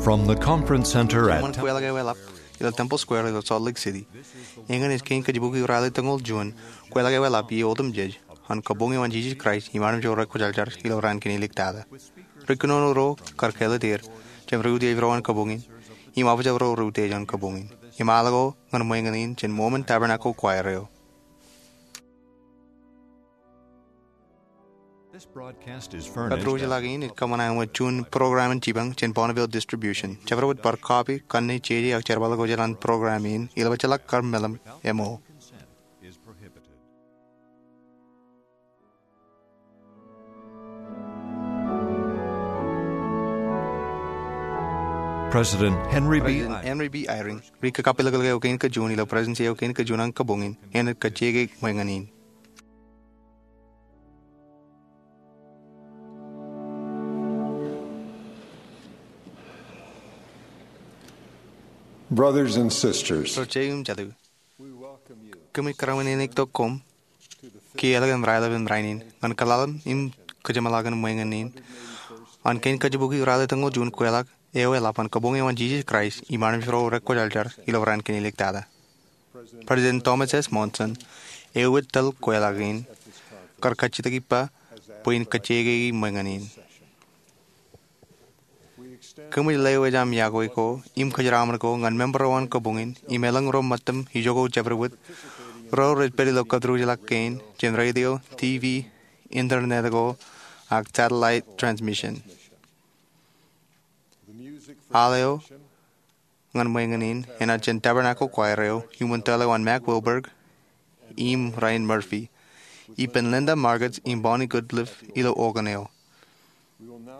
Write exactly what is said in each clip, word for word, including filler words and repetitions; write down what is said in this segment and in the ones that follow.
From the conference center at Ṃōn kweilọk eo eḷap ilo Temple Square ilo Salt Lake City, eñin ej kein kajjibukwi ralitōñoul juon kweilọk eo eḷap ie otemjej an kabuñ eo an Jisōs Kraist im armej ro rekwōjarjar ilo raan kein iliktata. Ri kōnono ro kar kāālōt er jān ri utiej ro an kabuñ in im aujab ro ri utiej an kabuñ in. Im al ko ñan ṃweiñin in jān Mormon Tabernacle Choir eo. This broadcast is furnished. Kōtḷọk in ej kōṃṃan āinwōt juon program in jipañ jān Bonneville Distribution. Jabdewōt bar copy, kanne, jeje ak jerbal ko jān program in ilo bajjek kar meḷeḷe ṃōk. President Henry B. President Eyring. Henry B. Eyring, ri kakappilōklōk eo kein kajuon ilo Presidency eo kein kajuon an kabuñ in, enaaj kajjioñ ṃweiñin in. Brothers and sisters, Ro jeḷā im jatū, kōmij kōrā in eñin tok koṃ kiiō ḷọk im raelep im rainin ñan kōḷḷaḷḷap im kōjeṃḷọkin ṃweiñin in an kein kajjibukwi ralitōñoul juon kweilọk eo eḷap an kabuñ eo an Jisōs Kraist im armej ro rekwōjarjar ilo raan kein iliktata. President Thomas S. Monson eo ej tōl kweilọk in kar kajjitōk ippa bwe in kajjioñ ṃweiñin in. Kōmij lewōj aṃ iọkwe ko im kōjeraaṃṃan ko ñan member ro an kabuñ in im elōñ ro ṃōttan ijoko jabdewōt ro rej pād ilo kōtḷọk kein jān radio, T V, internet ko, ak satellite transmission. Al eo ñan ṃweiñin in enaaj jān Tabernacle Choir eo iuṃwin tōl eo an Mack Wilberg im Ryan Murphy, ippān Linda Margetts im Bonnie Goodliff ilo organ eo.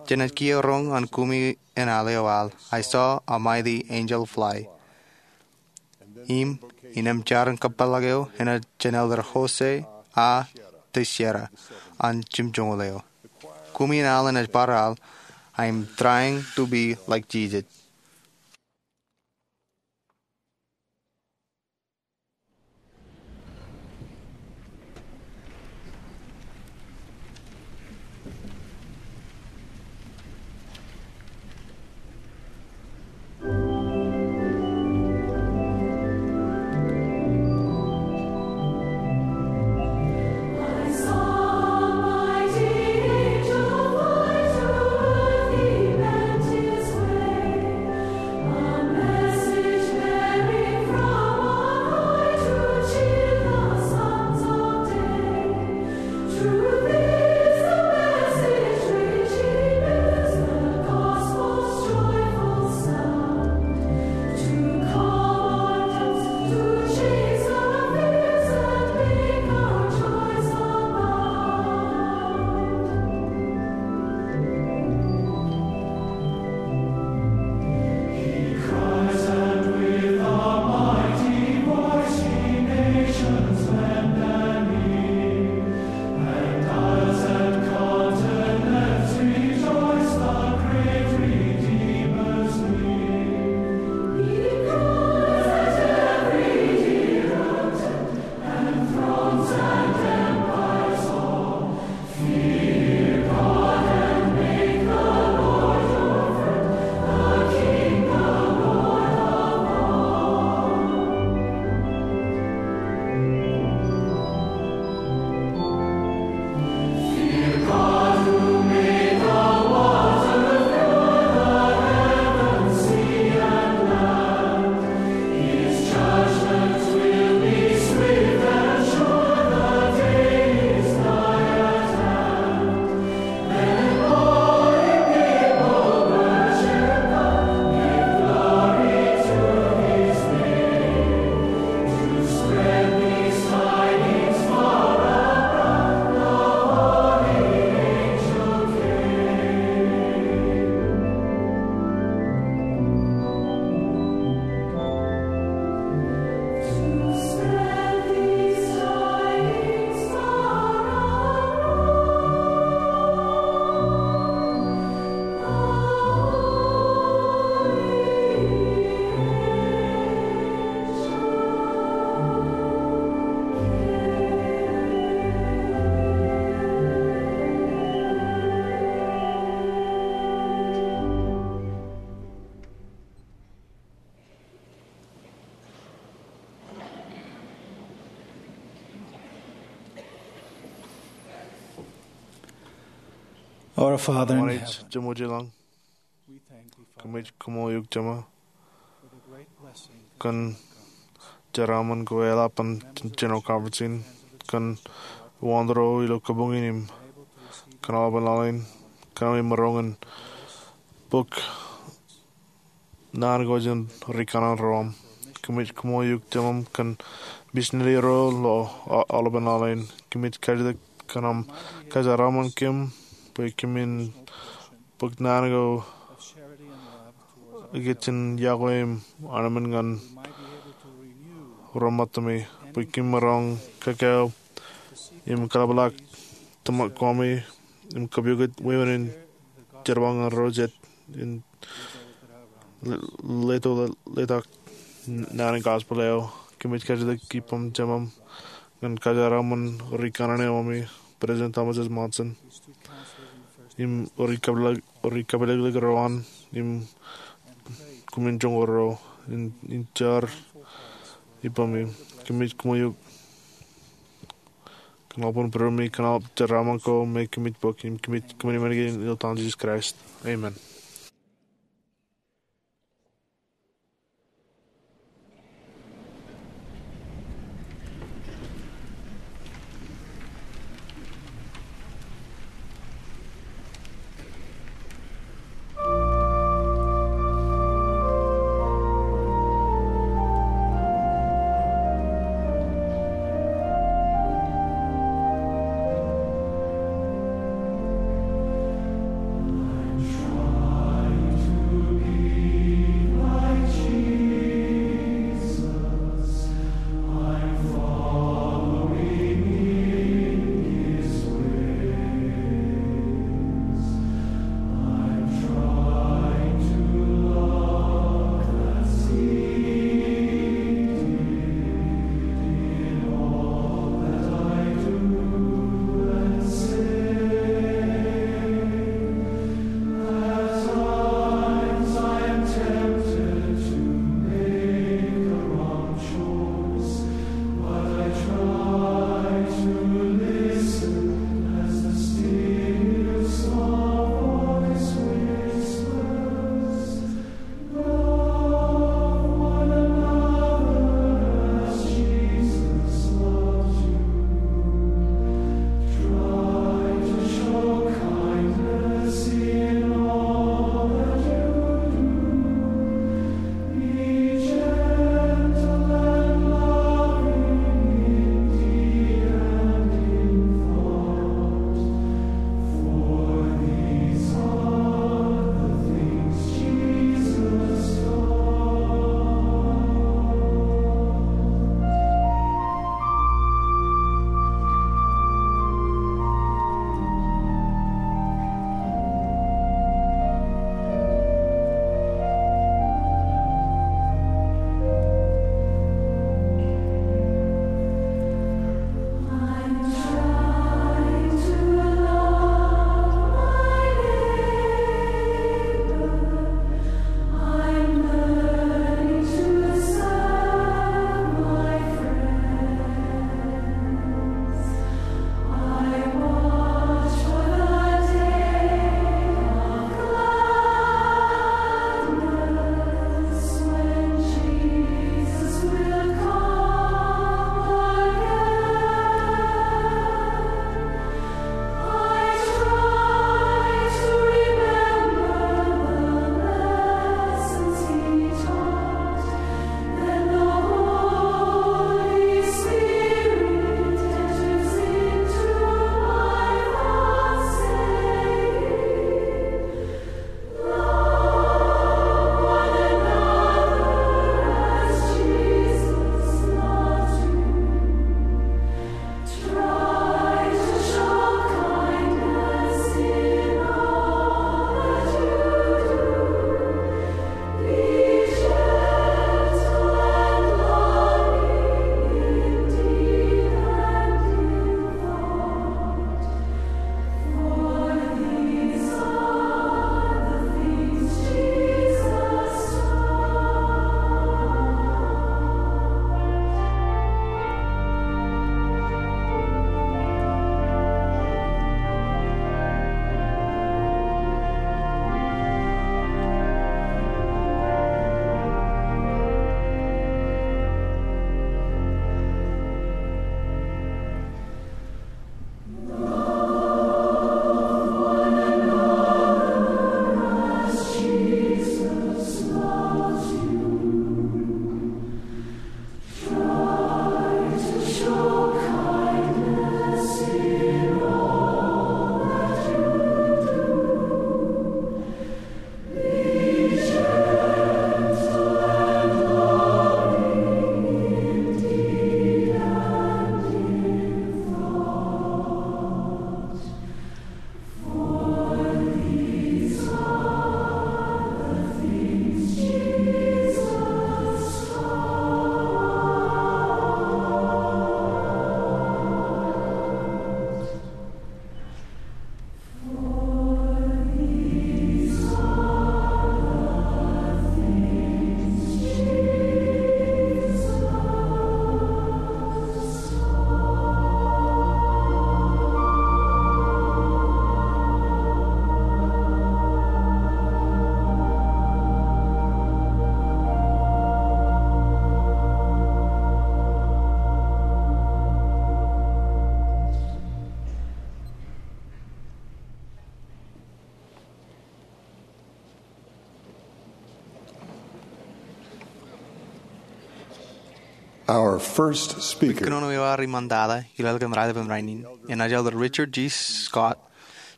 Jenaaj kiiō roñ an kumi en al eo al I Saw a Mighty Angel Fly. Im innem jar in kōpeḷḷọk eo enaaj jān Elder Jose A. Teixeira an jimjuonñoul eo. Kumi en al enaaj bar al, I'm Trying to Be Like Jesus. Our Father in heaven, Jemwōj ilañ, we thank thee, Father, kōmij kaṃṃoolol eok Jema, for the great blessing kōn jeraaṃṃan ko eḷap an General Conference in, kōn wōn ro ilo kabuñ in im kōn aolepān laḷ in, kōn ami maroñ in bōk naan ko jān ri kanaan ro aṃ. Kōmij kaṃṃoolol eok Jemām kōn misineri ro ilo a-, aolepān laḷ in. Kōmij kajjitōk kōn aṃ kōjeraaṃṃan kōm bwe kōmin bōk naan ko ikijjien iọkwe im armej ñan ro ṃōttami bwe kōm maroñ kōkā im kaḷapḷọk tōmak ko ami im kōpooj wāween in jerbal ñan ro jet in le-, leto le-, letok naan in gospel eo. Kōmij kajjitōk ippaṃ Jemām ñan kōjeraaṃṃan ri kanaan eo ami, President Thomas S. Monson, im ri kapeḷḷọk, ri kapeḷḷọk ro an, im kōmin joñoul ro in, in jar ippaṃ. Kōmij kaṃṃoolol eok kōn aolepān būruemi, kōn aolep jeraaṃṃan ko me kōmij bōk, im kōmij kaṃṃoolol eok ilo etan Jisōs Kraist. Amen. Our first speaker. Kōnono eo ad iṃaantata ilo ḷalem raelep in rainin enaaj Elder Richard G. Scott,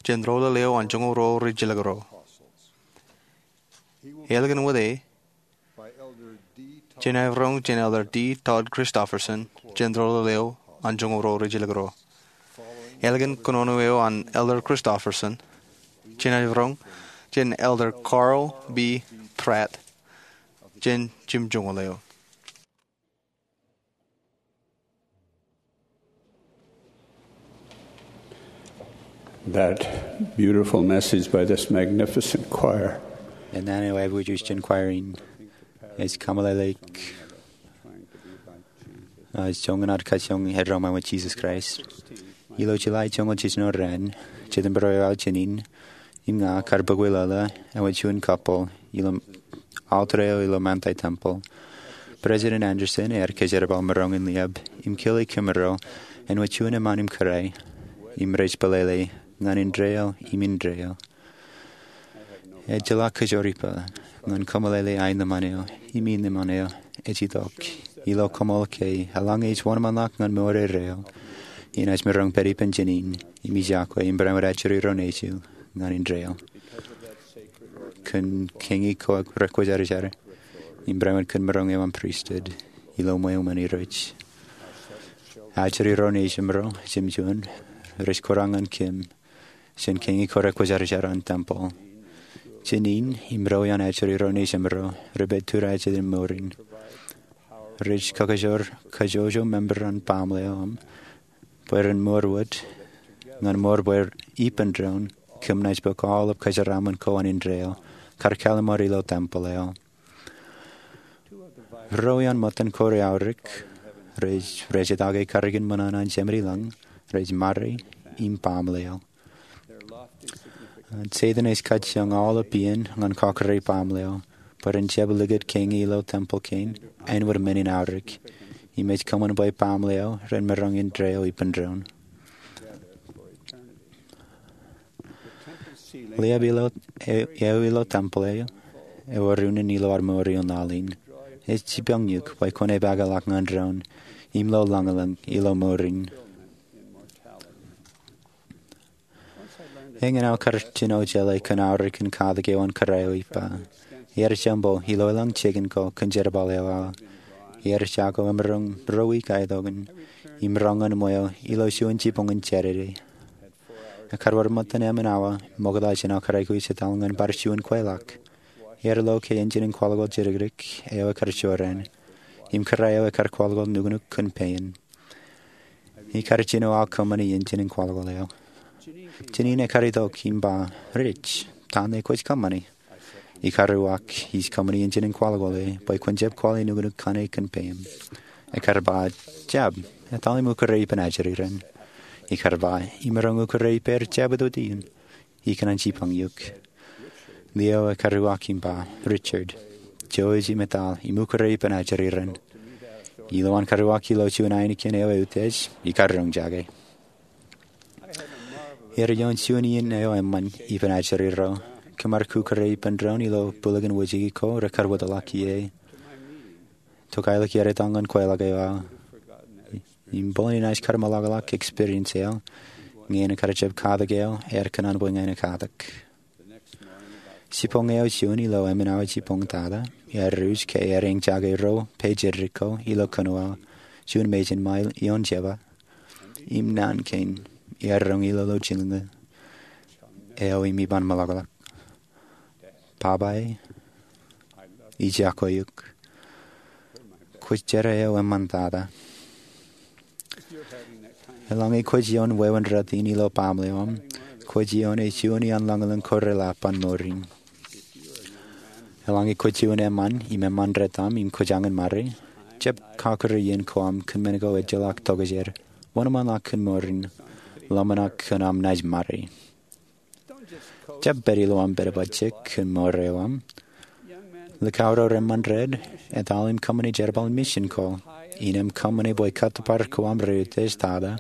jān ro lōḷ eo an joñoul ruo rijilōk ruo. Eḷap kōn wōt e, jenaaj roñ jān Elder D. Todd Christofferson, jān ro lōḷ eo an joñoul ruo rijilōk ruo. Eḷap kōn kōnono eo an Elder Christofferson, jenaaj roñ jān Elder Carl B. Pratt, jān jimjuonñoul eo. That beautiful message by this magnificent choir. Naan eo aikuj jān choir in ej kōmeḷeḷeik, uh, joñan ad kajjioñ eddo ṃae wōt Jesus Christ. Ilo July joñoul jiljino raan, September eo aō jānin, im ña kar bōk wōt lale eo juon couple ilo altar eo ilo Manti Temple. President Andersen ear kōjerbal maroñ in liab im kile kōmro āinwōt juon eṃṃan im kōrā, im rej pālele ñan indeeo im indeeo. Ejjeḷọk kōjro ippān ñan kōmeḷeḷe aenōṃṃan eo im inōṃṃan eo ej itok ilo koṃṃool ke eḷaññe ej wōnṃaanḷọk ñan mour erreo, inaaj maroñ pād ippān jānin im ijako im barāinwōt ajri ro nejū ñan indeeo. Kōn keñi ko rekwōjarjar im barāinwōt kōn maroñ eo aṃ pristut ilo ṃweo ṃōn Irooj, ajri ro nejūṃro jemjuon rej kūrọk ñan kōm jān keñi ko rekwōjarjar an tempeḷ. Jānin im ro ioon ajri ro nejūṃro rej pād tūrā jān mour in. Rej kakajoor kajjojo member an baaṃle eo aṃ bwe ren mour wōt ñan mour bwe ippān doon kōm naaj bōk aolep kōjeraaṃṃan ko an indeeo kar kalimar ilo tempeḷ eo. Ro ioon ṃōttan ko rej aorōk, rej, rej jitake karreoin ṃōṇōṇō an Jemān ilañ, rej ṃare im baaṃle eo. Setan ej kajjioñ aolep iien ñan kọkkure baaṃle eo bwe ren jab likūt keñi ilo tempeḷ kein āinwōt men in aorōk, im ej kōṃṃan bwe baaṃle eo ren maroñ indeeo ippān doon. Liab eo ilo tempeḷ eo, ewōr unin ilo ad mour ioon laḷ in. Ej jibboñōk bwe kwōn epaakḷọk ñan doon im lo lañlōñ ilo mour in. Eñin aō kar jino jeḷā kōn aorōk in katak eo an kōrā eo ippa. Ear jembo ilo elōñ jikin ko kōn jerbal eo aō. Ear jako emaroñ ruo wiik aetokan im roñ ñan ṃweo ilo juon jibboñin Jādede. Ekar wōr ṃōttan emān awa ṃokta jān aō kar aikuj etal ñan bar juon kweilọk. Ear lo ke enjin in kwaḷọkwaḷ jidikdik eo ekar jorrāān im kōrā eo ekar kwaḷọkwaḷ nuknuk kōn pein. Ikar jino aō kōṃṃani enjin in kwaḷọkwaḷ eo. Jānin ekar itok im ba, "Rich, ta ṇe kwōj kōṃṃani?" Ikar uwaak, "Ij kōṃṃani enjin in kwaḷọkwaḷ e bwe kwōn jab kwaḷe nuknuk kaṇe kōn peim." Ekar ba, "Jab, etal im ukōre ippān ajri ren." Ikar ba, "Imaroñ ukōre ippāer jab itoitan?" Ikōṇaan jibboñ eok. Lio ekar uwaak im ba, "Richard, jouj im etal im ukōre ippān ajri ren. Ilowaan kar uwaak ilo juon ainikien eo eutiej, ikar roñjake." Ear ioon juon iien eo eṃṃan ippān ajri ro. Kōm ar kukōre ippān doon ilo bwilikōn wōjke ko rekar wōtlọk ie. Tok aelōñ ear etal ñan kweilọk eo aō. Im bōlen inaaj kar meḷọkḷọk experience eo, ñe en kar jab katak eo, ear kōṇaan bwe ña en katak. Jibboñ eo juon ilo emān awa jibboñ tata, ear uj ke ear eñjake ruo pejed ko ilo kōnono aō, juon mejān mail ioon jebba. Im naan kein, ear roñ ilo lọjilñō eo im iban meḷọkḷọk. "Papa e, ij jako eok. Kwōj jerā eo eṃṃan tata." Eḷaññe kwōj ioon wāween rot in ilo baaṃle eo aṃ, kwōj ioon e juon iaan lañlōñ ko reḷap an mour in. Eḷaññe kwōj juon eṃṃan im eṃṃan rot aṃ im kwōj jañin ṃare, jab kakūr iien ko aṃ kōn men ko ejjeḷọk tokjān. Wōnṃaanḷọk kōn mour in. Ḷōmṇak kōn aṃ naaj ṃare. Jab pād ilo aṃ pād bajjek kōn mour eo aṃ. Likao ro reṃṃan red, etal im kōṃṃani jerbal in mission ko. Innām kōṃṃani bwe kōttōpar ko aṃ reutiej tata,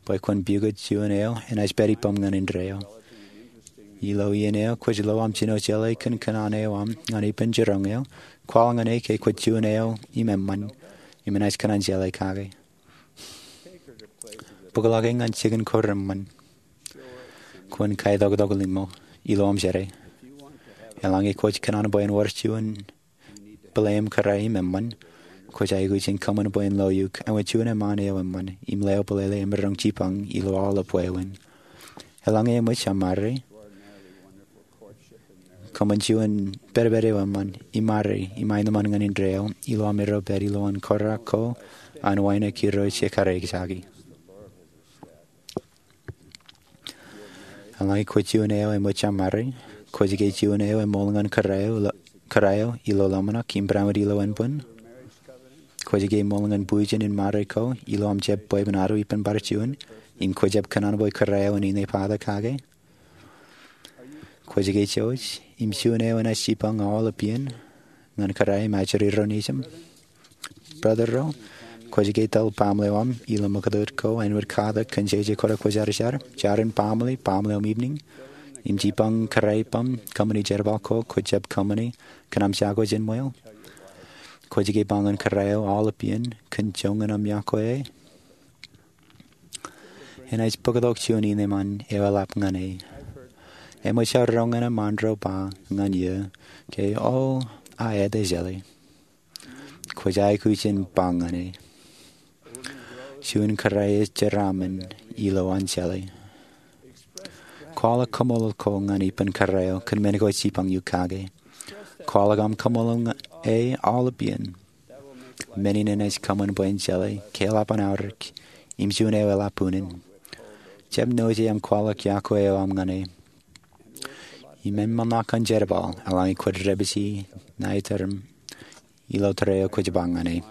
bwe kwōn pukot juon eo enaaj pād ippaṃ ñan indeeo. Ilo iien eo kwōj lo aṃ jino jeḷā kōn kōṇaan eo aṃ ñan ippān jiroñ eo, kwaḷọk ñan e ke kwōj juon eo im eṃṃan. im enaaj kōṇaan jeḷā kake. Bōkḷọk e ñan jikin ko reṃṃan. Kwōn kaitoktok limo ilo aṃ jere. Eḷaññe kwōj kōṇaan bwe en wōr juon bōle im kōrā im eṃṃan, kwōj aikuj in kōṃṃan bwe en lo eok āinwōt juon eṃṃaan eo eṃṃan im lewōj bōlele emaroñ jipañ ilo aolep wāween. Eḷaññe eṃōj aṃ ṃare, kōṃṃan juon pedped eo eṃṃan im ṃare im aenōṃṃan ñan indeeo ilo aṃ erro pād ilowaan kōrā ko an wānōk irooj ekkar eñjake. Eḷaññe kwōj juon eo eṃōj aṃ ṃare, kwōj ke juon eo eṃool ñan kōrā eo ilo ḷōmṇak im barāinwōt ilo enbwin? Kwōj ke ṃool ñan bujen in ṃare ko ilo aṃ jab bwebwenato ippān bar juon im kwōjab kōṇaan bwe kōrā eo en inepata kake? Kwōj ke jouj im juon eo enaaj jipañ aolep iien ñan kōrā im ajri ro nejūṃ? Brother ro, kwōj ke tōl baaṃle eo aṃ ilo ṃōkōtōt ko āinwōt katak kōn jeje kōrā kwōjarjar, jar in baaṃle, baaṃle eo im evening, im jipañ kōrā eo aṃ kōṃṃani jerbal ko kwōjab kōṃṃani kōn aṃ jako jān ṃweo? Kwōj ke ba ñan kōrā eo aolep iien kōn joñan aṃ yokwe e? Enaaj bōktok juon ineeṃṃan eo eḷap ñan e. Eṃōj aō roñan eṃṃaan ro ba ñan eō ke, o, a ete jeḷā. Kwōj aikuj in ba ñan e, juon kōrā eo jeraaṃṃan ilo an jeḷā. Kwaḷọk kaṃṃoolol ko ñan ippān kōrā eo kōn men ko jipañ eok kake. Kwaḷọk aṃ kaṃṃoolol ñan e aolep iien. Men in enaaj kōṃṃan bwe en jeḷā ke eḷap an aorōk im juon eo eḷap unin. Jab noje aṃ kwaḷọk yokwe eo aṃ ñan e im eṃṃan ḷọk an jerbal eḷaññe kwōj dāpiji ṇa iterim ilo tōre eo kwōj ba ñan e.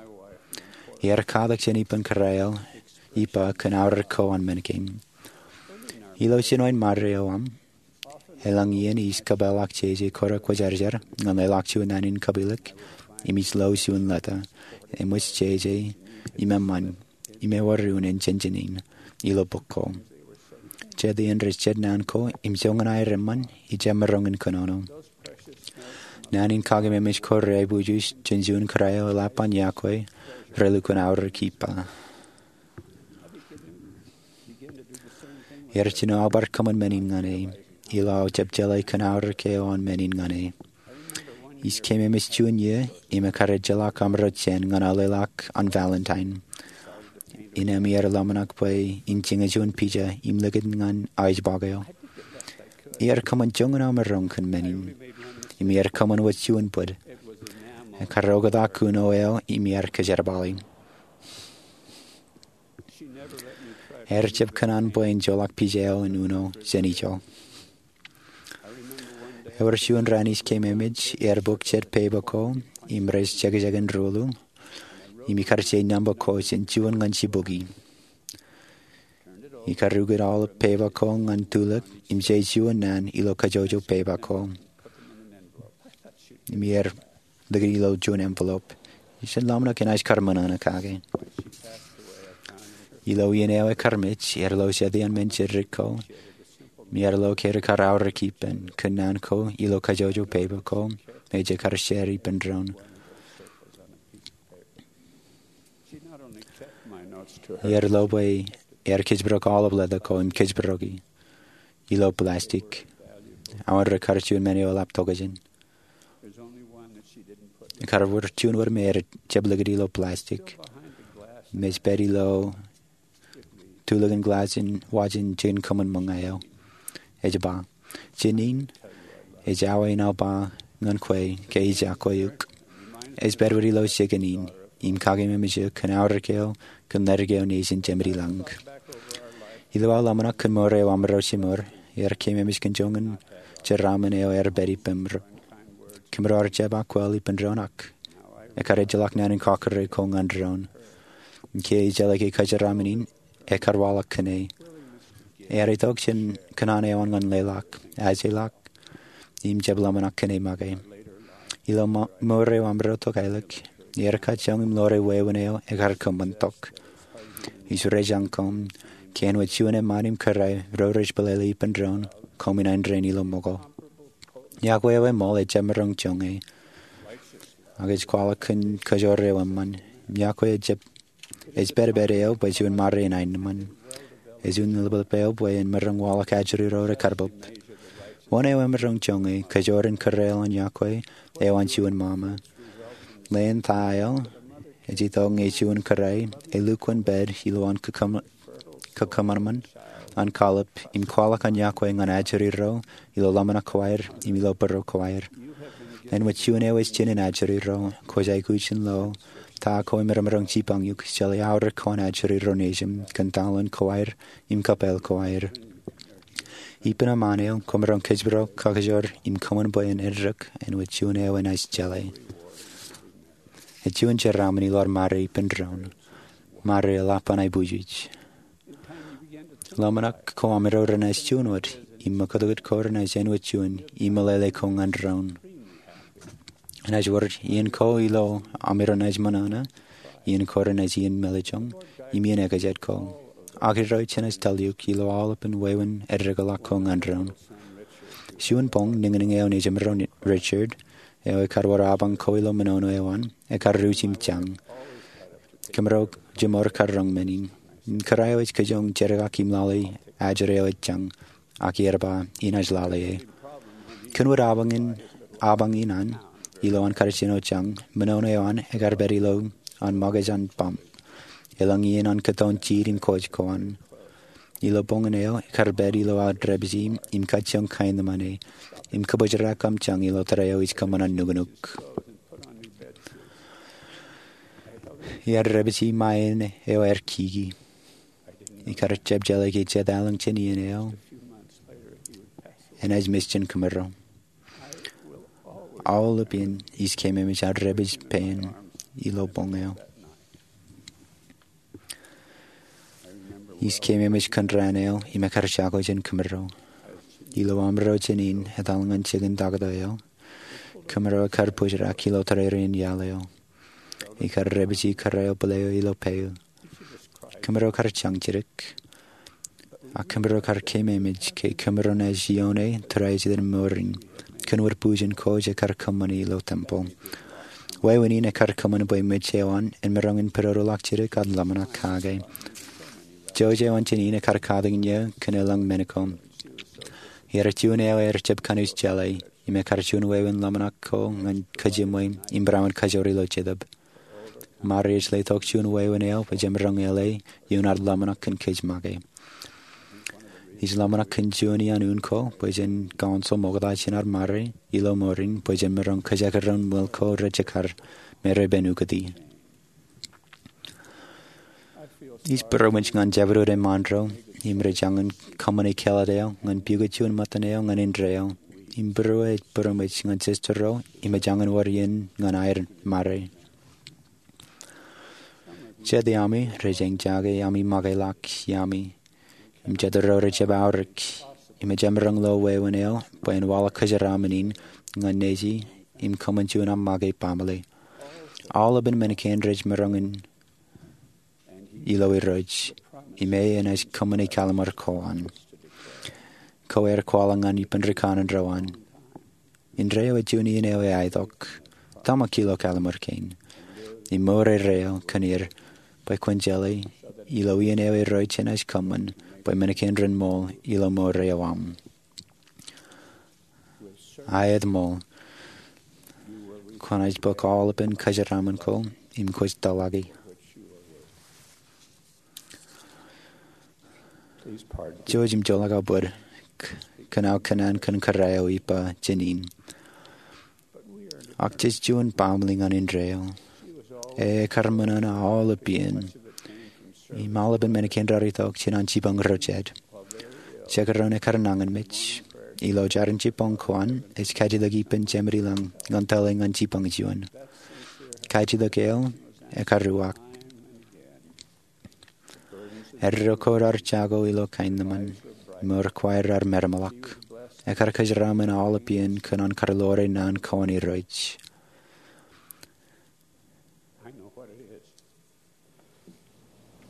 Iar katak jān ippān kōrā eo ippa kōn aorōk ko an men kein. Ilo jinoin ṃare eo aṃ, elōñ iien ij kōpeḷḷọk jeje kōrā kwōjarjar ñan leḷọk juon naan in kapilōk im ij lo juon leta. Eṃōj jeje im eṃṃan im ewōr unin jān jān in ilo bok ko. Jet iien rej jet naan ko im joñan aer eṃṃan ij jab maroñ in kōnono. Naan in kakememej ko reaiboojoj jān juon kōrā eo eḷap an yokwe relukkuun aorōk ippa. Iar jino aō bar kōṃṃan men in ñan e ilo aō jab jeḷā kōn aorōk eo an men in ñan e. Ij keememej juon iiō im ekkar ejjeḷọk amro jān ñan aō leḷọk an Valentine. Innem iar ḷōmṇak bwe in jiñe juon pija im likūt ñan aō ijbọk eo. Iar kōṃṃan joñan aō maroñ kōn men in im iar kōṃṃan wōt juon bōd. Ekkar oktak uno eo im iar kōjerbali. Ear jab kōṇaan bwe in joḷọk pija eo in uno jān ijo. Ewōr juon raan ij keememej ear bōk jet pepa ko im rej jekjek in ruḷu im ikar je nōṃba ko jān juon ñan jibukwi. Ikar ukōt aolep pepa ko ñan tulōk im je juon naan ilo kajjojo pepa ko im iar likūt ilo juon envelope. Ij ḷōmṇak enaaj kar ṃōṇōṇō kake. Ilo iien eo ekar mej ear lo jet iaan men jiddik ko im ear lo ke rekar aorōk ippān kōn naan ko ilo kajjojo pepa ko me ej kar share ippān doon. Ear lo bwe ear kōjparok aolep leta ko im kōjparoki ilo plastic. Aō rekar juon men eo eḷap tokjān. Ekar wōr juon wōt me ear jab likūt ilo plastic. Im ej pād ilo tulōkin glass in wajin jikin kōṃṃan ṃōñā eo. Ej ba, jān in, ej awa in aō ba ñan kwe ke ij yokwe eok. Ej pād wōt ilo jikin in im kakememej eok kōn aorōk eo kōn ledik eo nejin Jemedilọñōk. Ilo aō ḷōmṇak kōn mour eo amro jimor, ear keememej kōn joñan jeraaṃṃan eo ear pād ippān ro. Kōmro ar jab akwāāl ippān doon ak ekar ejjeḷọk naan in kọkkure ko ñan doon. Ke ejjeḷọk ke kajeraaṃṃan in ekar waḷọk kōn e, ear itok jān kōṇaan eo an ñan leḷọk, ajeḷọk, im jab ḷōmṇak kōn e make. Ilo mour eo amro tokālik, ear kajjoñ im ḷoore wāween eo ekar kōṃṃan tok. Ij rejañ koṃ ke āinwōt juon eṃṃaan im kōrā ro rej bōlele ippān doon, koṃ inaaj rein ilo ṃōko. Yokwe eo eṃool ejab maroñ joñe, ak ej kwaḷọk kōn kajoor eo eṃṃan. Im iọkwe ej pād, ej pād eo bwe juon ṃare in aenōṃṃan. Ej juon ḷapḷap eo bwe en maroñ waḷọk ajri ro rekar bōb. Wōn eo emaroñ joñe kōjro in kōrā ḷọk iọkwe eo an juon ṃaṃa. Ḷeeṇ ta eo ej itok ñe juon kōrā elukkuun pād ilowaan kōṃanṃan an kallib im kwaḷọk an iọkwe ñan ajri ro ilo ḷōmṇak ko aer im ilo bōro ko aer. Āinwōt juon eo ej jinen ajri ro, kwōj aikuj in lo ta ko emaroñ jipañ eok, jeḷā aorōk ko an ajri ro nejim kōn taḷoon ko aer im kōpāl ko aer. Ippān eṃṃan eo, kwōmaroñ kōjparok, kakajoor im kōṃṃan bwe en eddek āinwōt juon eo enaaj jeḷā. Ej juon jeraaṃṃan ilo ad ṃare ippān doon, ṃare eḷap an aebwijwij. Ḷōmṇak ko amiro renaaj juon wōt, im ṃōkūtkūt ko renaaj āinwōt juon, im meḷeḷe ko ñan doon. Enaaj wōr iien ko ilo amiro naaj ṃōṇōṇō, iien ko renaaj iien mālōtlōt, im iien ekajet ko. Ak Irooj enaaj tōl eok ilo aolepān wāween eddekḷọk ko ñan doon. Juon boñ, niñniñ eo nejimro, Richard, eo ekar wōr apañ ko ilo ṃōṇōṇō eo an, ekar ruj im jañ. Kōmro jiṃor kar roñ men in. Im kōrā eo ej kōjoñ jedik im lale ajri eo ej jañ. Ak iar ba, inaaj lale e. Kōn wōt apañ in, apañ in an, ilowaan kar jino jañ, ṃōṇōṇō eo an ekar pād ilowaan ṃōkaj an pump. Elōñ iien an kōttoon jiid im kōj ko an. Ilo boñin eo, ekar pād ilo aō dāpiji, im kajjioñ kaenōṃṃane, im kōbōjrak kōm jañ ilo tōre eo ij kōṃṃan an nuknuk. Iar dāpiji ṃae eo aer kiki. Ikar jab jeḷā ke jet aelōñ jān iien eo enaaj mej jān kōmro. Aolepān ij keememej aō dāpij pein ilo boñ eo. Ij keememej kōn raan eo im ekar jako jān kōmro. Ilo amro jān in etal ñan jikin taktō eo, kōmro ekar bōjrak ilo tōrerein iaḷ eo. Ikar dāpiji kōrā eo bōl eo ilo pālle. Kōmro kar jañ jidik. Ak kōmro kar keememej ke kōmro naaj ioone tōre eo jet mour in. Kōn wōt bujen ko ekar kōṃṃane ilo tempeḷ. Wāween in ekar kōṃṃan bwe mej eo an en maroñ in pedodoḷọk jidik ad ḷōmṇak kake. Jouj eo an jān in ekar katakin eō kōn elōñ men ko. Iar juon eo ear jab kanooj jeḷā. Im ekar juon wāween ḷōmṇak ko ñan kōjimwe im barāinwōt kajoor ilo jetōb. Ṃare ej letok juon wāween eo bwe jemaroñ eḷe ioon ad ḷōmṇak kōn kōj make. Ij ḷōmṇak kōn juon iaan un ko bwe jen counsel ṃokta jān ad ṃare ilo mour in bwe jen maroñ kōjekdọọn ṃwil ko rejekar me repen ukōti. Ij būroṃōj ñan jabdewōt eṃṃaan ro im rej jañin kōṃṃane kāālōt eo ñan pukot juon ṃōttan eo ñan indeeo. Im būruō ej būroṃōj ñan sister ro im ej jañin wōr iien ñan aer ṃare. Jet iaami rej eñjake ami make ḷọk iaami. Im jet ro rej jab aorōk im ej jemaroñ lo wāween eo bwe en waḷọk kōjeraaṃṃan in ñan neji im kōṃṃan juon aṃ make baaṃle. Aolepān men kein rej maroñ in ilo Irooj, im e enaaj kōṃṃane kallim̧ur ko an. Ko aer kwaḷọk ñan ippān rikaṇan ro an. Indeeo ej juon iien eo eaetok. Tōmak ilo kallim̧ur kein im mour erreo kōn er bwe kwōn jeḷā ilo iien eo Irooj enaaj kōṃṃan bwe men kein ren ṃool ilo mour eo aṃ. Aet ṃool. Kwōnaaj bōk aolepān kōjeraaṃṃan ko im kwōj tōlaki. Jouj im joḷọk aō bōd kōn aō kōnnaan kōn kōrā eo ippa jān in. Ak jej juon baaṃle ñan indeeo. E ekar ṃōṇōṇō aolepān im aolepān men kein raar itok jān an jipañ ro jet. Jekdọọn ekar nañinmej. Ilo jeraṇ jibboñ ko an ej kajjitōk ippān Jemedlañ ñan tōl e ñan jipañ juon. Kajjitōk eo ekar uwaak. Eddo ko raar jako ilo kaenōṃṃan. Mour ko aer raar metemḷọk. Ekar kōjeraaṃṃan aolepān kōn an kar ḷoore naan ko an Irooj.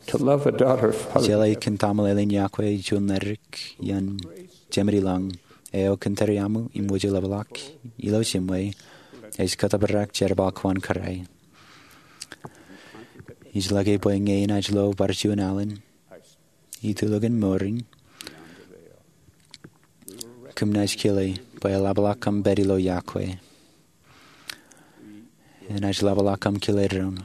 Jeḷā kōn tamale ḷein iọkwe juon ledik iaan Jemedlañ eo kōn tōre aṃ im wōjḷapḷọk ilo jiṃwe ej kōttōprak jerbal ko an kōrā. Ij lōke bwe ñe enaaj lo bar juon alen itulokin mour in, kōm naaj kile bwe eḷapḷọk kōm pād ilo yokwe. Enaaj ḷapḷọk kōm kile doon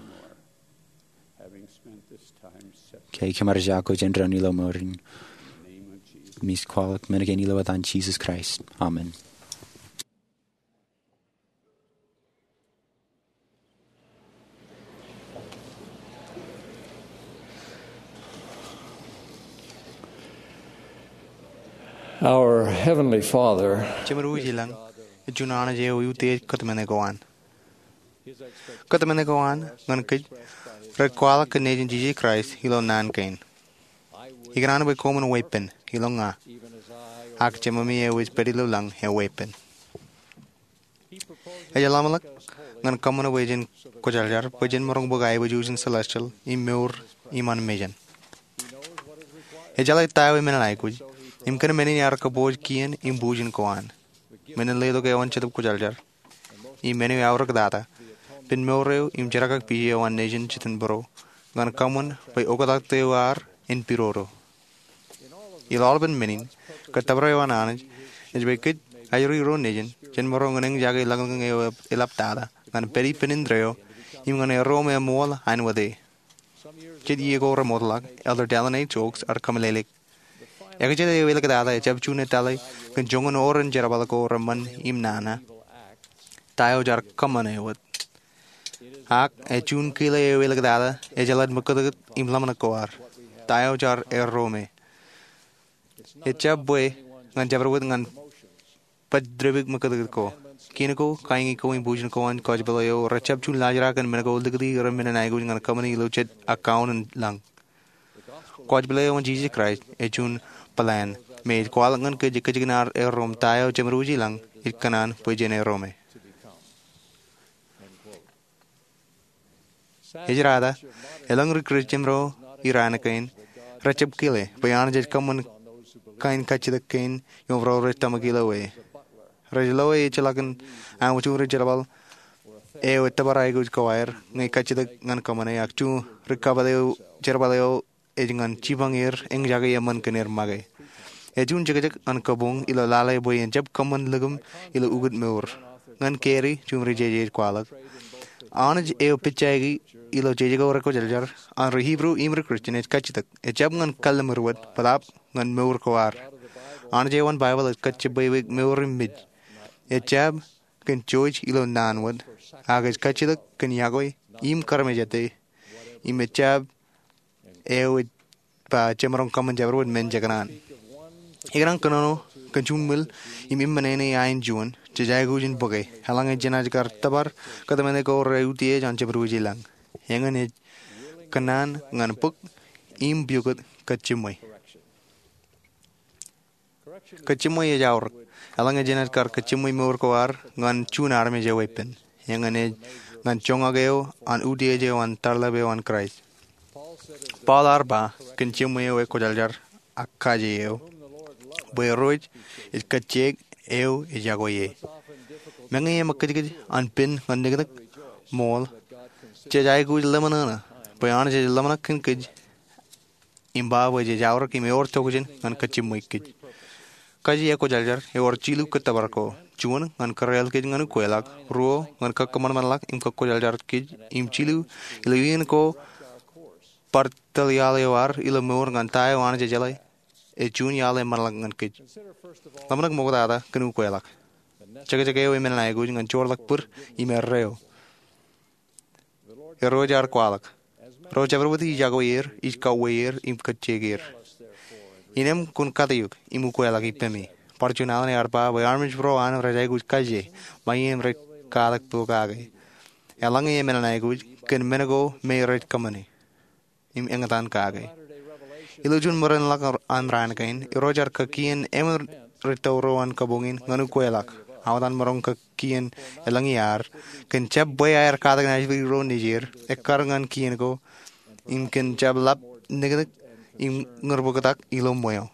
ke kōm ar jako jān doon ilo mour in. Im ij kwaḷọk men kein ilo etan Jisōs Kraist, amen. Our Heavenly Father, Jemedwōj ilañ, ej juon Anij eo eutiej kōtmāne ko an. Kōtmāne ko an ñan kōj rej kwaḷọk kōn Nejin Jisōs Kraist ilo naan kein. Ikōṇaan bwe koṃwin weeppān ilo ña, ak Jememi eo ej pād ilo lañ eweeppān. Ej ḷōmṇak ñan kōṃṃan bwe jen kwōjarjar bwe jen maroñ bōk aiboojoj in celestial im mour iṃaan mejān. Ej jeḷā ta eo enaaj aikuj im kōn men in ear kōpooj kien im bujen ko an. Men in letok eoon Jetōb Kwōjarjar im men eo eaorōk tata, pen mour eo im jerkakpeje eo an Nejin jitōnbōro ñan kōṃṃan bwe oktak eo ad en pidodo. Ilo aolepān men in, kōttōpar eo an Anij ej bwe kōj aer ro nejin, jen maroñ in eñjake lañlōñ eo eḷap tata ñan pād ippān indeeo im ñan erro me eṃool ainikien. Jet iiō ko remootḷọk, Elder Dallin H. Oaks ear kōmeḷeḷeik, ekjel eo āliktata ejjab juon ettā kōn joñan oren jerbal ko reṃṃan im nana, ta eo jaar kōṃṃane wōt. Ak ej juon kile eo āliktata ejjeḷọk ṃōkūtkūt im ḷōmṇak ko ad, ta eo jaar erro me. Ejjab bwe ñan jabdewōt ñan bōk dāpdik ṃōkūtkūt ko. Kien ko, kaiñi ko im bujen ko an kwōj pālle eo rejjab juon laajrak kōn men ko likūti ren men in aikuj ñan kōṃṃani ilo jet account in lañ. Kwōj pālle eo an Jisōs Kraist ej juon plan me ej kwaḷọk ñan kōj kajjien ad erro im ta eo Jemedwōj ilañ ej kōṇaan bwe jen erro me. Ejirata, elōñ ri-Kūrjin ro iraan kein rejjab kile bwe Anij ej kōṃṃan kain kajjitōk kein im ro rej tōmak ilo e. Rej lo e ejjeḷọkin aṃ juon ri-jerbal eo ettōpar aikuj ko aer ñe kajjitōk ñan kōṃṃane, ak juon ri-jerbal eo ej ñan jipañ er, eñjake eṃṃan kōn er make. Ej juon jekjek an kabuñ ilo lale bwe en jab kōṃṃan likūṃ ilo ukōt mour. Ñan Gary, juon ri-jeje ej kwaḷọk, Anij eo pejjaiki ilo jeje ko rekwōjarjar an ri-Hibru im ri-Kūrjin ej kajjitōk, ejjab ñan kalliṃur wōt, bōtaab ñan mour ko ad. Anij eo an Baibōḷ ej kajjitōk bwe mour im mej. Ejjab kōn jouj ilo naan wōt, ak ej kajjitōk kōn yokwe im karmejate. Im ejjab eo ej ba jemaroñ kōṃṃan jabdewōt men jekōṇaan. Ikōṇaan kōnono kōn juon ṃwiel im eṃṃan āne ain juon jej aikuj in bōke eḷaññe jenaaj kar tōpar kōtmāne ko reutiej an Jemedwōj ilañ. Eñin ej kōnono ñan bōk im piukot kajjiṃwe. Kajjiṃwe ej aorōk eḷaññe jenaaj kar kajjiṃwe mour ko ad ñan juon armej eweeppān. Eñin ej ñan joñak eo an utiej eo an tarḷap eo an Kraist. Paul ear ba kōn jiṃwe eo ekwōjarjar ak kaje eo, bwe Irooj ej kajjitōk eo ej yokwe e. Meñe eṃōkajkaj an pen ñan niknik ṃool, jej aikuj ḷōmṇak bwe Anij ej ḷōmṇak kōn kōj im ba bwe jej aorōk im ewōr tokjān ñan kajjiṃwe kōj. Kaje ekwōjarjar ewōr jilu kōttōpar ko. Juon, ñan kōrreal kōj ñan ukweḷọk. Ruo, ñan kakkōṃanṃanḷọk im kakwōjarjar kōj. Im jilu, ilo iien ko bar tōl iaḷ eo ad ilo mour ñan ta eo Anij ej jeḷā ej juon iaḷ eṃṃanḷọk ñan kōj. Ḷōmṇak ṃoktata kōn ukweḷọk. Jekjek eo eṃṃan aikuj ñan joorḷọk bōd im erreo. Irooj ear kwaḷọk, ro jabdewōt ij yokwe er, ij kauwe er im kajjitōk er. Innām kwōn kataik im ukweḷọk ippemi. Bar juon alen ear ba bwe armej ro an rej aikuj kaje, ṃae im rej katak pokake eḷaññe eṃṃan aikuj kōn men ko me rej kōṃṃane im eñtaan kake. Ilo juon ṃōrāinḷọk an raan kein, Irooj ear kōkien emān ri-tōl ro an kabuñ in ñan ukweḷọk. Aō etan maroñ kōkien elōñ iaad kōn jab bwe aer katak naajdik ro nejier, ekkar ñan kien ko, im kōn jab ḷap niknik im ñūrbōktak ilo ṃweo.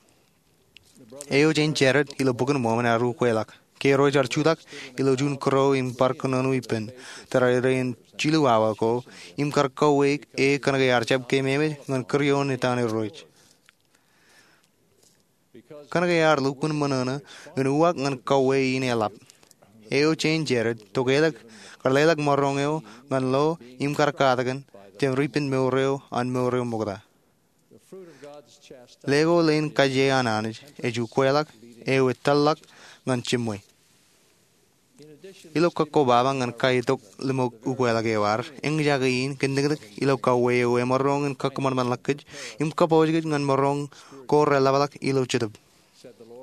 Eo jān Jared ilo Bok in Mormon ear ukweḷọk. Ke Irooj ear jutak ilo juon kūro im bar kōnono ippān tōre in jilu awa ko, im kar kauwe e kōnke ear jab keememej ñan kūr ioon etan Irooj. Kōnke ear lukkuun ṃōṇōṇō in uwaak ñan kauwe in eḷap, eo Jane Jarrett tokeḷọk kar leḷọk maroñ eo ñan lo im kar katakin jān ripen mour eo an mour eo ṃokta. Leko leen kajjie an Anij ej ukweḷọk eo etōllọk ñan jiṃwe. Ilo kakkobaba ñan kaitok limok ukweḷọk eo, ear eñjake in kōn niknik ilo kauwe eo emaroñ in kakōṃanṃanḷọk kōj im kōpooj kōj ñan maroñ ko reḷapḷọk ilo jetōb.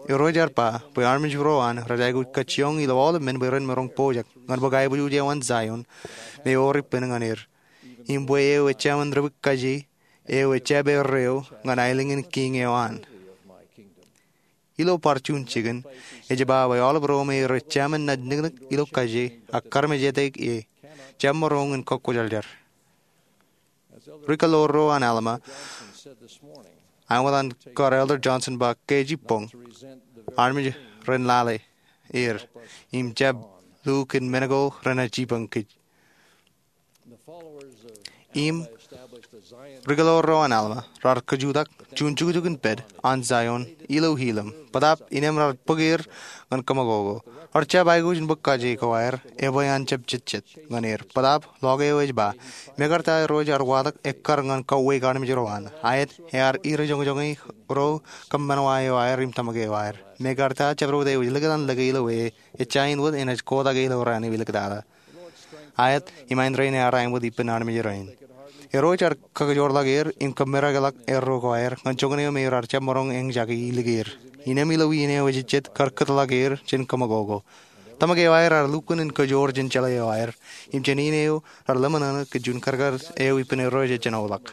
Irooj ear ba bwe armej ro an rej aikuj kajjioñ ilo aolep men bwe ren maroñ pojak ñan bōk aiboojoj eo an Zion me ewōr ippān ñan er, im bwe eo ejāmin ri-bōk kajjie eo ejab erreo ñan aelōñ in kiiñ eo an. Ilo bar juon jikin ej ba bwe aolep ro me rej jāmin naaj niknik ilo kajjie ak karmejete e, jab maroñ in kọkkwojarjar. Ri-kōḷḷoor ro an Alma, āinwōt an kar Elder Johnson ba ke ej ippọñ, armej ren lale er im jab lukkuun men ko renaaj jipañ kōj. Im ri-kōḷḷoor ro an Alma raar kajutak juon jukjuk in pād an Zion ilo Helam, bōtaab innem raar bōk er ñan kōṃakoko. Raar jab aikuj in bōk kajjie ko aer, ebwe an jab jetjet ñan er. Bōtaab ḷọk eo ej ba, mekarta Irooj ear watōk ekkar ñan kauwe armej ro an, aet, ear irijoñjoñe ro kōṃṃan wa eo aer im tōmak eo aer. Mekarta jabdewōt eo ej likūt an lōke ilo e, ejja in wōt enaaj kotak e ilo raan eo iliktata. Aet, imaindein ear aṃ wōt ippān armej rein. Irooj ear kajoorḷọk er im kōmmerakḷọk erro ko aer ñan joñan eo me raar jab maroñ eñjake ilikier. Innem ilo iien eo ejejjet kar kōtḷọk er jān kōṃakoko. Tōmak eo aer ear lukkuun in kajoor jān jeḷā eo aer im jān iien eo raar ḷōmṇōṇō kōn juon karkar eo ippān Irooj ej jenoḷọk.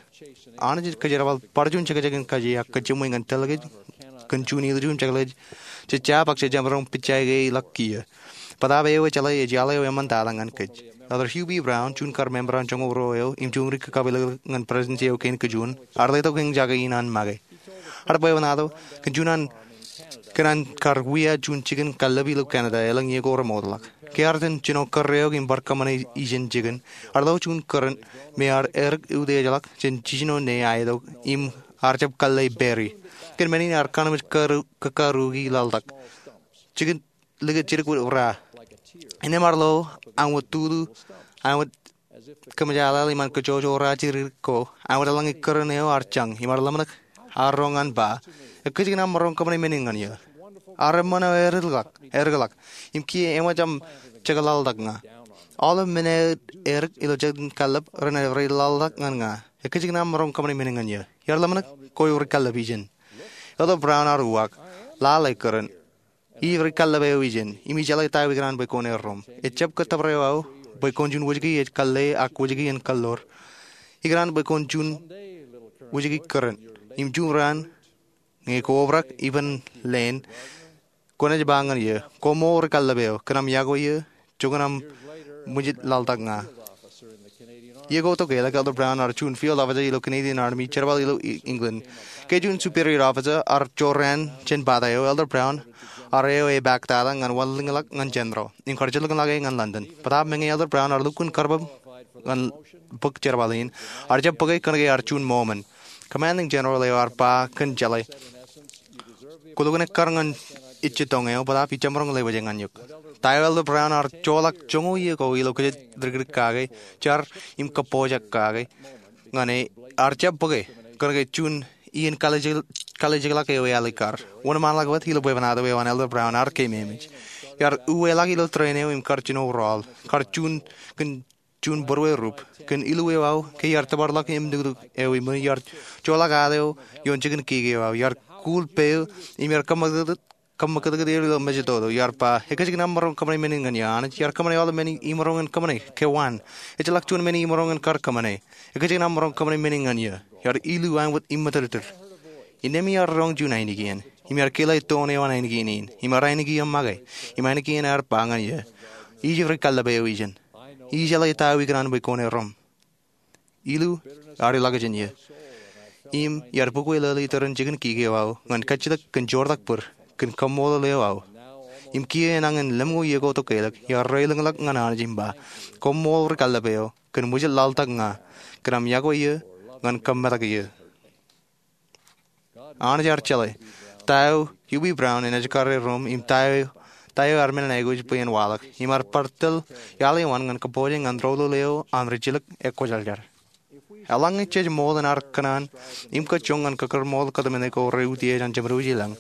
Anij ej kōjerbal bar juon jekjek in kajjie ak kōjiṃwe ñan tōl kōj kōn juon ilju im jekḷaj jej jab ak jej jab maroñ pijjaike ḷọk kiiō. Bōtaab eo ejeḷā ej iaḷ eo eṃṃantata ñan kōj. Elder Hugh B. Brown, juon kar member an joñoul ruo eo im juon ri-kakapeḷḷọk ñan Presidential eo kein kajuon, ear letok eñjake in an make. Ear bwebwenato kōn juon an kōn an kar wia juon jikin kallib ilo Canada elōñ iiō ko remootḷọk. Ke ear itōn jino kōrreoik im bar kōṃṃane ijeṇ jikin, ear lo juon kūrōn me ear edik utiejḷọk jān jiljino ne aetok im ear jab kalle berry. Kōn men in ear kōnooj kōkkaruki laḷtak. Jikin likūt jidik wōt ra. Innem ear lo āinwōt tulu, āinwōt kōmjālālō iṃaan kōjojora jidik ko, āinwōt eḷaññe kūrōn eo ear jañ, im ear ḷōmṇak, ear roñ an ba, ekkejjek in aṃ maroñ kōṃṃane men in ñan eō. Ear eṃṃan eo edik ḷọk, edik ḷọk, im kiiō eṃōj aṃ jekḷaḷtak ña. Aolep men eo edik ilo jikin kallib renaaj ri laḷtak ñan ña. Ekkejjek in aṃ maroñ kōṃṃane men in ñan eō. Iar ḷōmṇak, kwe ri kallib ijeṇ. Elder Brown ear uwaak, lale kūrōn. Ij ri kallib eo ijeṇ, im ijeḷā ta eo ikōṇaan bwe kwōn erro im. Ejjab kōttōpar eo aō bwe kwōn juon wōjke ej kalle ak wōjke en kōḷḷoor. Ikōṇaan bwe kwōn juon wōjke kūrōn. Im juon raan, ñe kwō obrak ippān leen, kwōnaaj ba ñan eō, koṃṃool ri kallib eo, kōn aṃ yokwe eō, joñan aṃ ṃwijit laḷtak ña. Iiō ko tokālik, Elder Brown ear juon field officer ilo Canadian Army, jerbal ilo England. Ke juon superior officer ear jorrāān jān pata eo, Elder Brown ear eo epaak tata ñan wanlōñḷọk ñan general im kar jilkinḷọk e ñan London. Bōtaab meñe Elder Brown ear lukkuun karbōb ñan bōk jerbal in, ear jab bōke kōnke ear juon Mormon. Commanding general eo ear ba kōn jeḷā, kwōlukkuun ekkar ñan ejjitōñ eo, bōtaab ij jab maroñ lewōj eñin eok. Ta eo Elder Brown ear joḷọk joñoul iiō ko ilo kōjatdikdik kake, jar im kōppojak kake ñan e, ear jab bōke kōnke juon iien kalijekḷọk eo ealikkar. Wōnṃaanḷọk wōt ilo bwebwenato eo an Elder Brown ear keememej. Iar uweḷọk ilo tūreen eo im kar jino rọọl, kar juon kōn juon būruō rup kōn illu eo aō ke iar tōparḷọk im nuknuk eo im iar joḷọk ad eo ioon jikin kiki eo aō. Iar kuul peiū im iar kōṃṃakūtkūt er ilo mejatoto. Iar ba, ekkejjek in aṃ maroñ kōṃṃane men in ñan eō, Anij. Iar kōṃṃane aolep men in maroñ in kōṃṃane, ke waan. Ejjeḷọk juon men in maroñ in kar kōṃṃane. Ekkejjek in aṃ maroñ kōṃṃane men in ñan eō. Iar illu āinwōt iṃōtōttōr. Innām iar roñ juon ainikien, im iar kile toon eo an ainikien in, im ear ainikien make, im ainikien ear ba ñan eō, ij ri kallib eo ijeṇ. Ij jeḷā ta eo ikōṇaan bwe kwōn erro im. Illu ear ilọk jān eō. Im iar bōk lōḷ iturin jikin kiki eo aō ñan kajjitōk kōn joortak bōd kōn kaṃṃoolol eo aō. im kiiō enañin lemñoul iiō ko tok ke elōñ, iar reilōñḷọk ñan Anij im ba, Koṃṃool ri kallib eo, kōn ṃwijit laḷtak ña, kōn aṃ iọkwe eō ñan kōmmetak eō. Anij ear jeḷā ta eo Hubie Brown enaaj kar erom im ta eo ear men in aikuj bwe en waḷọk, im ear bar tōl iaḷ eo an ñan kōpooj ñan doulul eo an rijilōk ekwōjarjar. Eḷaññe jej ṃool in ar kōṇaan im kōjjoñ ñan kōkōrṃool kōtmāne ko reutiej an jemed wōj ilañ,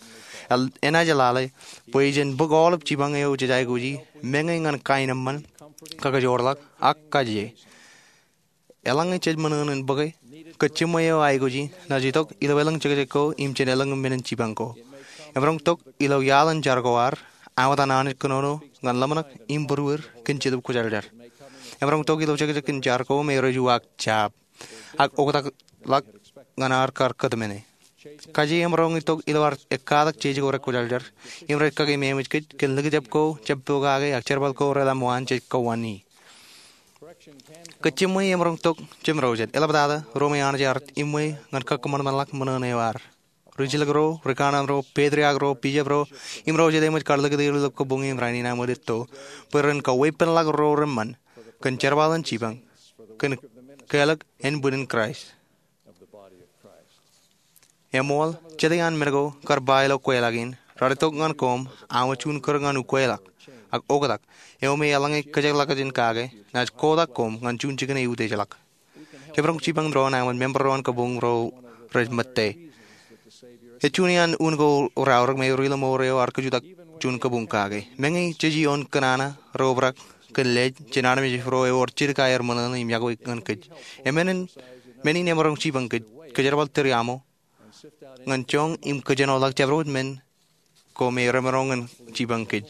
enaaj lale bwe jen bōk aolep jipañ eo jej aikuji, meñe ñan kain eṃṃan, kakajoorḷọk, ak kaje. Eḷaññe jej ṃōṇōṇō in bōke, kōjjiṃwe eo aikuji naaj itok ilo elōñ jekjek ko im jān elōñ men in jipañ ko. Emaroñ tok ilo iaḷ in jar ko ad, āinwōt an Anij kōnono ñan ḷōmṇak im būruod kōn Jetōb Kwōjarjar. Emaroñ tok ilo jekjek in jar ko me rej uwaak jab ak oktakḷọk ñan ad kar kōtmāne. Kaje emaroñ itok ilo ad ekkatak jeje ko rekwōjarjar, im rej kake memeej kōj kōn likjab ko jab pokake ak jerbal ko reḷap ṃaan jej kowaan ie. Kōjjiṃwe emaroñ tok jemdojet, eḷaptata ro me Anij ear iṃwe ñan kōkōṃanṃanḷọk ṃōṇōṇō eo ad. Rijilōk ro, rikaṇan ro, petriak ro, bishop ro, im ro jet eṃōj kar likūt er ilo kabuñ im rainin aṃ wōt etto, bwe ren kaweeppānḷọk ro reṃṃan kōn jerbal in jipañ kōn kālọk ānbwinnin Kraist. Eṃool, jet iaan men ko kar ba ilo kweilọk in, raar itok ñan koṃ aṃ juon kūr ñan ukweḷọk ak oktak eo me eḷaññe kōjekḷọkjeṇ kake, naaj kotak koṃ ñan juon jikin eutiejḷọk. Jemaroñ jipañ doon āinwōt member ro an kabuñ ro rej ṃōtte. Ej juon iaan un ko raorōk me ri-lọmọọr eo ar kajutak juon kabuñ kake. Meñe jej ioon kōṇaan ro obrak kōn lej jān armej ro ewōr jidik aer ṃōṇōṇō im iọkwe ñan kōj, men in emaroñ jipañ kōj, kōjerbal tūriaṃo ñan joñan im kōjenoḷọk jabdewōt men ko me remaroñ in jipañ kōj.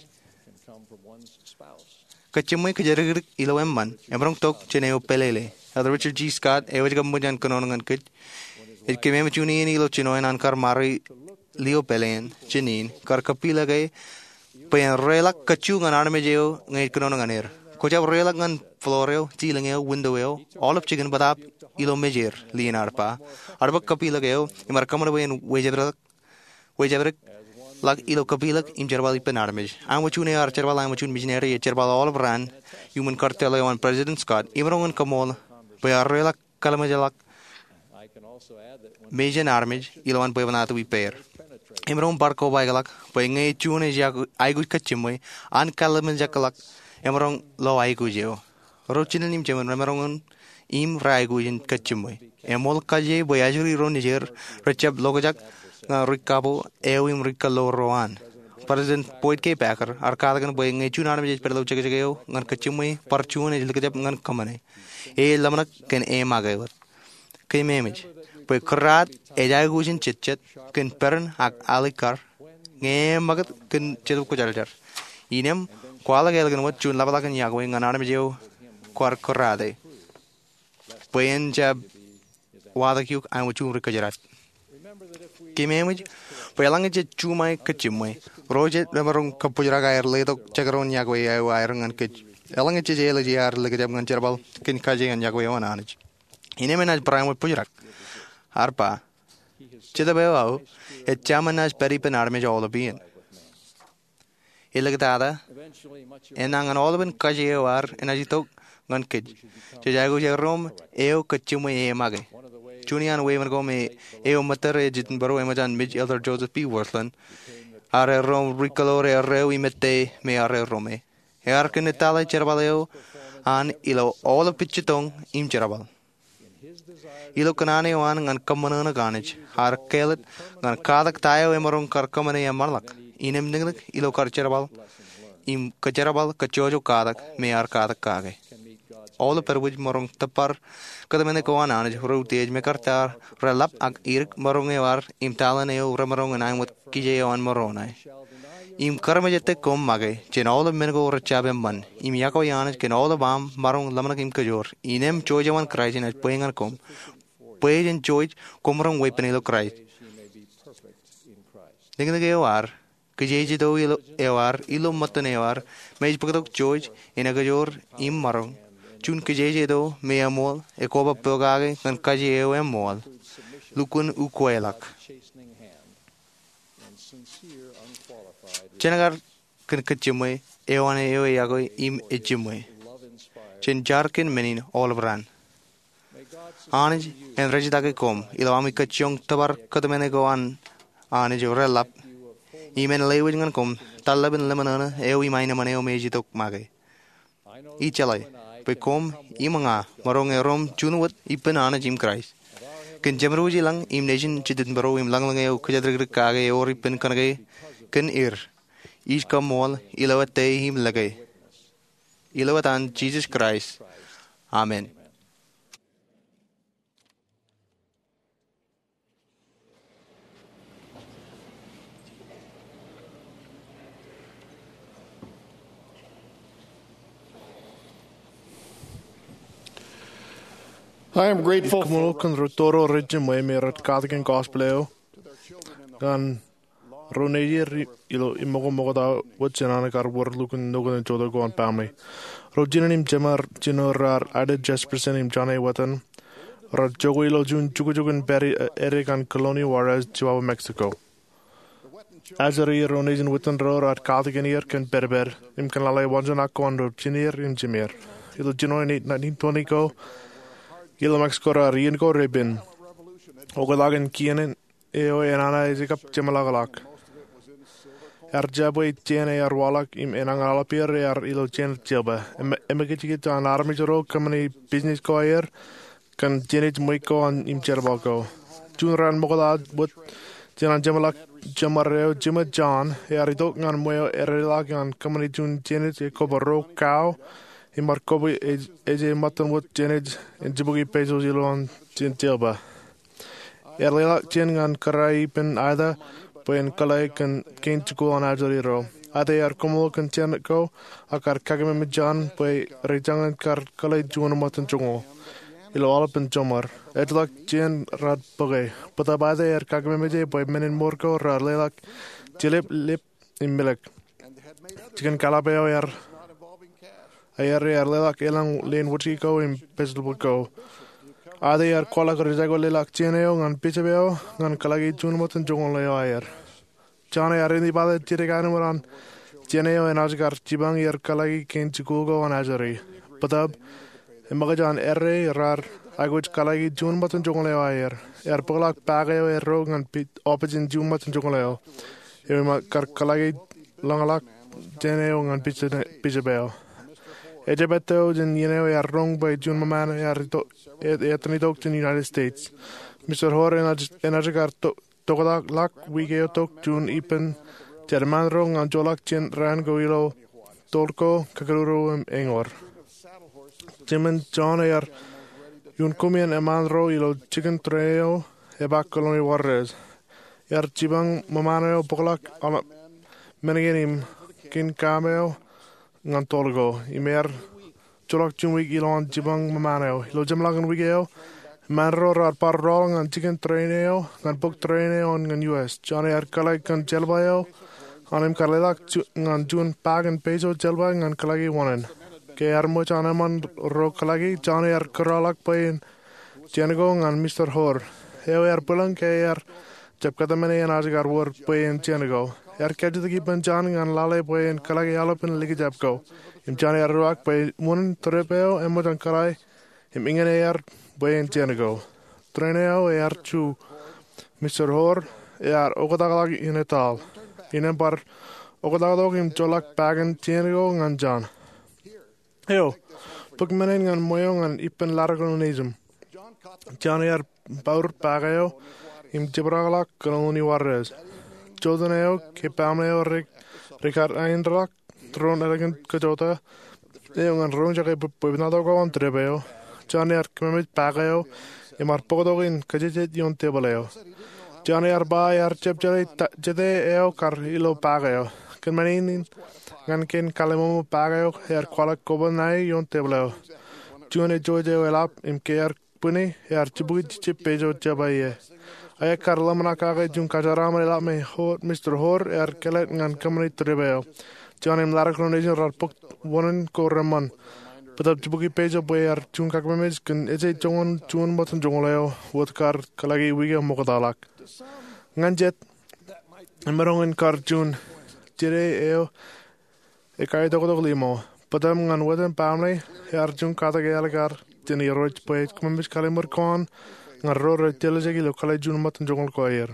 Kōjjiṃwe kōjatdikdik ilo eṃṃan, emaroñ tok jān eo pelele. Elder Richard G. Scott, eo ej kab ṃōj an kōnono ñan kōj, ej kememej juon iien ilo jinoin an kar ṃare lio pāleen jān in, kar kappilōk e bwe en reḷọk kajju ñan armej eo ñe ej kōnono ñan er. Kwō jab reḷọk ñan floor eo, ceiling eo, window eo, aolep jikin bōtaab ilo mej er, Lyon ear ba. Ear bōk kappilōk eo im ear kōṃṃan bwe en wejabdikḷọk ilo kappilōk im jerbal ippān armej. Āinwōt juon eo ear jerbal, āinwōt juon misineri ej jerbal aolep raan iuṃwin kar tōl eo an President Scott, emaroñ in kaṃool bwe ear reḷọk kōḷmānjeḷọk mej jān armej ilowaan bwebwenato ippāer. Emaroñ bar kobaikḷọk bwe ñe juon ej aikuj kōjjiṃwe, an kōḷmānjeḷọk emaroñ lo aikuj eo. Ro jinen im jemān remaroñ in im reaikuj in kōjjiṃwe. Eṃool kaje bwe ajri ro nejier rejjab lokjak ñan ri kapo eo im ri kōḷḷoor ro an. President Boyd K. Packer ear katakin bwe ñe juon armej ej pād ilo jekjek eo ñan kōjjiṃwe, bar juon ej likjab ñan kōṃṃane. E ej ḷōmṇak kōn e make wōt. Kōmeemej bwe kōrraat ej aikuj in jetjet kōn peran ak alikkar ñe e ṃakūt kōn Jetōb Kwōjarjar. Innām kwaḷọk ālikin wōt juon ḷapḷọk in iọkwe ñan armej eo kwaar kōrraate bwe en jab watōk eok āinwōt juon ri kōjdat. Kōmeemej bwe eḷaññe jej juṃae kōjjiṃwe, ro jet remaroñ kōbōjrak aer letok jekdọọn iọkwe eo aer ñan kōj. Eḷaññe jej ālije, ear likjab ñan jerbal kōn kaje an iọkwe eo an Anij. Innām enaaj barāinwōt bōjrak. Ear ba, Jetōb eo aō ej jaṃō naaj pād ippān armej aolep iien. Eḷiktata, enañin aolepen kaje eo ad enaaj itok ñan kōj. Jej aikuj erom eo kōjjiṃwe e make. Juon iaan weeṃṃan ko me eo ṃōttad ej itok bwe eo eṃōj an mej, Elder Joseph B. Wirthlin, ear erom ri kōḷḷoor erreo im ettā me ear erome. Ear kōnnaan jerbal eo an ilo aolep pitjitōñ im jerbal. Ilo kōṇaan eo an ñan kōṃṃan eo an Anij, ear kāālōt ñan katak ta eo emaroñ kar kōṃṃane eṃṃanḷọk. Innām niknik ilo kar jerbal im kōjerbal kōjjojo katak me ear katak kake. Aolep edwōj maroñ tōpar kōtmāne ko an Anij reutiej me kar ta reḷap ak idik maroñ eo ad im taḷen eo remaroñ in aṃ wōt kije eo an Moroni. Im kōrmejāte koṃ make jān aolep men ko rejjab eṃṃan, im iọkwe Anij kōn aolep aṃ maroñ ḷōmṇak im kōjoor. Innām Jewōj eo an Kraist enaaj bwe ñan koṃ, bwe jen jewōj koṃ maroñ weeppān ilo Kraist. Niknik eo ad, kijejeto eo ad, ilo ṃōttan eo ad, me ej bōktok Jewōj en ekajoor im maroñ juon kijejeto me eṃool, ekoba pokake ñan kaje eo eṃool, lukkuun ukweḷọk. Jen kar kōn kōjjimwe eo an eo e yokwe im ejjimwe jān jar kōn men in aolep raan. Anij en rejjitōk koṃ ilo ami kōjjioñ tōpar kōtmāne ko an Anij reḷap im en lewōj ñan koṃ tarlepen lemñoṇe eo im aenōṃṃan eo me ej itok make. Ij jeḷā bwe koṃ im ña maroñ erom juon wōt ippān Anij im Kraist kōn Jemedwōj ilañ im Nejin Jitōnbōro im lañlōñ eo kōjatdikdik kake ewōr ippān kōnke kōn er ij kaṃṃool ilo ettā im lōke. Ilo etan Jisōs Kraist, amen. I am grateful for Ij kōṃṃool kōn ri tōro rej jiṃwe me rej katakin gospel eo ñan ro nejier ilo iṃōko ṃokta wōt jān an kar wōr lukkuun nokōn jotok ko an baaṃle. Ro jinen im jeṃar jino raar Ida Jesperson im John A. Whetten raar jokwe ilo juon jukjuk in pād ede ñan Coloni Juárez, Chihuahua, Mexico. Ajri ro nejin Whetten ro raar katakin er kōn pedped im kōn lale waanjoñak ko an ro jineer im jemeer. Ilo Jinoe nineteen twenty ko ilo Mexico raar iien ko repen oktak in kien eo enana ej kab jeṃḷọkḷọk. Ear jab bwe jān ear waḷọk im enañin aolep ier ear ilo jān jilpa. Emekijkij an armej ro kōṃṃane business ko aer kōn jān ṃweiuk ko an im jerbal ko. Juon raan ṃokta wōt jān an jeṃḷọk jeṃar eo, Jim John ear itok ñan ṃweo edeḷọk ñan kōṃṃane juon jān ej koba ruo kao im bar koba ej ej ṃōttan wōt jān ej en jibukwi pesos ilowaan jān jilpa. Ear leḷọk jān ñan kōrā ippān Ida bwe en kōḷḷā kōn kein jikuuḷ an ajri ro. Ida ear koṃṃool kōn jān ko ak kar kakeememej John bwe rej jañin kar kōḷḷā juon ṃōttan joñoul ilo aolepān jeṃar. Ejjeḷọk jān raar bōke. Bōtab Ida ear kakeememej e bwe men in mour ko raar leḷọk jelep, lep im milōk. Jikin kalap eo ear aer ear leḷọk elōñ leen wōjke ko im pejeḷ bōk ko. Ida ear kwaḷọk ri jako leḷọk jān eo ñan bishop eo ñan kōḷḷāki juon ṃōttan joñoul eo aer. John ear indepen jidik aenōṃṃan an jān eo enaaj kar jipañ er kōḷḷāki kein jikuuḷ ko an ajri. Bōtab eṃōkaj an errā raar aikuj kōḷḷāki juon ṃōttan joñoul eo aer. Ear bōkḷọk pak eo erro ñan pi- opiij in juon ṃōttan joñoul eo eo im kar kōḷḷāki lōñḷọk jān eo ñan bishop eo. Ejjab ettā eo jān iien eo ear roñ bwe juon ṃōṃaan ear itok, e- etan itok jān United States. Mister Hoare enaaj, enaaj kar to- toktakḷọk wiik eo tok juon ippān jān eṃṃaan ro ñan joḷọk jān raan ko ilo tōl ko kōkōrā im eñoul. Jim im John ear iuun koṃean eṃṃaan ro ilo jikin tren eo epaak Coloni Juárez. Ear jipañ ṃōṃaan eo bōkḷọk aolep men kein im kein kaṃ eo ñan tōl ko im ear joḷọk juon wiik ilowaan jipañ ṃōṃaan eo. Ilo jeṃḷọkin wiik eo, eṃṃaan ro raar bar rọọl ñan jikin tren eo ñan bōk tren eo an ñan U S. John ear kōḷḷā kōn jelpa eo an im kar leḷọk ñan juon paak in peso jelpa ñan kōḷḷāki wōṇāān. Ke ear ṃōj an eṃṃaan ro kōḷḷāki, John ear kōrọọlḷọk bwe en jān ko ñan Mister Hoare, eo ear bwilōñ ke ear jab kōtmāne enaaj kar wōr bwe en jān ko. Ear kajjitōk ippān John ñan lale bwe en kōḷḷāki aolepān likjab ko. Im John ear ruwaak bwe wūnin trip eo eṃōj an kōḷḷā im eñin ear bwe en jān ko. Tren eo ear ju. Mister Hoare ear oktakḷọk in etal. Im en bar oktakḷọk im joḷọk paak in jān ko ñan John. Eo, bōk men in ñan ṃweo ñan ippān ḷadik ro nejūṃ. John ear pour paak eo im jibdakḷọk Coloni Juárez. Jota eo ke baaṃle eo rej, rej kar aendeḷọk tūroon ālikin kōjota eo ñan roñjake bwe, bwebwenato ko an trip eo, John ear kōmemej paak eo im bar bōktok in kōjejjet ioon tepil eo. John ear ba ear jab jeḷā ta- jete eo kar ilo paak eo. Kōn men in ñan kein kallim̧oṃo paak eo ear kwaḷọk koba ṇae ioon tepil eo. Juon ejjeḷọk eo eḷap im ke ear bwini ear jibukwi jejjab peso jelpa ie. Aō kar ḷōmṇak kake juon kōjeraaṃṃan eḷap me Hoare, Mister Hoare ear kōlōt ñan kōṃṃani trip eo. John im ḷadik ro nejin raar bōk wūnin ko reṃṃan. Bōtab jibukwi peso bwe ear juon kakememej kōn ejjeḷọk juon ṃōttan joñoul eo wōt kar kōḷḷāki wiik eo ṃoktata ḷọk. Ñan jet, emaroñ in kar juon jete eo Ekkaitoktok limo. Bōtaab ñan wōt im baaṃle ear juon katak ealikkar jān Irooj bwe ej kōmemej kallimur ko an ñan ro rej tiljek ilo kōḷḷe juon ṃōttan joñoul ko aer.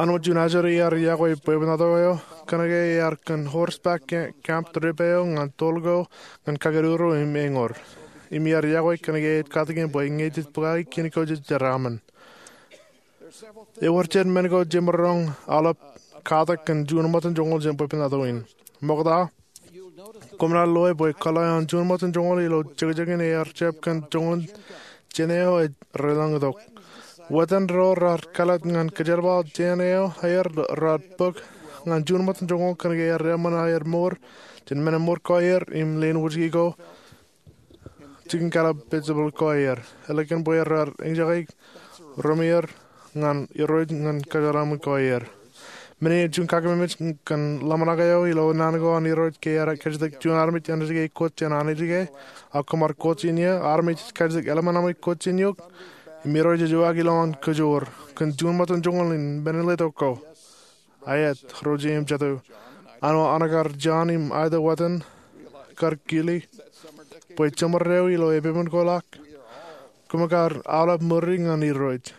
An wōt juon ajri ear iakwe bwebwenato eo, kōnke ear kōn horseback ca-, camp trip eo ñan toḷ ko ñan kakōdūro im eñour. Im ear iakwe kōnke ej katak in bwe ñe jej bōkaki kien ko jej jeraaṃṃan. Ewōr jet men ko jemaroñ aolep katak kōn juon ṃōttan joñoul jān bwebwenato in. Ṃokta, koṃ naaj loe bwe kōḷḷe an juon ṃōttan joñoul ilo jekjekin ear jab kōn joñoul jān eo ej reḷọñ itok. Wōt in ro raar kāālōt ñan kōjerbal jān eo aer raar bōk ñan juon ṃōttan joñoul kōnke ear eṃṃan aer mour jān men in mour ko aer im leen wūjki ko jikin kālōt pejepel ko aer. Ālikin bwe raar eñjake remeir ñan Irooj ñan kōjeraaṃṃan ko aer. Men in ej juon kakememej kōn ḷōmṇak eo ilo naan ko an Irooj ke ear kajjitōk juon armej āinwōt ke kwōj jān Anij ke, ak koṃ ar kwōj in eō, armej ej kajjitōk eḷmān aṃ kwōj jān eok, im Irooj ej uwaak ilowaan kōjoor kōn juon ṃōttan joñoul in men in letok ko. Aet, ro jeiū im jatū. An wōt ānōk ar John im Ida Whetten kar kile bwe jeṃor eo ilo epepen ko ḷọk, koṃ kar aolep ṃuri ñan Irooj.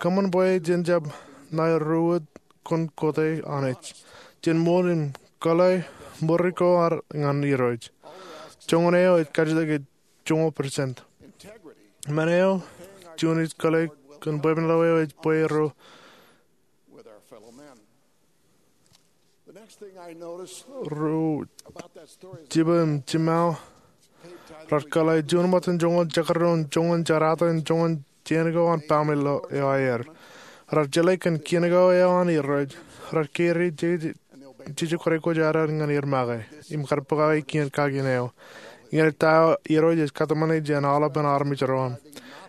Kōṃṃan bwe jen jab ṇae ruo wōt kōn kote Anij. Jen ṃool im kōḷḷe ṃuri ko ad ñan Irooj. Joñan eo ej kajjitōk ej joñoul percent. Men eo juon ij kōḷḷe kōn bwebwenato eo ej bwe ro ro jibwe im jiṃṃao raar kōḷḷe juon ṃōttan joñoul jekdọọn joñan jerata im joñan jān ko an baaṃle eo aer. Raar jeḷā kōn kien ko eo an Irooj. Raar kōrā jeje kwōj aer ñan er make im kar bōkaki kien kakien eo. Ñe ej ta eo Irooj ej kōtmāne jān aolepen armej ro aṃ.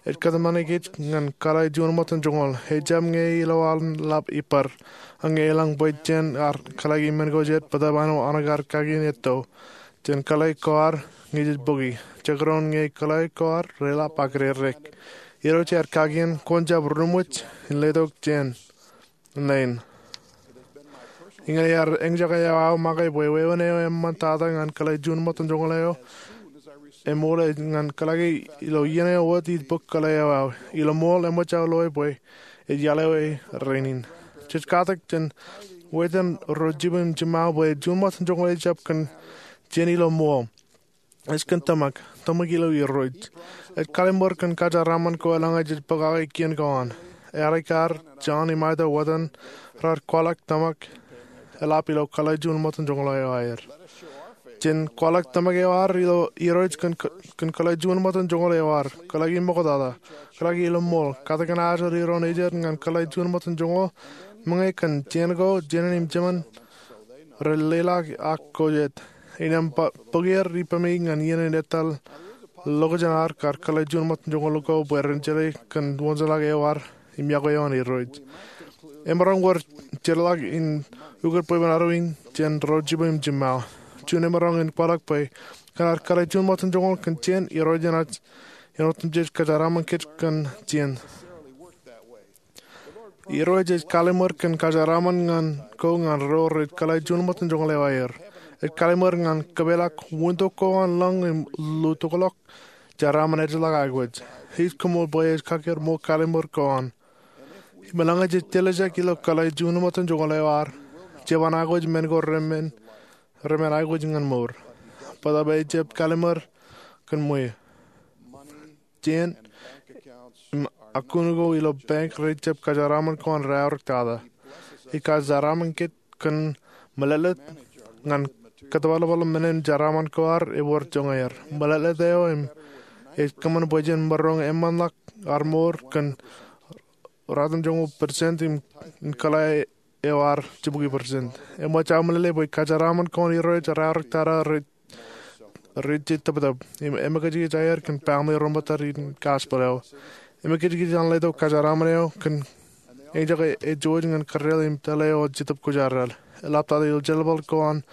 Ej kōtmāne kōj ñan kōḷḷe juon ṃōttan joñoul. Ejjab ñe ilo an lab ippād. Ak ñe elōñ bwe jen ar kōḷḷe men ko jet bōtaab an wōt ānōk ar kakien etto. Jen kōḷḷe ko ad ñe jej bōki. Jekdọọn ñe kōḷḷe ko ad reḷap ak redek. Irooj ear kakien kwōn jab ruṃwij in letok jān ṇe in. Iññā ear eñjake eo aō make bwe wāween eo eṃṃan tata ñan kōḷḷe juon ṃōttan joñoul eo eṃool ñan kōḷḷe ilo iien eo wōt ij bōk kōḷḷe eo aō. Ilo ṃool eṃōj aō loe bwe ej iaḷ eo e rainin. Jej katak jān wāween ro jibwe im jiṃṃao bwe juon ṃōttan joñoul ejjab kōn jān ilo ṃool. Ej kōn tōmak, tōmak ilo Irooj. Ej kallimur kōn kajeraaṃṃan ko eḷaññe jej bōkaki kien ko an. Ealikkar John im Ida Whetten raar kwaḷọk tōmak eḷap ilo kōḷḷe juon ṃōttan joñoul eo aer. Jen kwaḷọk tōmak eo ad ilo Irooj kōn, kōn kōḷḷe juon ṃōttan joñoul eo ad. Kōḷḷe ṃoktata. Kōḷḷe ilo ṃool. Katakin ajri doon ejjet ñan kōḷḷe juon ṃōttan joñoul. Meñe kōn jān ko, jān in im jemān rej leḷọk ak ko jet. Innām bōk er ippemi ñan iien in etal ḷọkjeṇ ad kar kōḷḷe juon ṃōttan joñoul ko bwe ren jeḷā kōn wōnṃaanḷọk eo ad im iọkwe eo an Irooj. Emaroñ wōr jeorḷọk in ukōt bwebwenato in jān ro jibwe im jiṃṃao. Juon emaroñ in kwaḷọk bwe kōn ad kōḷḷe juon ṃōttan joñoul kōn jān Irooj enaaj āinwōt im jej kajeraaṃṃan kōj kōn jān. Irooj ej kallimur kōn kajeraaṃṃan ñan ko ñan ro rej kōḷḷe juon ṃōttan joñoul eo aer. Ej kallimur ñan kōpeḷḷọk wūntok ko an lōñ im lutokḷọk jeraaṃṃan ejjeḷọk aikuj. Ij koṃṃool bwe ej kakkar ṃool kallimur ko an. Im eḷaññe jej tiljek ilo kōḷḷe juon ṃōttan joñoul eo ad, jeban aikuj men ko remen, remen aikuj ñan mour. Bōtaab ejjab kallimur kōn ṃweo. Jān im akun ko ilo bank rej jab kajeraaṃṃan ko an raorōk tata. Ej kajeraaṃṃan kōj kōn mālōtlōt ñan kōttōpar ḷapḷap men in jeraaṃṃan ko ad ewōr joñan er. Mālōtlōt eo im ej kōṃṃan bwe jen maroñ eṃṃanḷọk ad mour kōn ratimjuonñoul percent im, im kōḷḷe eo ad jibukwi percent. Eṃōj aō meḷeḷe bwe kajeraaṃṃan ko an Irooj raorōk tata rej rej jitōptōp im emekijkij aer kōn baaṃle ro ṃōttad in gospel eo. Emekijkij an letok kajeraaṃṃan eo kōn eñjake ej juon ñan kōrreal im tōl eo ej Jetōb Kwōjarjar. Eḷaptata ilo jeḷāḷọkjeṇ ko an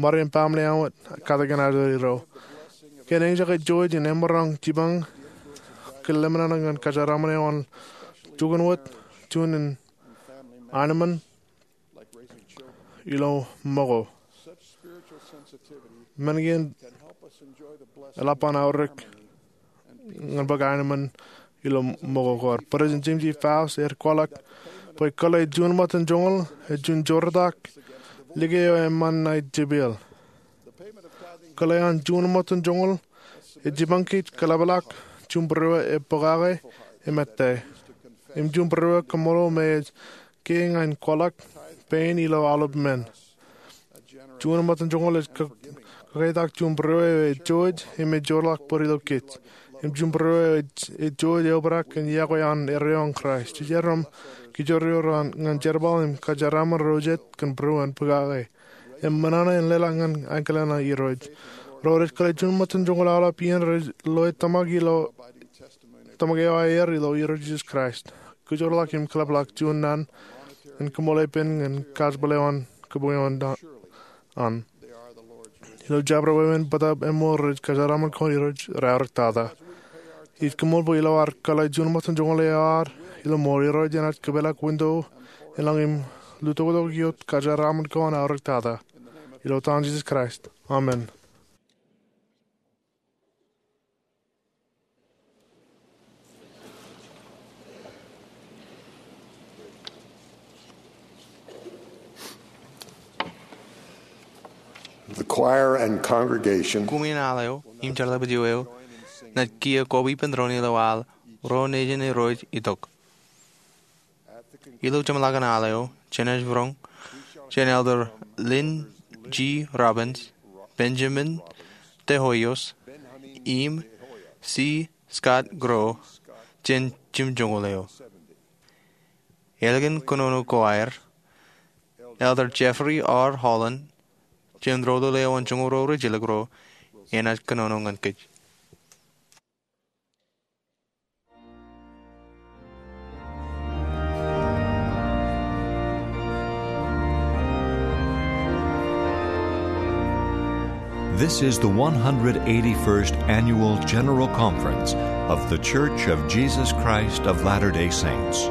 ṃade im baaṃle eo katakin ajri ro. Kōn eñjake ej juon in emaroñ jipañ kōn lemñan ñan kajeraaṃṃan eo an jukun wōt juon in anemōn ilo ṃōko. Men kein eḷap an aorōk ñan bwe kaenōṃṃan ilo ṃōko ko ad. President James E. Faust ear kwaḷọk bwe kōḷḷe juon ṃōttan joñoul ej juon joortak like eo eṃṃan ṇae jepeḷ. Kōḷḷe an juon ṃōttan joñoul ej jipañ kōj kōḷapḷọk juon būruō ej pokake im ettā. Im juon būruō kōṃṃool me ej kiiō ñan kwaḷọk pein ilo aolep men. Juon ṃōttan joñoul ej kō-, kōkaitak juon būruō eo ej jouj im ej joorḷọk bōd ilo kōj. Im juon būruō eo ej, ej jouj eobrak kōn iọkwe an erreo an Kraist. Jej iroñ kōjro ro ñan jerbal im kōjeraaṃṃan ro jet kōn būruō en pokake im ṃōṇōṇō in leḷọk ñan ankilōk ṇe Irooj. Ro rej kōḷḷe juon ṃōttan joñoul aolep iien rej loe tōmak ilo, tōmak eo aer ilo Irooj Jisōs Kraist. Kōjorḷọk im kōḷapḷọk juon naan in kōṃṃool ippān ñan gospel eo an kōpooj eo an. Ilo jabdewōt wāween bōtaab eṃṃool rej kōjeraaṃṃan kōn Irooj raorōktata. Ij kōṃṃool bwe ilo ad kōḷḷe juon ṃōttan joñoul eo ad ilo ṃool, Irooj enaaj kōpeḷḷọk winto elōñ im lutoktok ioon kōjeraaṃṃan ko an aorōktata. Ilo etan Jisōs Kraist, amen. The choir and congregation. Kumi in al eo im jeḷā bwij eo enaaj kiiō koba ippān doon ilo al Ro nejin Irooj itok. Ilo jeṃḷọkin al eo, jenaaj būroñ jān Elder Lynn G. Robbins, Benjamin de Hoyos, im C. Scott Grow jān jimjuonñoul eo. Ālikin kōnono ko aer, Elder Jeffrey R. Holland jān doulul eo an joñoul ro rijjelōk ro enaaj kōnono ñan kōj. This is the one hundred eighty-first Annual General Conference of The Church of Jesus Christ of Latter-day Saints.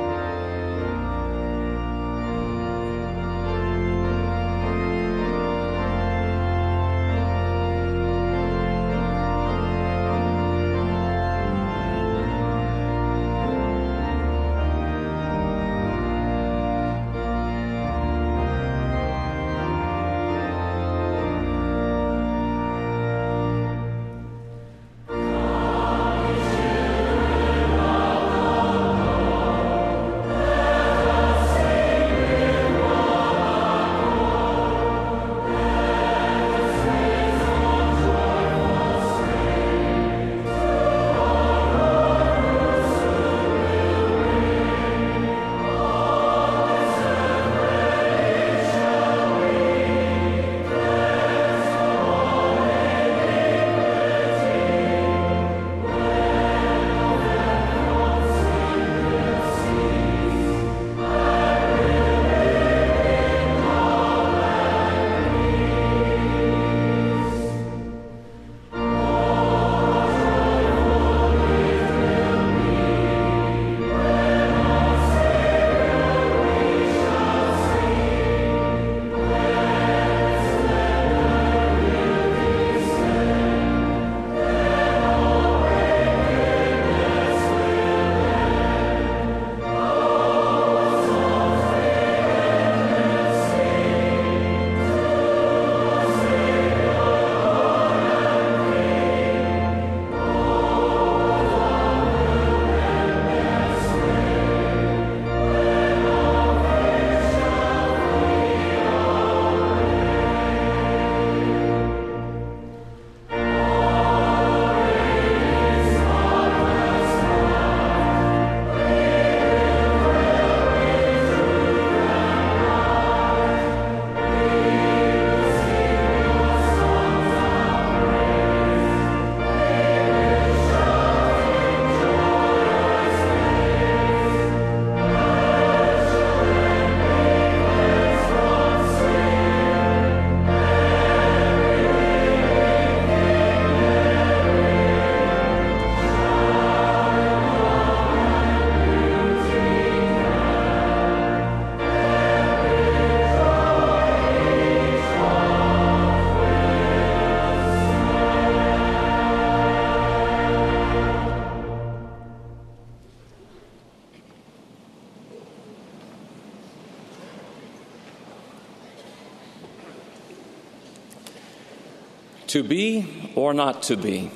To be or not to be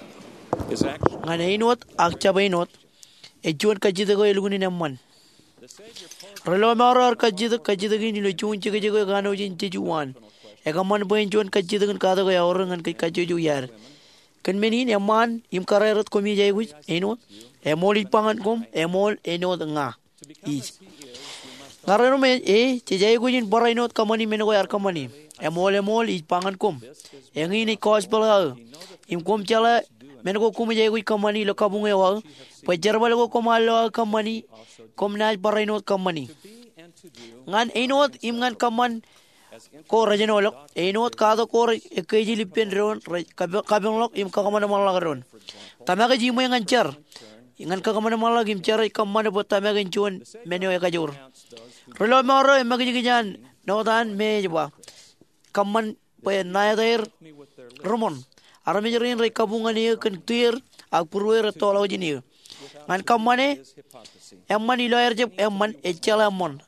is actually ñan āinwōt ak jab āinwōt, ej juon kajjitōk eo elukkuun in eṃṃan. Ri-lọmọọr eo ear kajjitōk kajjitōk in ilo juon jekjek eo ekanooj in jeju waan. Ekōṃṃan bwe en juon kajjitōk in katak eo eaorōk ñan kōj kajjojo iaad. Kōn men in, eṃṃaan im kōrā erot koṃij aikuj āinwōt, eṃool ij ba ñan koṃ, eṃool āinwōt ña ij. Ña rerom e, jej aikuj in barāinwōt kōṃṃani men ko ear kōṃṃani. Eṃool, eṃool ij ba ñan koṃ, eñin ej gospel eo aō. Im koṃ jeḷā men ko koṃij aikuj kōṃṃani ilo kabuñ eo aō, bwe jerbal ko koṃ ar lo aō kōṃṃani, koṃ naaj barāinwōt kōṃṃani. Ñan āinwōt im ñan kōṃṃan ko rejenoḷọk, āinwōt katak ko rej ekkejel ippān doon, rej kape-, kapeñḷọk im kakōṃanṃanḷọk doon. Tōmak ej iṃwe ñan jar ñan kakōṃanṃanḷọk im jar ej kōṃṃane bwe tōmak en juon men eo ekajoor. Ri-lọmọọr eo emakijkij an Northern me ej ba, kōṃṃan bwe ṇa etaer ri-ṃoṇ. Armej rein rej kabuñ ñan eō kōn tier, ak būrueir ettoḷọk jān eō. Ñan kōṃṃane eṃṃan ilo aer jab eṃṃan, ej jeḷā eṃṃoṇ.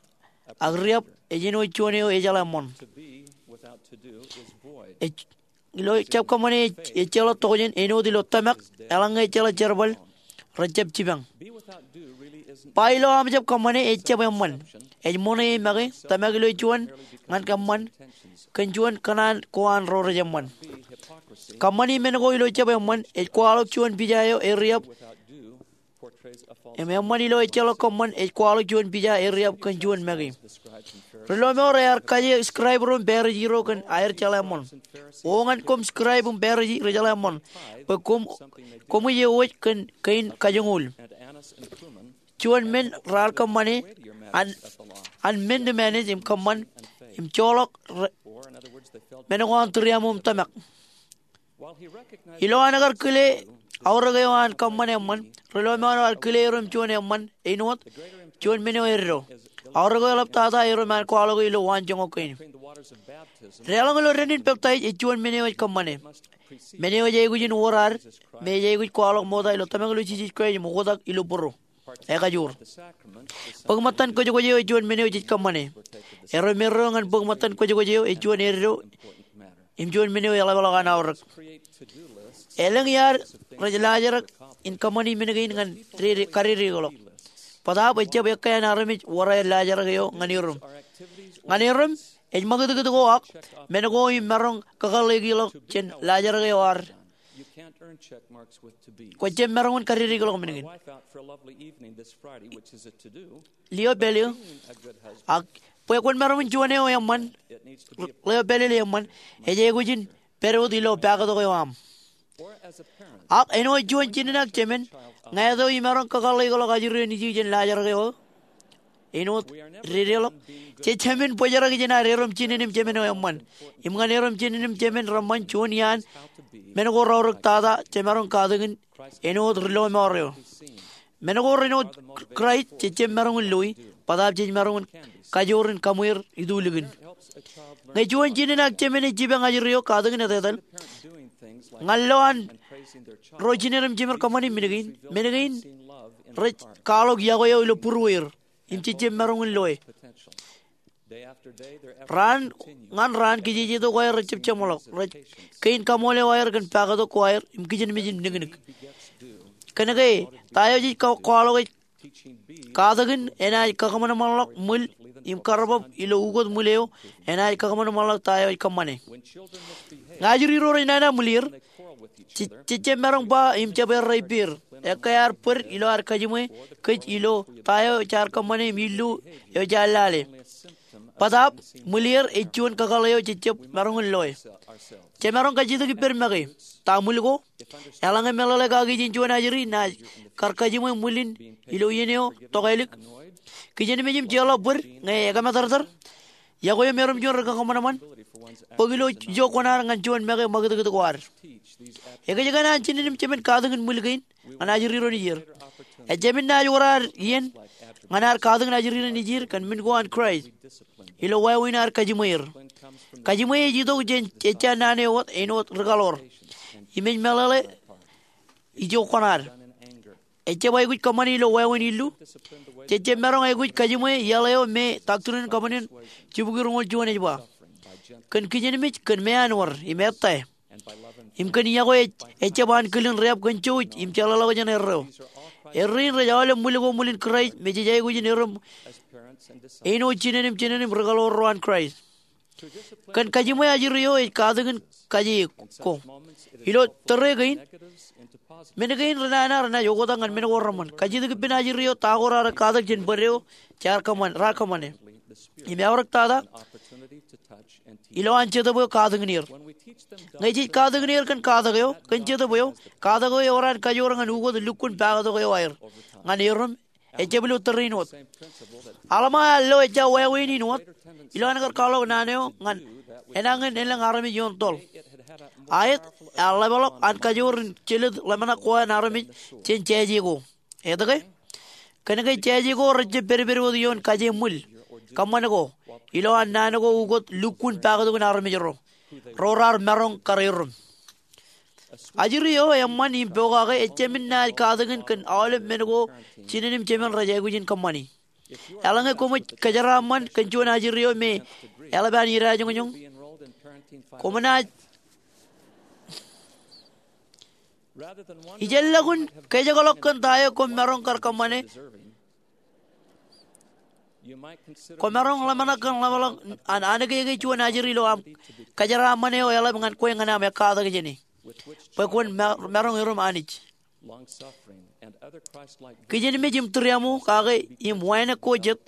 Ak riab, ej āinwōt juon eo ejeḷā eṃṃoṇ. Ej, ilo jab kōṃṃane ej, ej jeḷā tokjān, āinwōt ilo tōmak, eḷaññe ejjeḷọk jerbal, rejjab jipañ. Ba ilo aṃ jab kōṃṃane ej jab eṃṃan. Ej ṃoṇe e make, tōmak ilo juon ñan kōṃṃan, kōn juon kōṇaan ko an ro rej eṃṃan. Kōṃṃani men ko ilo jab eṃṃan, ej kwaḷọk juon pija eo eriab. Im eṃṃan ilo ejjeḷọk kōṃṃan ej kwaḷọk juon pija eriab kōn juon make. Ri-lọmọọr ear kaje scribe ro im Pharisi ro kōn aer jeḷā eṃṃoṇ. O ñan koṃ scribe im Pharisi ri jeḷā eṃṃoṇ, bwe koṃ, koṃij ewōj kōn kein kajoñoul. Juon men raar kōṃṃane an, an men to manage im kōṃṃan im joḷọk re-, men ko an tūriaṃo im tōmak. Ilo an kar kile aorōk eo an kōṃṃan eṃṃan, ri-lọmọọr eo ear kile erom juon eṃṃan āinwōt juon men eo eddo. Aorōk eo eḷaptata erom an kwaḷọke ilo waan joñak kein. Deḷọñ ilo dān in peptaij ej juon men eo ej kōṃṃane. Men eo ej aikuj in wōr ad, me ej aikuj kwaḷọk ṃokta ilo tōmak ilo Jisōs Kraist im oktak ilo būruō. Ekajoor. Bōk ṃōttan kwōjkwōj eo ej juon men eo jej kōṃṃane. Erom eddo ñan bōk ṃōttan kwōjkwōj eo ej juon eddo im juon men eo eḷapḷọk an aorōk. Elōñ iaad rej laajrak in kōṃṃani men kein ñan dede-, kadedeḷọk. Bōtaab ejjab ekkā an armej wōr aer laajrak eo ñan erom. Ñan erom, ej ṃakūtkūt ko ak men ko im maroñ kakōḷḷeikḷọk jān laajrak eo ad. Kwōjjab maroñ in kadedeḷọk men kein. Lio pālle, ak bwe kwōn maroñ in juon eo eṃṃan, lio pālle eṃṃan, ej aikuj in pād wōt ilo pakatok eo aṃ. Ak āinwōt juon jinen ak jemān, ñāāt eo imaroñ kakōḷḷeikḷọk ajri eo nejū jān laajrak eo aō. Āinwōt dedeḷọk, jej jemān bōjrak jān ad erom jinen im jemān eo eṃṃan. Im ñan erom jinen im jemān reṃṃan juon iaan men ko reaorōk tata jemaroñ katakin āinwōt ri-lọmọọr eo. Men ko ren wōt Kraist jej jab maroñ in loi, bōtaab jej maroñ in kajoor in kaṃweer itulikin. Ñe juon jinen ak jemān ej jipañ ajri eo katakin etetal, ñan lo an ro jinen im jemān kōṃṃani men kein, men kein rej kwaḷọk yokwe eo ilo būrueir im jej jab maroñ in loe. Raan ñan raan kijejetok ko aer rejjab jeṃḷọk, rej kein kaṃool eo aer kōn pakatok ko aer im kijenmej in niknik. Kōnke ta eo jej kwaḷọk ej katakin enaaj kakōṃanṃanḷọk ṃwil im karbab ilo ukōt ṃwil eo enaaj kakōṃanṃanḷọk ta eo ej kōṃṃane. Ñe ajri ro rej nana ṃwilier, jej jab maroñ ba im jab errā ippāer. Ekkā ear bōd ilo ad kajiṃwe kōj ilo ta eo jaar kōṃṃane im illu eo jaar lale. Bōtaab ṃwilier ej juon kakōḷḷe eo jej jab maroñ in loe. Jemaroñ kajjitōk ippād make. Ta ṃwil ko? Eḷaññe meḷeḷe kaki jān juon ajri naaj kar kajiṃwe ṃwil in ilo iien eo tokālik, kijenmej im jeorḷọk bōd ñe ekōmatōrtōr, yokwe eo me erom juon ri-kakōṃanṃan, bōk ilo ijo kuṇaad ñan juon make ṃakūtkūt ko ad. Ekōjkan an jinen im jemān katakin ṃwil kein ñan ajri ro nejier. Ejāmin naaj wōr ad iien ñan ad katakin ajri ro nejier kōn men ko an Kraist ilo wāween ad kajiṃweer. Kajiṃwe ej itok jān ejja naan eo wōt āinwōt ri-kaḷoor im ej meḷeḷe ijo kuṇaad. Ejjab aikuj kōṃṃani ilo wāween illu. Jej jab maroñ aikuj kajiṃwe iaḷ eo me Doctrine and Covenants jibukwi roñoul juon ej ba, kōn kijenmej kōn meanwōr im ettā. Im kōn iọkwe ejjab an kilin riab kōn jouj im jeḷāḷọkjeṇ erreo. Errein rej aolep ṃwil ko ṃwilin Kraist me jej aikuj in erom āinwōt jinen im jinen im ri kaḷoor ro an Kraist. Kōn kajiṃwe ajri eo ej katakin kaje ko. Ilo tōre kein, men kein renana renaaj oktak ñan men ko reṃṃan. Kajjitōk ippān ajri eo ta ko raar katak jān bōd eo jaar kōṃṃan, raar kōṃṃane. Im eaorōk tata ilowaan Jetōb eo katakin er. Ñe jej katakin er kōn katak eo, kōn Jetōb eo, katak eo eor an kajoor ñan ukōt lukkuun pakatok eo aer ñan erom ejjab ilo tōre in wōt. Alma ear lo ejja wāween in wōt ilowaan kar kwaḷọk naan eo ñan enañin elōñ armej ioon toḷ. Aet, ear ḷapḷọk an kajoor in jelōt ḷōmṇak ko an armej jān jāje ko. Etke? Kōnke jāje ko rejjab pedped wōt ioon kajeṃṃwil, kōṃṃan ko, ilowaan naan ko ukōt lukkuun pakatok in armej ro, ro raar maroñ kar erom. Ajri eo eṃṃan im pokake ejjāmin naaj katakin kōn aolep men ko jinen im jemān rej aikuj in kōṃṃani. Eḷaññe koṃij kōjeraaṃṃan kōn juon ajri eo me eḷap an idajoñjoñ, koṃ naaj, ijellọkun kōjekḷọk kōn ta eo koṃ maroñ kar kōṃṃane, kwōmaroñ ḷōmṇak kōn ḷapḷọk an anōkeke juon ajri ilo aṃ kōjeraaṃṃan eo eḷap ñan kwe ñan aṃ ekkatak jāne bwe kwōn ma-, maroñ erom Anij. Kijenmej im tūriaṃo kake im wānōk ko jet.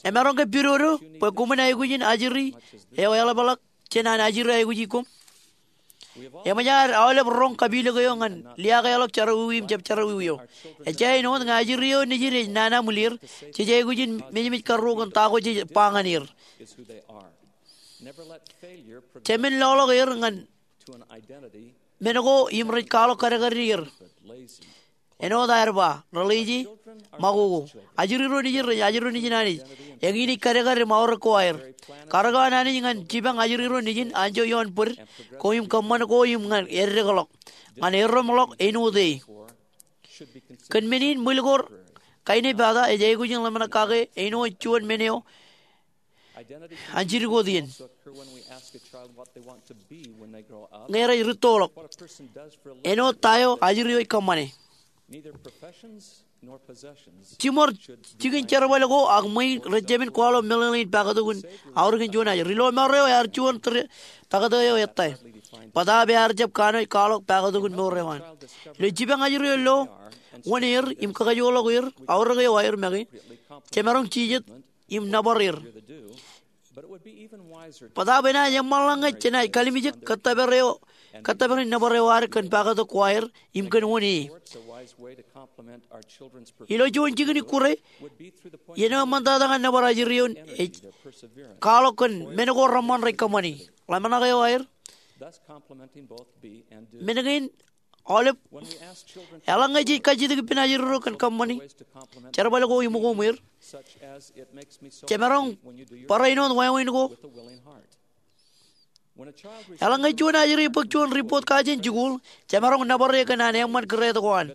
Emaroñ ke pidodo bwe koṃwin aikuj in ajri eo eḷapḷọk jān an ajri aikuji koṃ? Eṃōj ad aolep roñ kapilōk eo ñan liaakḷọk jerọwiwi im jab jerọwiwi eo. Ejja āinwōt ñe ajri eo nejid ej nana ṃwil er, jej aikuj in mejmej karruo kōn ta ko jej ba ñan er. Jemān loḷọk er ñan men ko im rej kwaḷọk kadkadin er. Āinwōt aer ba, reḷeje, makoko. Ajri ro nejin rej ajri nejin Anij. Eñin ej kadkad im aorōk ko aer. Karōk an Anij ñan jipañ ajri ro nejin anjọ ioon bōd ko im kōṃṃan ko im ñan eddekḷọk, ñan eddekḷọk āinwōt e. Kōn men in ṃwil ko kainepata ej aikuj in ḷōmṇak kake āinwōt juon men eo an jidik wōt iien. Ñe rej rūttoḷọk, āinwōt ta eo ajri eo ej kōṃṃane. Jiṃor jikin jerbal ko ak ṃwein rejjāmin kwaḷọk meḷeḷein pakatok in aorōkin juon ajri. Ri lọmọọr eo ear juon tōre taktō eo ettā. Bōtaab ear jab kanooj kwaḷọk pakatok in mour eo an. Ilo jipañ ajri eo lo wōn er im kakajoorḷọk er, aorōk eo aer make, jemaroñ jijet im nōbar er. Bōtaab enaaj eṃṃanḷọk ñe jenaaj kalimjek kōttōpar eo, kōttōpar in nōbar eo ad kōn pakatok ko aer im kōn wōn e. Ilo juon jikin ikkure, iien eo eṃṃantata ñan nōbar ajri eo ej kwaḷọk kōn men ko reṃṃan rej kōṃṃani, ḷōmṇak eo aer, men kein aolep. Eḷaññe jej kajjitōk ippān ajri ro kōn kōṃṃani jerbal ko im koṃ er, jemaroñ barāinwōt wāween ko. Eḷaññe juon ajri bōk juon ripot kajin jikuuḷ, jemaroñ nōbar e kōn an eṃṃan kūrāt ko an.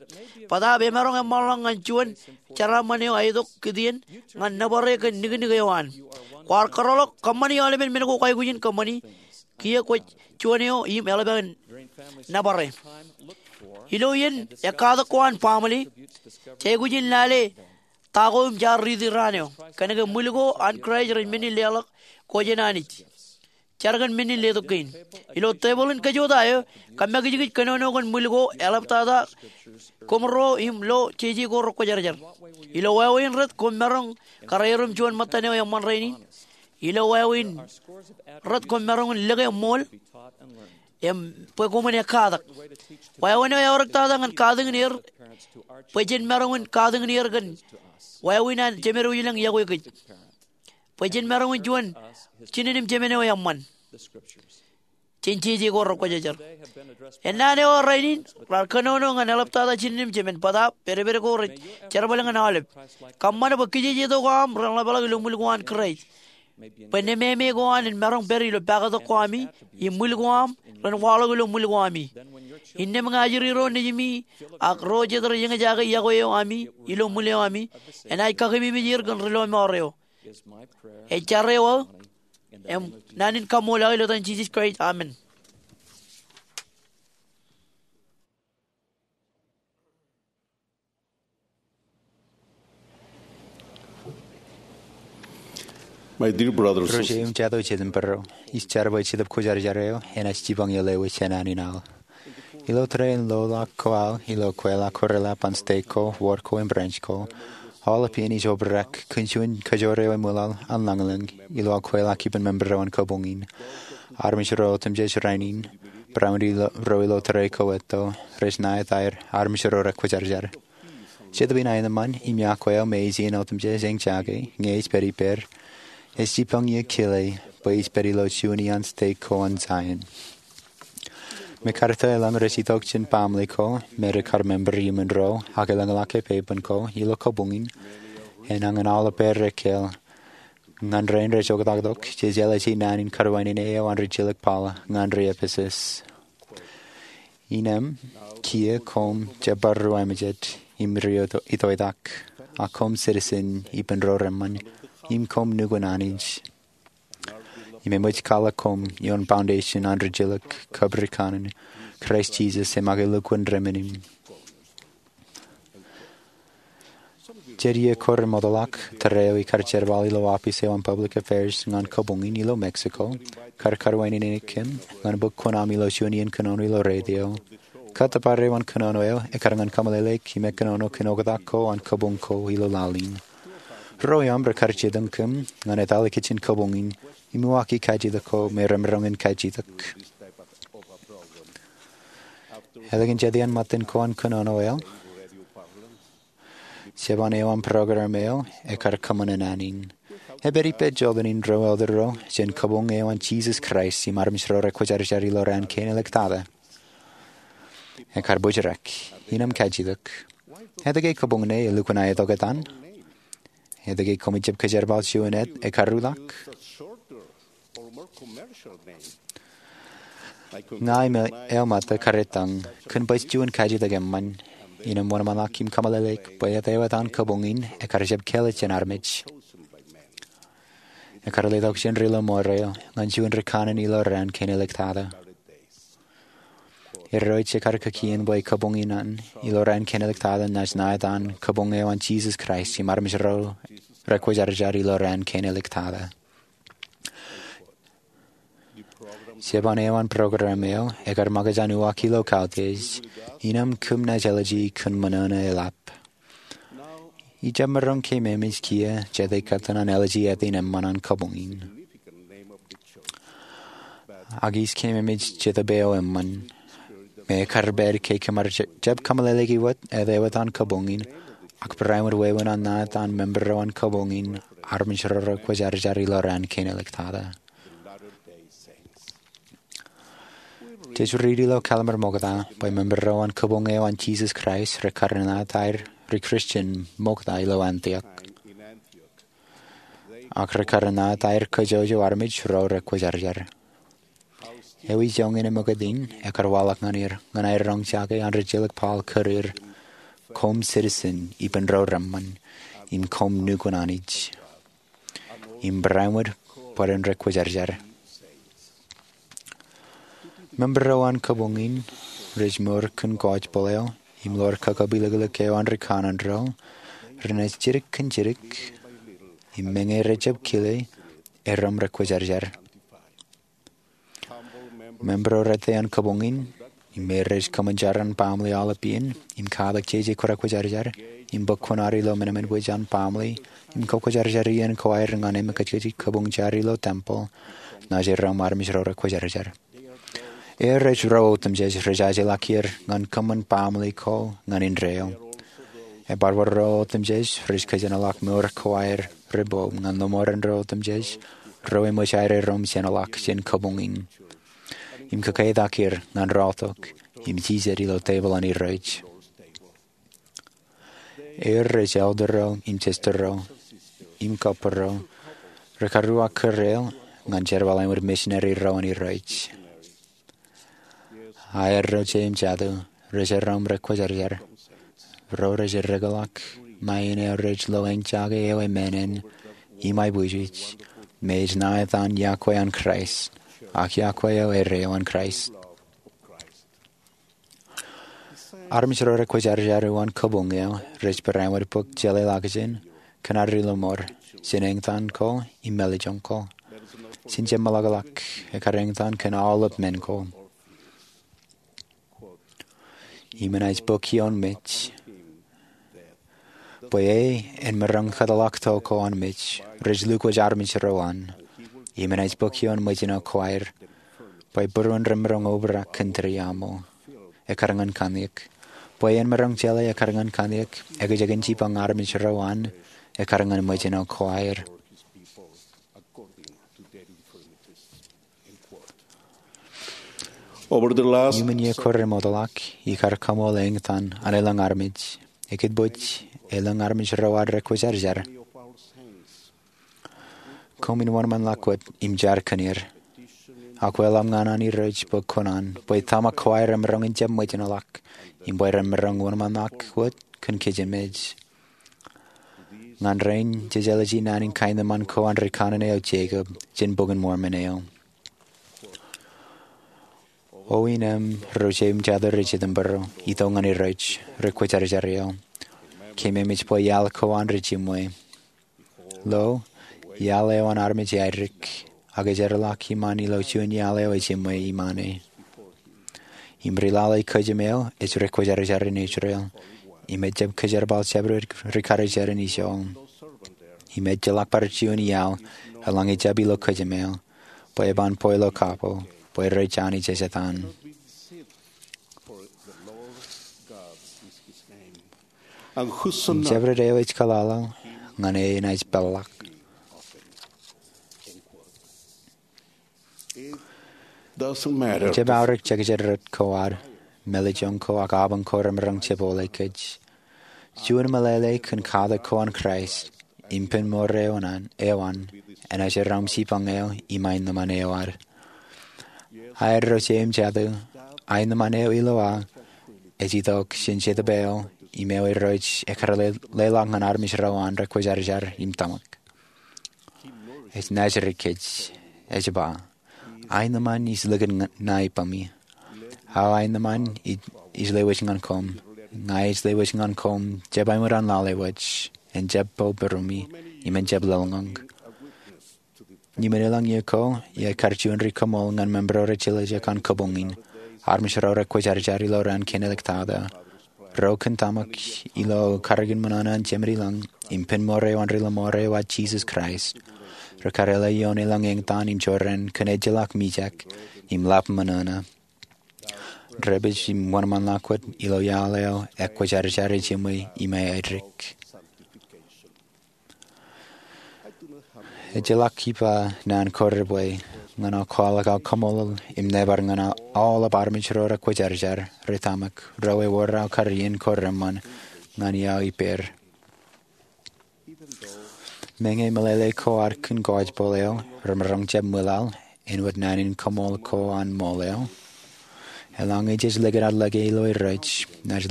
Bōtaab emaroñ eṃṃanḷọk ñan juon jeraaṃṃan eo aetok kūtien ñan nōbar e kōn niknik eo an. Kwaar kōrọọlḷọk kōṃṃani aolepen men ko kwaikuj in kōṃṃani. Kiiō kwōj juon eo im eḷap aō nōbar e. Ilo iien ekkatak ko an baaṃle, jej aikuj in lale ta ko im jaar riiti raan eo. Kōnke ṃwil ko an Kraist rej men in leḷọk ko jān Anij. Jar kōn men in letok kein. Ilo tebōḷ in kōjota eo, kōmmakijkij kōnono kōn ṃwil ko eḷaptata koṃro im lo jeje ko rekwōjarjar. Ilo wāween rot koṃ maroñ kar erom juon ṃōttan eo eṃṃan rainin. Ilo wāween rot koṃ maroñ in lōke ṃool im bwe koṃwin ekkatak. Wāween eo eaorōktata ñan katakin er bwe jen maroñ in katakin er kōn wāween an Jemedwōj ilañ iọkwe kōj. Bwe jen maroñ in juon jinen im jemān eo eṃṃan jān jeje ko rekwōjarjar. Ennaan eo rainin raar kōnono ñan eḷaptata jinen im jemān, bōtaab pedped ko rej jerbal ñan aolep. Kōṃṃan bwe kijejetok aṃ ren ḷapḷọk ilo ṃwil ko an Kraist, bwe nemāmē ko an en maroñ pād ilo pakatok ko ami, im ṃwil ko aṃ ren waḷọk ilo ṃwil ko ami. Innām ñe ajri ro nejimi ak ro jet rej eñjake iọkwe eo ami ilo ṃwil eo ami, enaaj kakememej er kōn ri lọmọọr eo. Ej jar eo aō Im naan in kaṃṃoolol ilo etan Jisōs Kraist, amen. My dear brothers, Ro jeiū im jatū jet im bōro, ij jar bwe Jetōb Kwōjarjar eo enaaj jipañ iiō lewōj jān naan in aō. Ilo tōre in loḷọk ko aō ilo kweilọk ko reḷap an stek ko, wōd ko im branch ko, aolep iien ij obrak kōn juon kōjoor eo eṃwilaḷ an lañlōñ ilo aō kweilọk ippān member eo an kabuñ in. Armej ro otemjej rainin, barāinwōt ro ilo tōre ko etto, rej ṇa etaer armej ro rekwōjarjar. Jetōb in aenōṃṃan im iọkwe eo me ej ien otemjej eñjake ñe ej pād ippāer, ej jipañ iiō kile bwe ij pād ilo juon iaan stek ko an Zion. Mekarta elōñ rej itok jān baaṃle ko me rekar member iuṃwin ro ak elōñḷọk epepen ko ilo kabuñ in, enañin aolep er ekkāāl. Ñan rein rej oktaktok, jej ālije naan in karwaineneik eo an rijjilōk Paul ñan ri-Epesōs. Innām, kiiō koṃ jab bar ruwamājet im ri-itoitak, ak koṃ citizen ippān ro reṃṃan, im koṃ nukun Anij. Im eṃōj kwaḷọk koṃ ioon foundation an rijjilōk kab ri kanaan, Kraist Jisōs, eṃake lukkuun remennim. Jet iiō ko remootḷọk, tōre eo ikar jerbal ilo office eo an Public Affairs ñan kabuñ in ilo Mexico kar karwaineneik kōm ñan bōk kuṇaṃ ilo juon iien kōnono ilo radio. Kōttōpar eo an kōnono eo ekar ñan kaṃōleleik im ekkōnono kōn oktak ko an kabuñ ko ilo laḷ in. Ro eṃ rekar jitōñ kōm ñan etale kōj jān kabuñ in im uwaaki kajjitōk ko me remaroñ in kajjitōk. Ālikin jet iaan ṃōttan ko an kōnono eo, jeban eo an program eo ekar kōṃṃan naan in. Ej pād ippād jota in ro elder ro jān kabuñ eo an Jisōs Kraist im armej ro rekwōjarjar ilo raan kein āliktata. Ekar bōjrak, innām kajjitōk. Etke kabuñ ṇe elukkuun aetok etan? Etke koṃij jab kōjerbal juon āt ekar ruḷọk? Ña im eo ṃōtta kar ittaṃ kōn baj juon kajjitōk eṃṃan, innām wōnṃaanḷọk im kaṃōleleik bwe āt eo etan kabuñ in ekar jab kāālōt jān armej. Ekar letok jān ri lọmọọr eo ñan juon ri kanaan ilo raan kein āliktata. Irooj ekar kaki in bwe kabuñ in an ilo raan kein āliktata naaj ṇa etan kabuñ eo an Jisōs Kraist im armej ro rekwōjarjar ilo raan kein āliktata. Jeban eo an program eo ekar ṃōkaj an uwaak ilo kautiej, innām kōm naaj āliji kōn ṃōṇōṇō eḷap. Ij jab maroñ ke ememej kiiō jete kōttan an āliji āt in eṃṃan an kabuñ in. Ak ij ke ememej Jetōb eo eṃṃan, me ekar pād ke kōm ar jab kaṃōleleiki wōt āt eo etan kabuñ in, ak barāinwōt wāween an ṇa etan member eo an kabuñ in, armej ro rekwōjarjar ilo raan kein āliktata. Jej riiti ilo Kallim̧ur Ṃokta bwe member ro an kabuñ eo an Jisōs Kraist rekar ṇa etaer ri Kristian ṃokta ilo Antiok. Ak rekar ṇa etaer kōjwōjwō armej ro rekwōjarjar. Ewi joñan eṃōkūt in ekar waḷọk ñan er ñan aer roñjake an rijjilōk Paul kōrā er, koṃ citizen ippān ro reṃṃan, im koṃ nukun Anij. Im barāinwōt bwe ren rekwōjarjar. Member ro an kabuñ in rej mour kōn gospel eo im ḷoor kakōbilōklōk eo an ri kanaan ro, renaaj jidik kōn jidik, im meñe rej jab kile, erom rekwōjarjar. Member ro rot an kabuñ in, im me rej kōṃṃan jar an baaṃle aolep iien, im katak jeje ko rekwōjarjar, im bōk kuṇaad ilo men eṃṃan bwe jen baaṃle, im kakwōjarjar iien ko aer ñan emkajkaj kabuñ jar ilo tempeḷ, naaj erom armej ro rekwōjarjar. Eo rej ro otemjej rej ajeḷọk er ñan kōṃṃan baaṃle ko ñan indeeo. Ebar wōt ro otemjej rej kōjenolọk mour ko aer rebo ñan lọmọọren ro otemjej, ro eṃōj aer erom jeṇeḷọk jān kabuñ in. Im kōketak er ñan rọọltok im jijet ilo tepil an Irooj. Eo rej elder ro im sister ro im couple ro rekar uwaak kōrā er ñan jerbal āinwōt misineri ro an Irooj. Aer ro jeiū im jatū rej erom rekwōjarjar. Ro rej eddekḷọk ṇa in eo rej lo eñjake eo emānān im aiboojoj. me ej ṇa etan iọkwe an Kraist, ak iọkwe eo ere eo an Kraist. Armej ro rekwōjarjar uwaan kabuñ eo rej barāinwōt bōk jeḷā ḷọkjein kōn ad ri-lọmọọr jān eñtaan ko im mālejjoñ ko. Jen jab meḷọkḷọk, ekkar eñtaan kōn aolep men ko. Im enaaj bōk ioon mej bwe e en maroñ kōtḷọk to ko an mej rej lukwōj armej ro an. Im enaaj bōk ioon mejān eo kwaer bwe būruon remaroñ obrak kōn tūriaṃo ekkar ñan kanniōk, bwe en maroñ jeḷā ekkar ñan kanniōk ekjeken jipañ armej ro an ekkar ñan mejān eo kwaer. Iuṃwin iiō ko remootḷọk, ikar kaṃool eñtaan an elōñ armej, ekōtpōj elōñ armej ro ad rekwōjarjar. Koṃwin wōnṃaanḷọk wōt im jar kōn er. Ak wōt ḷōmṇak ñan Irooj bwe kōṇaan bwe tōmak kwaer remaroñ in jab ṃōjṇọḷọk im bwe remaroñ wōnṃaanḷọk wōt kōn kōjām ej. Ñan rein, jej ālije naan in kaenōṃṃan ko an rikaṇe eo Jekob jān Bok in Mormon eo. O ineeṃ ro jeiūṃ jatū rej item bōro, itok ñan Irooj, rekwōjarjar eo, keememej bwe iaḷ ko an rej jiṃwe. Lo, iaḷ eo an armej eadik, ak ej erḷọk iṃaan ilo juon iaḷ eo ejiṃwe iṃaane. Im ri-lale kōjām eo ej rekwōjarjar in Israel, im ejjab kōjerbal jabdewōt ri-karijer in ijo. Im ejjeḷọk bar juon iaḷ eḷaññe ejjab ilo kōjām eo, bwe eban bwe ilo kapo, bwe rej Anij ej etan. Im jabdewōt eo ej kōḷaḷḷaḷ ñan e enaaj peḷḷọk. Ejjab aorōk jekjekrōt ko ad, mālejjoñ ko ak apañ ko remaroñ jepole kōj. Juon meḷeḷe kōn katak ko an Kraist im pen mour eo an, eo an, enaaj erom jipañ eo im aenōṃṃan eo ad. Aer ro jeiūṃ jatū, aenōṃṃan eo ilo aō ej itok jān Jetōb eo im eo Irooj ekkar leḷọk ñan armej ro an rekwōjarjar im tōmak. Ej naajdik kōj, ej ba, aenōṃṃan ij likin ṇa ippaṃi. Aō aenōṃṃan ij, ij lewōj ñan koṃ. Ña ij lewōj ñan koṃ jab aṃ ran lale wōj, en jab po būruemi, im en jab lōḷñọñ. Iuṃwin elōñ iiō ko, iar kar juon ri-kaṃool ñan member ro rej jeḷā ijoko an kabuñ in. Armej ro rekwōjarjar ilo raan kein āliktata. Ro kōn tōmak ilo karōk in ṃōṇōṇō an Jemān ilañ, im pen mour eo an ri-lọmọọr eo ad Jisōs Kraist. Rekar leḷọk ioon elōñ eñtaan im jorrāān kōn ejjeḷọk mijak, im ḷap ṃōṇōṇō. Rej pād im wōnṃaanḷọk wōt ilo iaḷ eo ekwōjarjar ejiṃwe im eadik. Ejjeḷọk ij ba naan ko rej bwe, ñan aō kwaḷọk aō kaṃṃoolol im nōbar ñan aolep armej ro rekwōjarjar, rej tōmak, ro ewōr aō kar iien ko reṃṃan, ñan iaō ippāer. Meñe meḷeḷe ko ad kōn gospel eo remaroñ jab ṃwilaḷ āinwōt naan in kaṃool ko an ṃool eo, eḷaññe jej likūt ad lōke ilo Irooj, naaj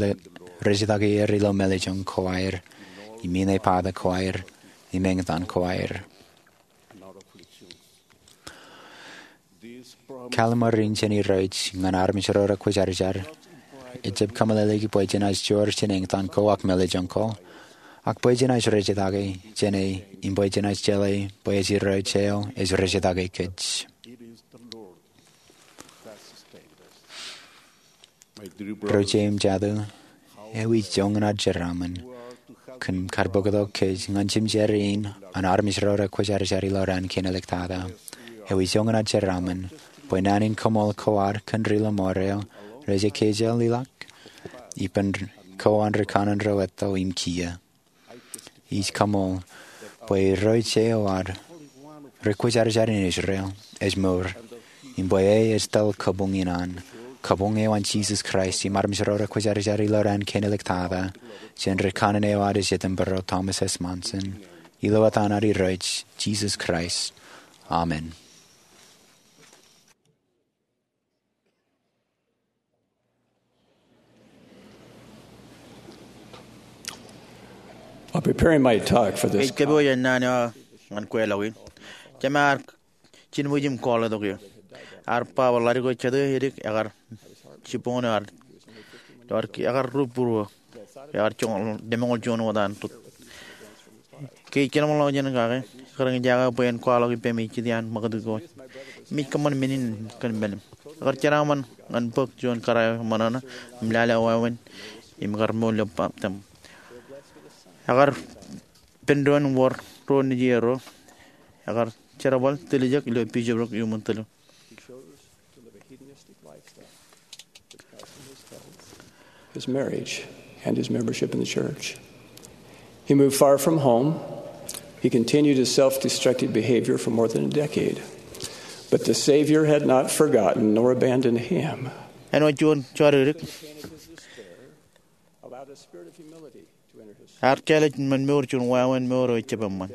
rejjitōk er ilo mālejjoñ ko aer, im inepata ko aer, im eñtaan ko aer. Kallim̧ur in jān Irooj ñan armej ro rekwōjarjar ejjab kōmeḷeḷeiki bwe jenaaj joor jān eñtaan ko ak mālejjoñ ko, ak bwe jenaaj rejjitōk jān e, im bwe jenaaj jeḷā bwe ej Irooj eo ej rejjitōk kōj. Ro jeiūṃ jatū, ewi joñan ad jeraaṃṃan kōn kar bōktok kōj ñan jemjeran in an armej ro rekwōjarjar ilo raan kein āliktata? Ewi joñan ad jeraaṃṃan bwe naan in kaṃool ko ad kōn ri-lọmọọr eo rej ekkejel ḷọk ippān ko an rikaṇe ro etto im kiiō? Ij kaṃool bwe Irooj eo ad rekwōjarjar in Israel ej mour, im bwe e ej tōl kabuñ in an, kabuñ eo an Jisōs Kraist im armej ro rekwōjarjar ilo raan kein āliktata, jān rikaṇe eo ad ej item bōro, Thomas S. Monson. Ilo etan an Irooj Jisōs Kraist, amen. I'll be preparing my talk for this. Ij kōpooj naan eo ñan kweilọk in. Jema ear jilmwij im kọọle tok eō. Ear ba bwe ḷadik eo jatū edik ekar jibboñōn eo ear, ekar ri būruō, ekar joñoul, demoñoul juon wōt an rūt. Ke ij kōḷmānḷọkjeṇ kake, ekar eñjake bwe en kwaḷọk ippemi jet iaan ṃakūtkūt ko im ij kōṃṃan men in kōn men in. Ekar jeraaṃṃan ñan bōk juon kōrā eo ṃōṇōṇō im lale wāween im ekar mour ilo baptism. Ekar pen doon wōr ro nejierro. Ekar jerbal tiljek ilo bishopric iuṃwin tōl. His marriage and his membership in the church. He moved far from home. He continued his self-destructive behavior for more than a decade. But the Savior had not forgotten nor abandoned him. Āinwōt juon jodikdik, ear kāālōt men mour juon wāween mour eo ejjab eṃṃan.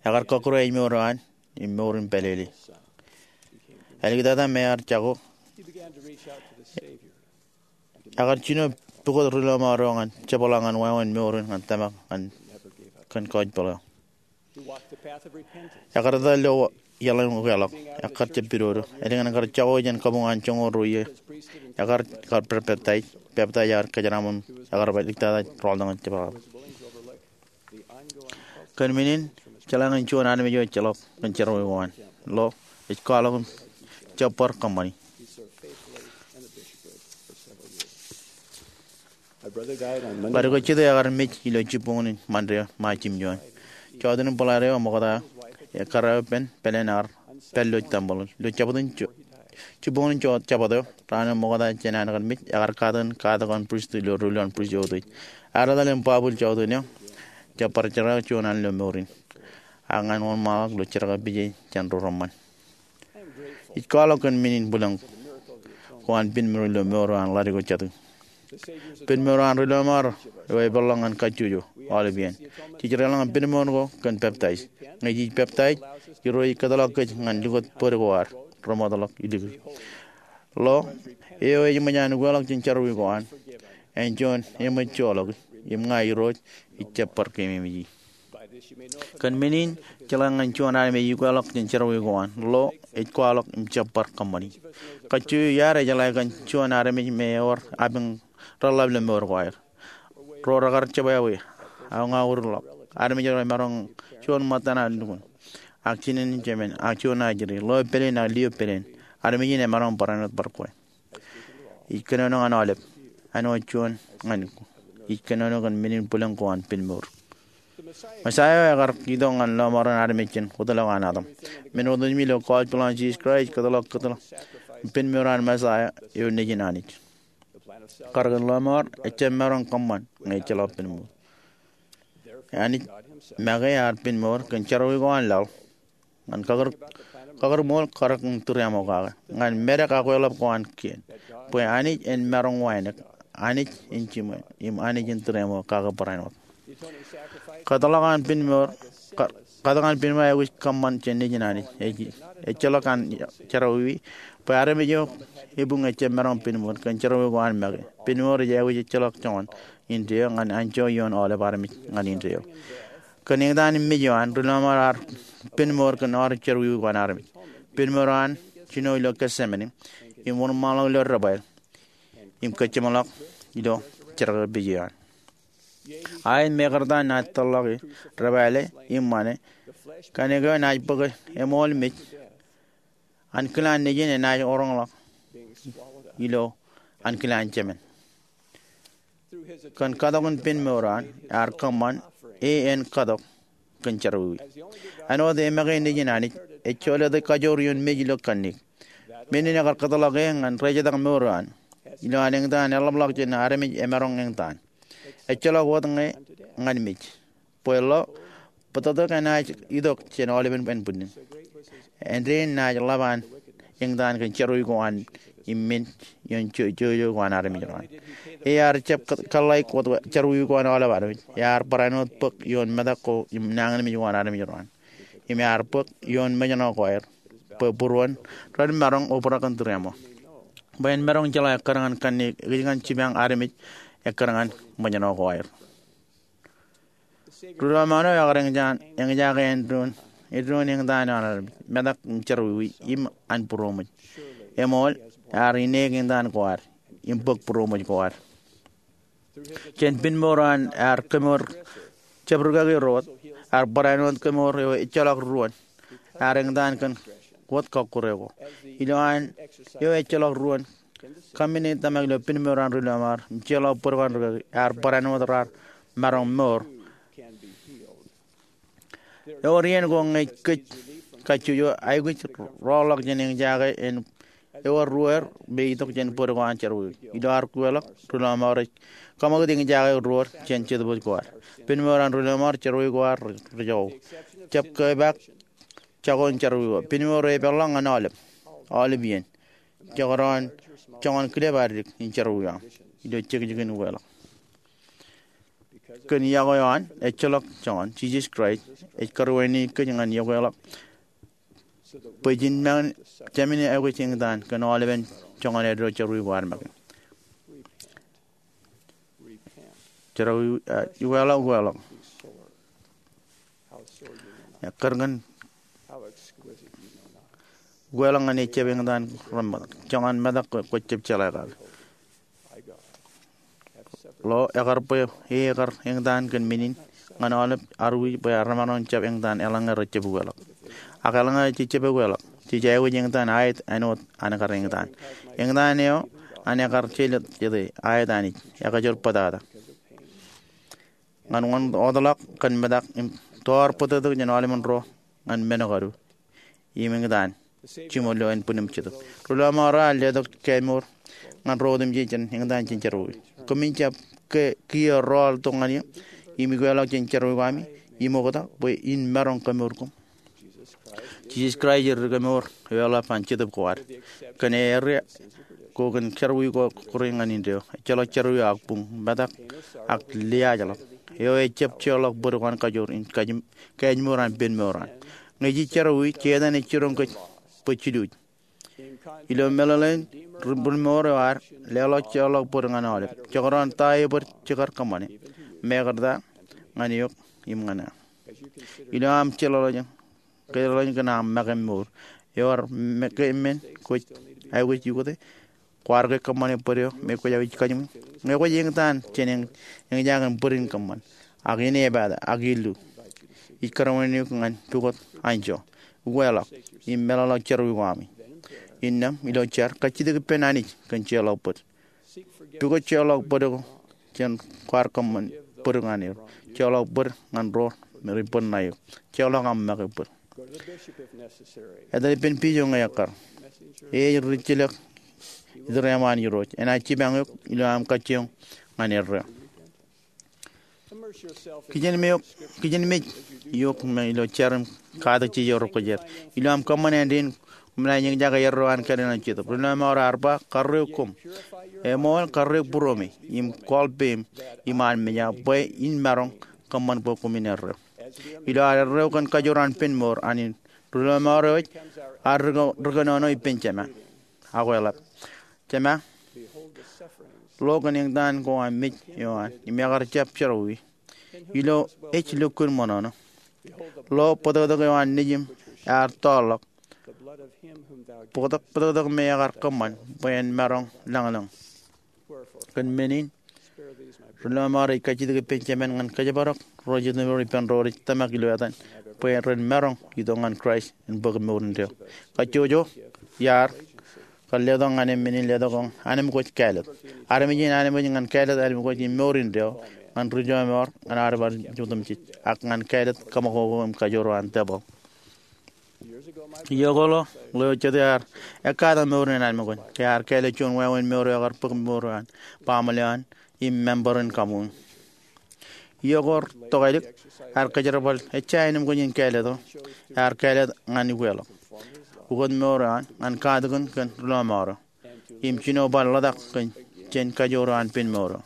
Ekar kọkkure ājmour eo an im mour in pālele. Āliktata me ear jako, ekar jino pukot ri lọmọọr eo ñan jepḷaak ñan wāween mour in ñan tōmak ñan kōn kọjpeḷ eo. Ekar etal ilo iaḷ in ukeḷọk, ekkar jab pidodo. Ālikin kar jako jān kabuñ an joñoul ruo iiō, ekar, ekar pād peptaij, peptaij ear kōjeraaṃṃan, ekar bar āliktata rọọltok ñan jepḷaak. Kōn men in, jeḷā ñan juon armej eo ejjeḷọk kōn jerọwiwi ko an. Lo, ej kwaḷọk im jab bar kōṃṃani. Ḷadik eo jatū ekar mej ilo jibboñōn in Ṃande eo Ṃaij jiljino. Jọteen in bōḷaer eo eṃōkta, ekkar eo pen pāleen ear pād ilo tempeḷ. Ilo jabdewōt in jo-, jibboñōn in jo-, jabdewōt eo, raan eo eṃōkta jān an kar mej, ekar katakin katak an pristut ilo ruo ḷọk an pristut eo eutiej. Ear etal im bwabwil jọteen eo, jab bar jerkakaki juon an ilo mour in. Ak ñan wōnṃaanḷọk ilo jerkakpije jān ri reṃṃan. Ij kwaḷọk kōn men in bwilōñ ko an pinmour ilo mour eo an ḷadik eo jatū. Pinmour eo an ri lọmọọr eo epeḷḷọk ñan kajjojo aolep iien. Jej deḷọñ pinmour ko kōn peptaij. Ñe jej peptaij, Irooj ej kōtḷọk kōj ñan likūt bōd ko ad remootḷọk ilikin. Lo, eo ej ṃōj an ukeḷọk jān jerọwiwi ko an, en juon eṃōj joḷọk, im ña Irooj ij jab bar keememej e. Kōn men in, jeḷā ñan juon armej ej ukeḷọk jān jerọwiwi ko an, lo, ej kwaḷọk im jab bar kōṃṃani. Kajjojo iaad ejeḷā kōn juon armej me ewōr apiñ reḷḷap ilo mour ko aer. Ro rekar jebwābwe, ak ña ururḷọk. Armej ro emaroñ juon ṃōttan an lukkuun, ak jinen in jemān, ak juon ajri, ḷeo pāleen ak lio pāleen. Armej in emaroñ barāinwōt bar kwe. Ij kōnono ñan aolep, āinwōt juon ñan, ij kōnono kōn men in bwilōñ ko an pinmour. Mesaia eo ekar itok ñan lọmọọren armej jān wōtlọk an Adam. Men otemjej ilo gospel an Jisōs Kraist ej kōtḷọk, kōtḷọk pinmour an Mesaia eo nejin Anij. Kar kōn lọmọọr ejjab maroñ kōṃṃan ñe ejjeḷọk pinmour. Anij make ear pinmour kōn jerọwiwi ko an laḷ. Ñan kakūr, kakūrṃool karōk in tūriaṃo kake. Ñan medek ak kweḷap ko an kien. Bwe Anij en maroñ wānōk, Anij in jiṃwe, im Anij in tūriaṃo kake barāinwōt. Kōtḷọk an pinmour, ka-, katak an pinmour ej aikuj kōṃṃan jān nejin Anij. Ej, ejjeḷọk an jerọwiwi, bwe armej eo ebuñ ejjab maroñ pinmour kōn jerọwiwi ko an make. Pinmour ej aikuj ejjeḷọk joñan indeeo ñan anjọ ioon aolep armej ñan indeeo. Kōn eñtaan im mej eo an, ri lọmọọr ear pinmour kōn aorōk jerọwiwi ko an armej. Pinmour eo an jino ilo Getsemane, im wōnṃaanḷọk ilo debwāāl, im kōjjeṃḷọk ilo jerkakpije eo an. Aet, mekarta naaj tōlḷọke, debwāāle, im ṃane, kōnke enaaj bōke eṃool mej, ankilaan nejin enaaj roñḷọk ilo ankilaan jemān. Kōn katok in pinmour eo an, ear kōṃṃan, e en katok kōn jerọwiwi. Āinwōt e make nejin Anij, ejjeḷọk kajoor ioon mej ilo kanniōk. Men in ekar kōtḷọk e ñan rejetak mour eo an. Ilo an eñtaan eḷapḷọk jān armej emaroñ eñtaan. Ejjeḷọk wōt ñe ñan mej. Bwe lo, bōtōktōk enaaj itok jān aolepen ānbwinnin. Āindein naaj ḷap an eñtaan kōn jerọwiwi ko an im men ioon jo-, jojo ko an armej ro an. Ear jab kō-, kōḷḷāik wōt jerọwiwi ko an aolep armej. Ear barāinwōt bōk ioon metak ko im nañinmej ko an armej ro an. Im ear bōk ioon mejṇọ ko aer. Bwe būruon ren maroñ obrak in tūriaṃo. Bwe en maroñ jeḷā ekkar ñan kanniōk, ekōjkan jipañ armej ekkar ñan mejṇọ ko aer. Ri lọmọọr eo ekar eñjake āindein eddoin eñtaan eo an armej, metak in jerọwiwi im an būroṃōj. Eṃool, ear ineek eñtaan ko ad im bōk būroṃōj ko ad. Jān pinmour eo an ear kemour jab rūkaki ro wōt, ear barāinwōt kemour eo ejjeḷọk ruōn, ear eñtaan kōn wōt kọkkure ko. Ilo an eo ejjeḷọk ruōn, kaṃṃin ej tōmak ilo pinmour an ri lọmọọr im jeorḷọk bōd ko an rūkaki, ear barāinwōt raar maroñ mour. Ewōr iien ko ñe kōj kajjojo, aikuj rọọlḷọk jān eñjake en ewōr ruōer me itok jān bōd ko an jerọwiwi. Ilo ad kweḷọk, ri lọmọọr ej kaṃakūt eñjake ruōer jān jetōb ko ad. Pinmour an ri lọmọọr, jerọwiwi ko ad rej joḷọk. Jab kepaak jako in jerọwiwi ko. Pinmour eo epeḷḷọk ñan aolep, aolep iien. Jekdọọn joñan kilep ad dik in jerọwiwi aṃ ilo jekjekin ukeḷọk. Kōn iọkwe eo an ejjeḷọk joñan, Jisōs Kraist ej karuwainiki kōj ñan iọkweḷọk bwe jen make jāmin aikuj eñtaan kōn aolepen joñan eddo jerọwiwi ko ad make. Jerọwiwi, eh, ukeḷọk, ukeḷọk. Ekkar kōn ukeḷọk ñan ejjab eñtaan reṃṃan. Joñan metak kwōj jab jeḷā kake. Lo ekar bwe e ekar eñtaan kōn men in ñan aolep armej bwe remaroñ jab eñtaan eḷaññe rejjab ukeḷọk. Ak eḷaññe jejjab ukeḷọk, jej aikuj eñtaan aet āinwōt an kar eñtaan. Eñtaan eo an ekar jeḷā jete aet Anij, ekajoor bōtata. Ñan wōn wōtlọk kōn metak im tọọr bōtōktōk jān aolepen ro ñan men kadu im eñtaan jiṃor ilo ānbwinnim Jetōb. Ri lọmọọr eo ear letok kemour ñan ro otemjej jān eñtaan jān jerọwiwi. Koṃwin jab ke kiiō rọọltok ñan eō im ukeḷọk jān jerọwiwi ko ami im oktak bwe in maroñ kemour koṃ. Jisōs Kraist ej ri kemour eo eḷap an jetōb ko ad. Kōn errā ko kōn jerọwiwi ko kọkkure ñan indeeo, ejjeḷọk jerọwiwi ak buñ, metak ak liaajḷọk. Eo ejjab jeorḷọk bōd ko an kajoor in kajim kemour an pinmour eo an. Ñe jej jerọwiwi, Setan ej jiroñ kōj bwe jiluuj. Ilo meḷeḷein ri pinmour eo ad, leḷọk jeorḷọk bōd ñan aolep. Jekdọọn ta ebōd jekar kōṃṃane, mekarta ñan eok im ñan eō. Ilo aṃ jeḷāḷọkjeṇ, jeḷāḷọkjeṇ kōn aṃ make mour, ewōr me ke men kwōj aikuj ukōte? Kwaar ke kōṃṃane bōd eo me kwōj aikuj kajiṃwe? Ñe kwōj eñtaan jān eñ, eñjake bōd in kōṃṃan, ak inepata, ak illu, ij karuwainiki eok ñan pukot anjọ, ukeḷọk im meḷọkḷọk jerọwiwi ko ami. Innām, ilo jar, kajjitōk ippān Anij kōn jeorḷọk bōd. Pukot jeorḷọk bōd ko jān kwaar kōṃṃan bōd ñan er. Jeorḷọk bōd ñan ro me rej bōd ṇae eok. Jeorḷọk aṃ make bōd. Etale ippān bishop ñe ekkar. E ej ri jilōk itōreṃṃan Irooj. Enaaj jipañ eok ilo aṃ kajjioñ ñan erreo. Kijenmej eok, kijenmej eok me ilo jar im katak jijet ro kwōj er. Ilo aṃ kōṃṃan āindein, koṃ naaj eñjake erreo an kāālōt eo an Jetōb. Ri lọmọọr eo ar ba, karreoik koṃ. Eṃool, karreoik būruemi im kwaḷ peiṃ im an mejā bwe in maroñ kōṃṃan bwe koṃwin erreo. Ilo ad erreo kōn kajoor an pinmour an in, ri lọmọọr eo ej ad ri kōnono ippān Jema. Ak eḷap, Jema, lo kōn eñtaan ko aṃ mej eo an im ekar jab jerọwiwi. Ilo ej lukkuun ṃōṇōṇō. Lo bōtōktōk eo an nejiṃ ear tọọrḷọk. Bōtōktōk, bōtōktōk me ekar kōṃṃan bwe en maroñ lañlōñ. Kōn men in, ri lọmọọr eo ej kajjitōk ippān Jema ñan kōjparok ro jitōnbōro ippān ro rej tōmak ilo etan bwe ren maroñ itok ñan Kraist en bōk mour indeeo. Kajjojo, iar kar letok ñan e men in letok eo an, armej in kāālōt. Armej in armej ñan kāālōt armej in mour indeeo ñan ri lọmọọr, ñan ad bar otemjej, ak ñan kāālōt kōṃakoko im kajoor eo an tebōḷ. Iiō ko ḷọk, ḷeo jete ear ekkatak mour in armej in. Ke ear kāālōt juon wāween mour eo ekar bōk mour eo an, baaṃle eo an, im member in kaṃṃoolol. Iiō ko tok ālik, ear kōjerbal ejja ānbwin in kāālōt eo ear kāālōt ñan ukeḷọk, ukōt mour eo an, ñan katakin kōn ri lọmọọr eo, im jino bar ḷotak kōn jān kajoor eo an pinmour eo.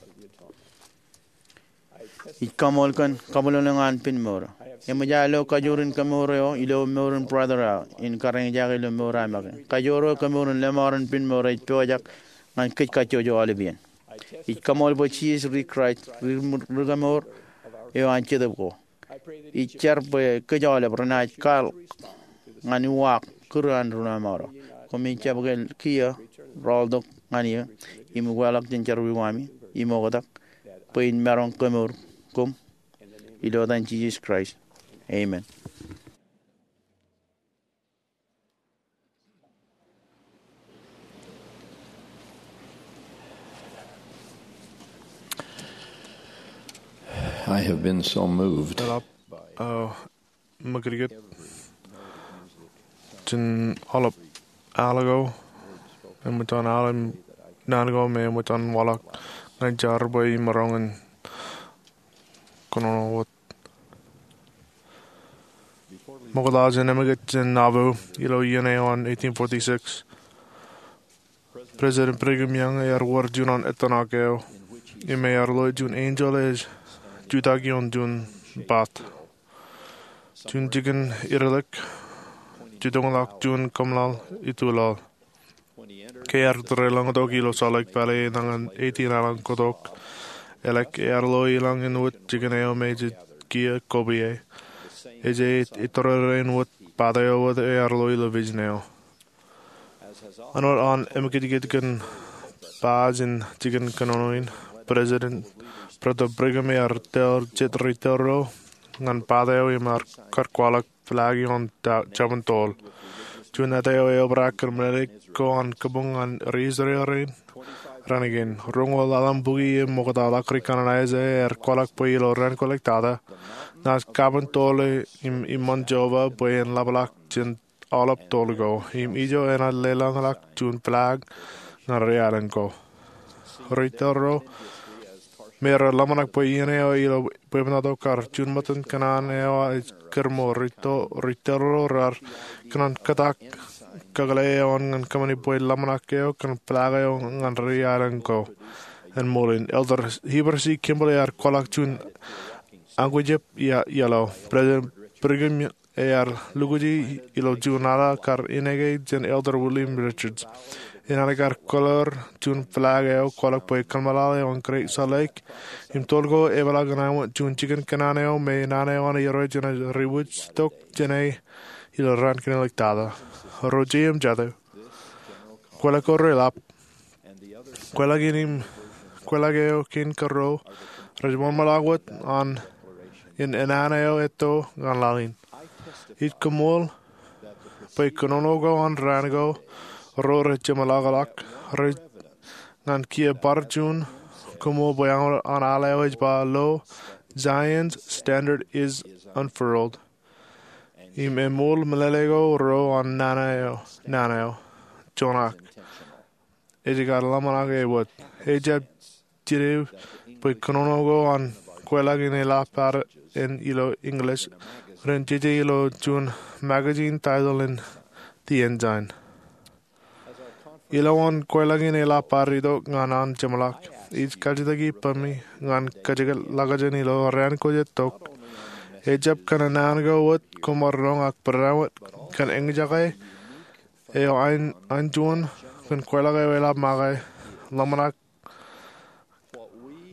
Ij kaṃool kōn kabwilōñlōñ eo an pinmour eo. Eṃōj aō lo kajoor in kemour eo ilo mour in brother eo aō in kar eñjake ilo mour eo aō make. Kajoor eo kemour in lọmọọr in pinmour ej pojak ñan kōj kajjojo aolep iien. Ij kaṃool bwe Jisōs ri Kraist, ri, ri kemour eo an jetōb ko. Ij jar bwe kōj aolep renaaj kwaḷọk ñan uwaak kūr an ri-lọmọọr ro. Koṃij jab kiiō rọọltok ñan eō im ukeḷọk jān jerọwiwi ami im oktak bwe in maroñ kemour koṃ. Ilo etan Jisōs Kraist, amen. I have been so moved. Eḷap, uh, ṃakūtkūt jān aolep al ko, eṃōj an al im naan ko me eṃōj an waḷọk ñan jar bwe imaroñ in kōnono wōt. Ṃokta jān emekūt jān Nauvoo ilo iien eo an eighteen forty-six, President Brigham Young ear wōr juon ettōṇak eo im ear lo juon enjeḷ ej jutak ioon juon bat. Juon jikin irōlik jutoñḷọk juon kōmlaḷ ituḷaḷ. Ke ear tōre lōñtok ilo Salt Lake Valley enañin eighteen aḷañ kotok, elōñ ear lo ilañ in wōt jikin eo me jej kiiō kopier. Ej ej tōre rein wōt bat eo wōt ear lo ilo vision eo. Āinwōt an emekūtkūt kōn ba jān jikin kōnono in, President, Brother Brigham ear tōl jet ri tōl ro ñan bat eo im ear kwaḷọk flag ioon jabōn toḷ. Juon āt eo eobrak kōn meḷeḷe ko an kabuñ ñan ri Israel rein. Raan kein, roñoul ḷalem bukwi im ṃoktaḷọk ri kanaan Isaiah ear kwaḷọk bwe ilo raan kwōlōktata, naaj kabōn toḷ im iṃaan Jeova bwe en ḷapḷọk jān aolep toḷ ko, im ijo enaaj leḷọñḷọk juon flag ñan ri aelōñ ko. Ri tōl ro me rej ḷōmṇak bwe iien eo ilo bwebwenato kar juon ṃōttan kōṇaan eo ej kūrṃo. Ri tōl ro raar kōṇaan kōtak kakōḷḷe eo an ñan kōṃṃani bwe ḷōmṇak eo kōn flag eo ñan ri aelōñ ko en ṃool in. Elder Heber C. Kimball ear kwaḷọk juon añkujep iaḷ. President Brigham ear lukuji ilo juon ala kar ineke jān Elder William Richards. Inaaj kar kōḷḷoor juon flag eo kwaḷọk bwe kōḷmānḷọk eo an Great Salt Lake im toḷ ko epeḷḷọk ñan juon jikin kōṇaan eo me naan eo an Irooj enaaj riwōj tok jāne ilo raan kōnono ḷọk tata. Ro jet im jatū, kwōḷak ko reḷap, kwōḷak in im kwōḷak eo kein kōrro rej ṃōṃōḷọk wōt an in enana eo etto ñan laḷ in. Ij koṃṃool bwe kōnono ko an raan ko ro rej jeṃḷọkḷọk rej ñan kiiō bar juon koṃṃool bwe an al eo ej ba lo, Zion's standard is unfurled. Im eṃool meḷeḷe ko ro an nana eo, nana eo, joñak. Ej kar ḷōmṇak e wōt. Ej jab jidik bwe kōnono ko an kwōḷak in eḷap ad ilo English ren jeje ilo juon magazine title in The Ensign. Ilo an kwōḷak in eḷap ad itok ñan an jeṃḷọk, ij kajjitōk ippaṃ ñan kajjitōk ḷọkjeṇ ilo raan ko jet tok. Ejab kōn naan ko wōt koṃ ar roñ ak barāinwōt kōn eñjake eo an juon kōn kwōḷak eo eḷap make ḷōmṇak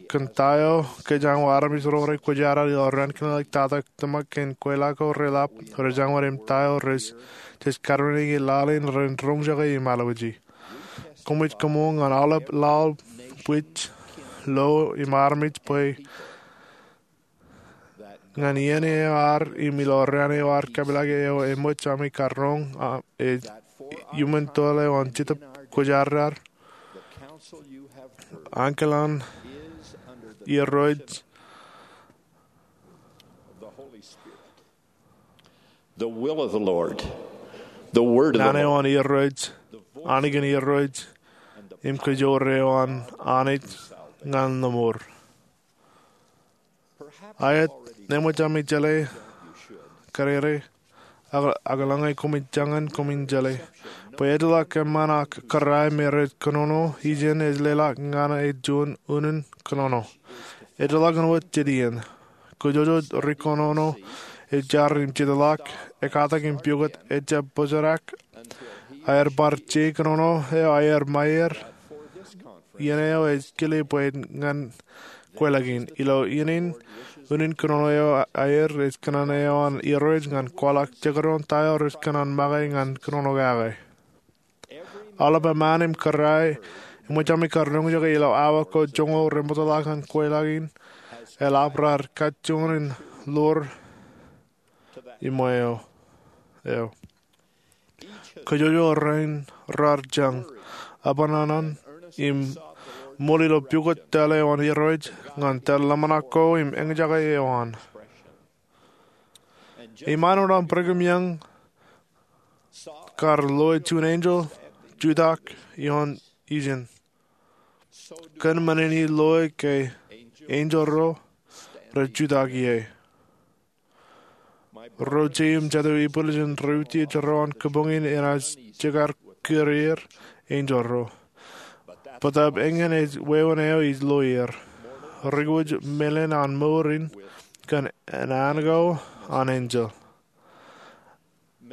kōn ta eo kōjeañ wōt armej ro rej kwōjarjar ilo raan kōnono ḷọk tata. Tōmak kein kwōḷak ko reḷap, rejañ wōt im ta eo rej, jej karmāniki laḷ in ren roñjake im alwōji. Koṃij koṃṃool ñan aolep laḷ, bwij, lo im armej bwe ñan iien eo ad im ilo raan eo ad kapeḷḷọk eo eṃōj ami kar roñ, a, e, iuṃwin toḷ eo an Jetōb Kwōjarjar. Ankilaan Irooj. The will of the Lord. The word of the Lord. Naan eo an Irooj, annikin Irooj, im kōjoor eo an Anij ñan lōṃur. Aet, eṃōj ami jeḷā, kōrā, ak, ak eḷaññe koṃij jañin koṃin jeḷā bwe ejjeḷọk eṃṃan ak kōrā me rej kōnono ijin ej leḷọk ñan juon unin kōnono. Ejjeḷọk wōt jet iien. Kōjojoj ri kōnono ej jar im jitḷọk, ekkatak im piukūt, ejjab bōjrak aer bar je kōnono eo aer ṃaer. Iien eo ej kile bwe ñan kwōḷak in. Ilo iien in, unin kōnono eo aer ej kōṇaan eo an irooj ñan kwaḷọk jekdọọn ta eo rej kōṇaan make ñan kōnono kake. Aolep eṃṃaan im kōrā eṃōj ami kar roñjake ilo awa ko joñoul rej ṃōttan kweilọk in, eḷap raar kajjoñan in ḷoor iṃō eo. Kōjwōjwō rein raar jañ, abṇōṇō, im ṃool ilo pukot tōl eo an irooj ñan tōl ḷōmṇak ko im eñjake eo an. Iṃaan wōt an Brigham Young kar loe juon enjeḷ jutak ioon ijin, kōn men in loe ke enjeḷ ro rej jutak ie. Ro jeiū im jatū ipwilōñ ro utiej ro an kōbuñ in enaaj jekar kūr er enjeḷ ro. Bōtab eñin ej wāween eo ij loe er. Ri kwōj meḷeḷe an mour in kōn an anko an enjeḷ.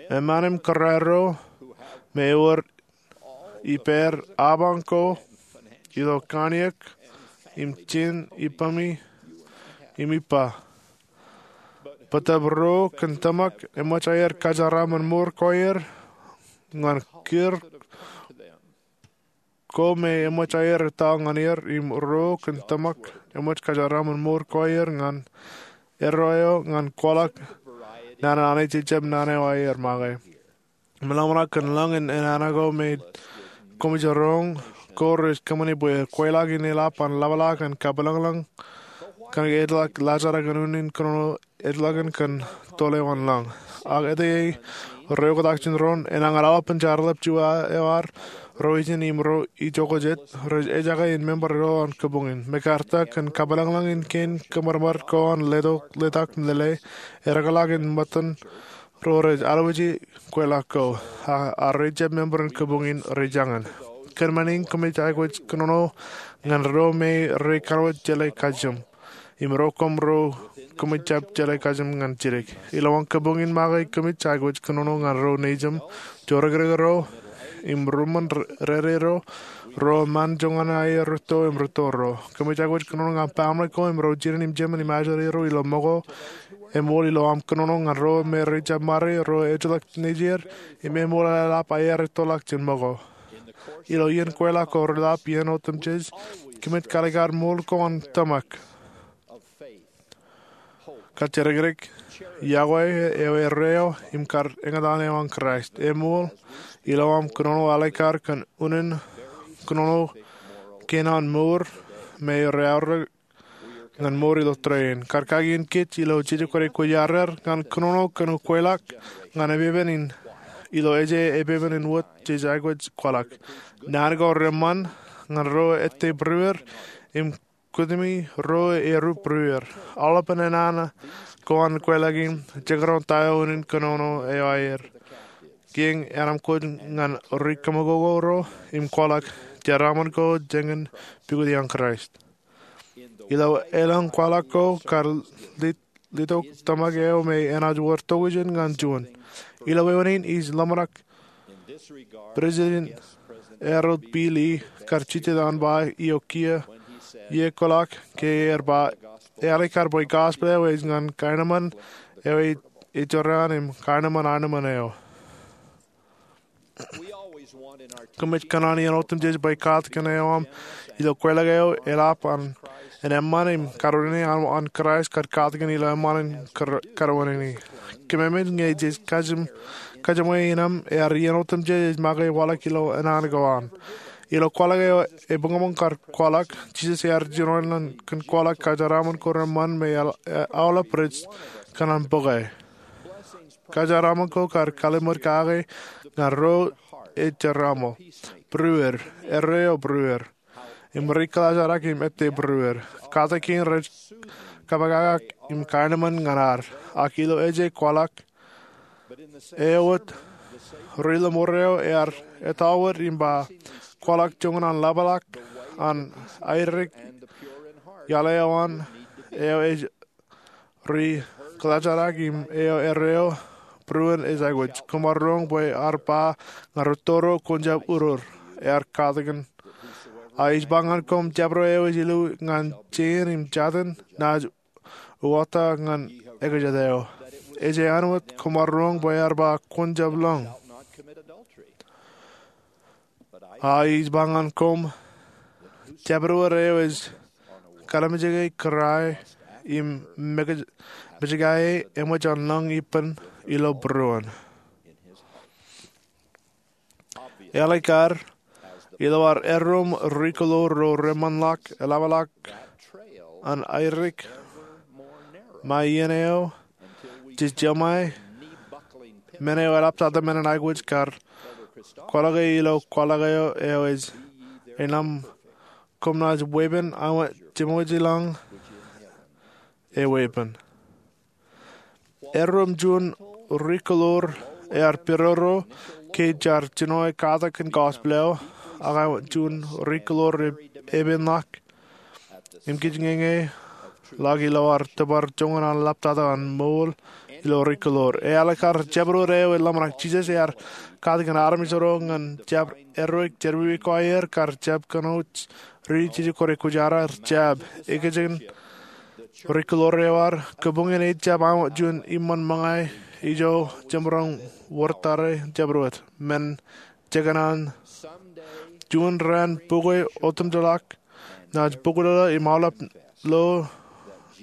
Eṃṃaan im kōrā ro me ewōr ippāer apañ ko ilo kanniōk im jen ippemi im ippa. Bōtab ro kōn tōmak eṃōj aer kōjeraaṃṃan mour ko aer ñan kūr ko me eṃōj aer etal ñan er, im ro kōn tōmak eṃōj kōjeraaṃṃan mour ko aer ñan erro eo ñan kwaḷọk naan an Anij ej jab naan eo aer make. Im ḷōmṇak kōn lōñ in an anko me koṃij roñ ko rej kōṃṃani bwe kweilọk in eḷap an ḷapḷọk an kapilōñlōñ kōn ke ejjeḷọk laajrak in unin kōnono ejjeḷọkin kōn tōl eo an lōñ. Ak ete ro oktak jān doon, enañin aolepān jeorḷọk juon eo ad, ro ijin im ro ijoko jet, rej ejake in member ro an kōbuñ in. Mekarta kōn kapilōñlōñ in kein kōṃadṃōd ko an letok, letak im lele, eḷapḷọk in ṃōttan ro rej alwōji kweilọk ko, a, a rej jab member in kōbuñ in rej jañin. Kōn men in koṃij aikuj kōnono ñan ro me rej kanooj jeḷā kajjim. Im ro koṃ ro koṃij jab jeḷā kajjim ñan jidik. Ilowaan kōbuñ in make koṃij aikuj kōnono ñan ro nejim, jorrakdik ro, im ruṃṃan rere ro, ro eṃṃan joñan aer rūtto im rūtto ro. Koṃij aikuj kōnono ñan baaṃle ko im ro jined im jemān im ajri ro ilo ṃōko, eṃool ilo aṃ kōnono ñan ro me rej jab ṃare, ro ejjeḷọk nejier, im eṃool eḷap aer ettoḷọk jān ṃōko. Ilo iien kweilọk ko reḷap iien otemjej, koṃij kalikar ṃool ko an tōmak, kajjidikdik, yokwe eo erreo, im kar eñtaan eo an Kraist. Eṃool ilo aṃ kōnono aleikar kōn unin kōnono kein an mour me reaorōk ñan mour ilo tōrein. Kar kakin kōj ilo jeje kwōnaaj kwōjarjar ñan kōnono kōn kweilọk ñan epepen in, ilo eje epepen in wōt jej aikuj kwaḷọk. Naan ko reṃṃan ñan ro ettā būruer im kūtimi ro eru būruer. Aolepān naan ko an kweilọk in jekdọọn ta eo unin kōnono eo aer. Kiiō enaaj kōj ñan ri kaṃakoko ro im kwaḷọk jeraaṃṃan ko jān pukot iaan Kraist. Ilo elōñ kwaḷọk ko kar lit, litok tōmak eo me enaaj wōr tokjān ñan juon. Ilo wāween in ij ḷōmṇak President Harold B. Lee kar jitōñ an ba eo kiiō, iiō kwaḷọk ke ear ba, ealikar bwe gospel eo ej ñan kaenōṃṃan eo ej jorrāān im kaenōṃṃan aenōṃṃan eo. Koṃij kōṇaan iien otemjej bwe katakin eo aṃ ilo kweilọk eo eḷap an, an eṃṃan im kōrā in an, an Kraist kar katakin ilo eṃṃan im kar-, kōrā in. Kōmemej ñe jej kajjim, kajjiṃwe in aṃ ear iien otemjej ej make waḷọk ilo naan ko an. Ilo kwaḷọk eo ebuñbuñ kar kwaḷọk, Jisōs ear jinoin ḷọk kōn kwaḷọk kajeraaṃṃan ko reṃṃan me aolep rej kōṇaan bōke. Kajeraaṃṃan ko kar kalimur kake ñan ro ej jeraaṃṃan, būruer, erreo būruer, im ri kaḷajrak im ettā būruer. Katakin rej kapakakak im kaenōṃṃan ñan ad. Ak ilo eje kwaḷọk eo wōt, ri ḷōṃaro ear etal wōt im ba, kwaḷọk joñan an ḷapḷọk an airik iaḷ eo an, eo ej ri kaḷajrak im eo erreo būruon ej aikuj. Koṃ ar roñ bwe ear ba ñan rūtto ro, kwōn jab uroor, ear katakin. A ij ba ñan koṃ, jabdewōt eo ej illu ñan jein im jatin, naaj uwaak ñan ekajet eo. Ej āinwōt koṃ ar roñ bwe ear ba, kwōn jab lōñ. A ij ba ñan koṃ, jabdewōt eo ej kalimjeke kōrā im mej-, mejkā e eṃōj an lōñ ippān ilo būruon. Ālikin ad, ilo ad erreo ri-kōḷoor ro reṃanḷọk, eḷapḷọk an airik ṃae iien eo jej jeṃae men eo eḷaptata men in aikuj kar kwaḷọke ilo kwaḷọk eo ej eṇ aṃ koṃ naaj weeppān aṃ jeṃewōj ilañ eweeppān. Erreo juon ri-kōḷoor ear pidodo ke jaar jino e katak in gospel eo, ak juon ri-kōḷoor ej epenḷọk im kōj ñeñeḷọk ilo ad tōpar joñan an ḷaptata an ṃool ilo ri-kōḷoor. Ālikin ad, jabdewōt eo ej ḷōmṇak. Jisōs ear katakin armej ro ñan jab erreo, jerọwiwi ko aer kar jab kōnono ri jeje kōrā kwōjarjar jab. Ekōjkan ri-kōḷoor eo ad, kabuñ in ejjab aṃ juon iṃōn ṃōñā ijo jemaroñ wōr tata jabdewōt men jekōṇaan. Juon raan bukwe otemjeḷọk naaj bōklōḷ im aolep lo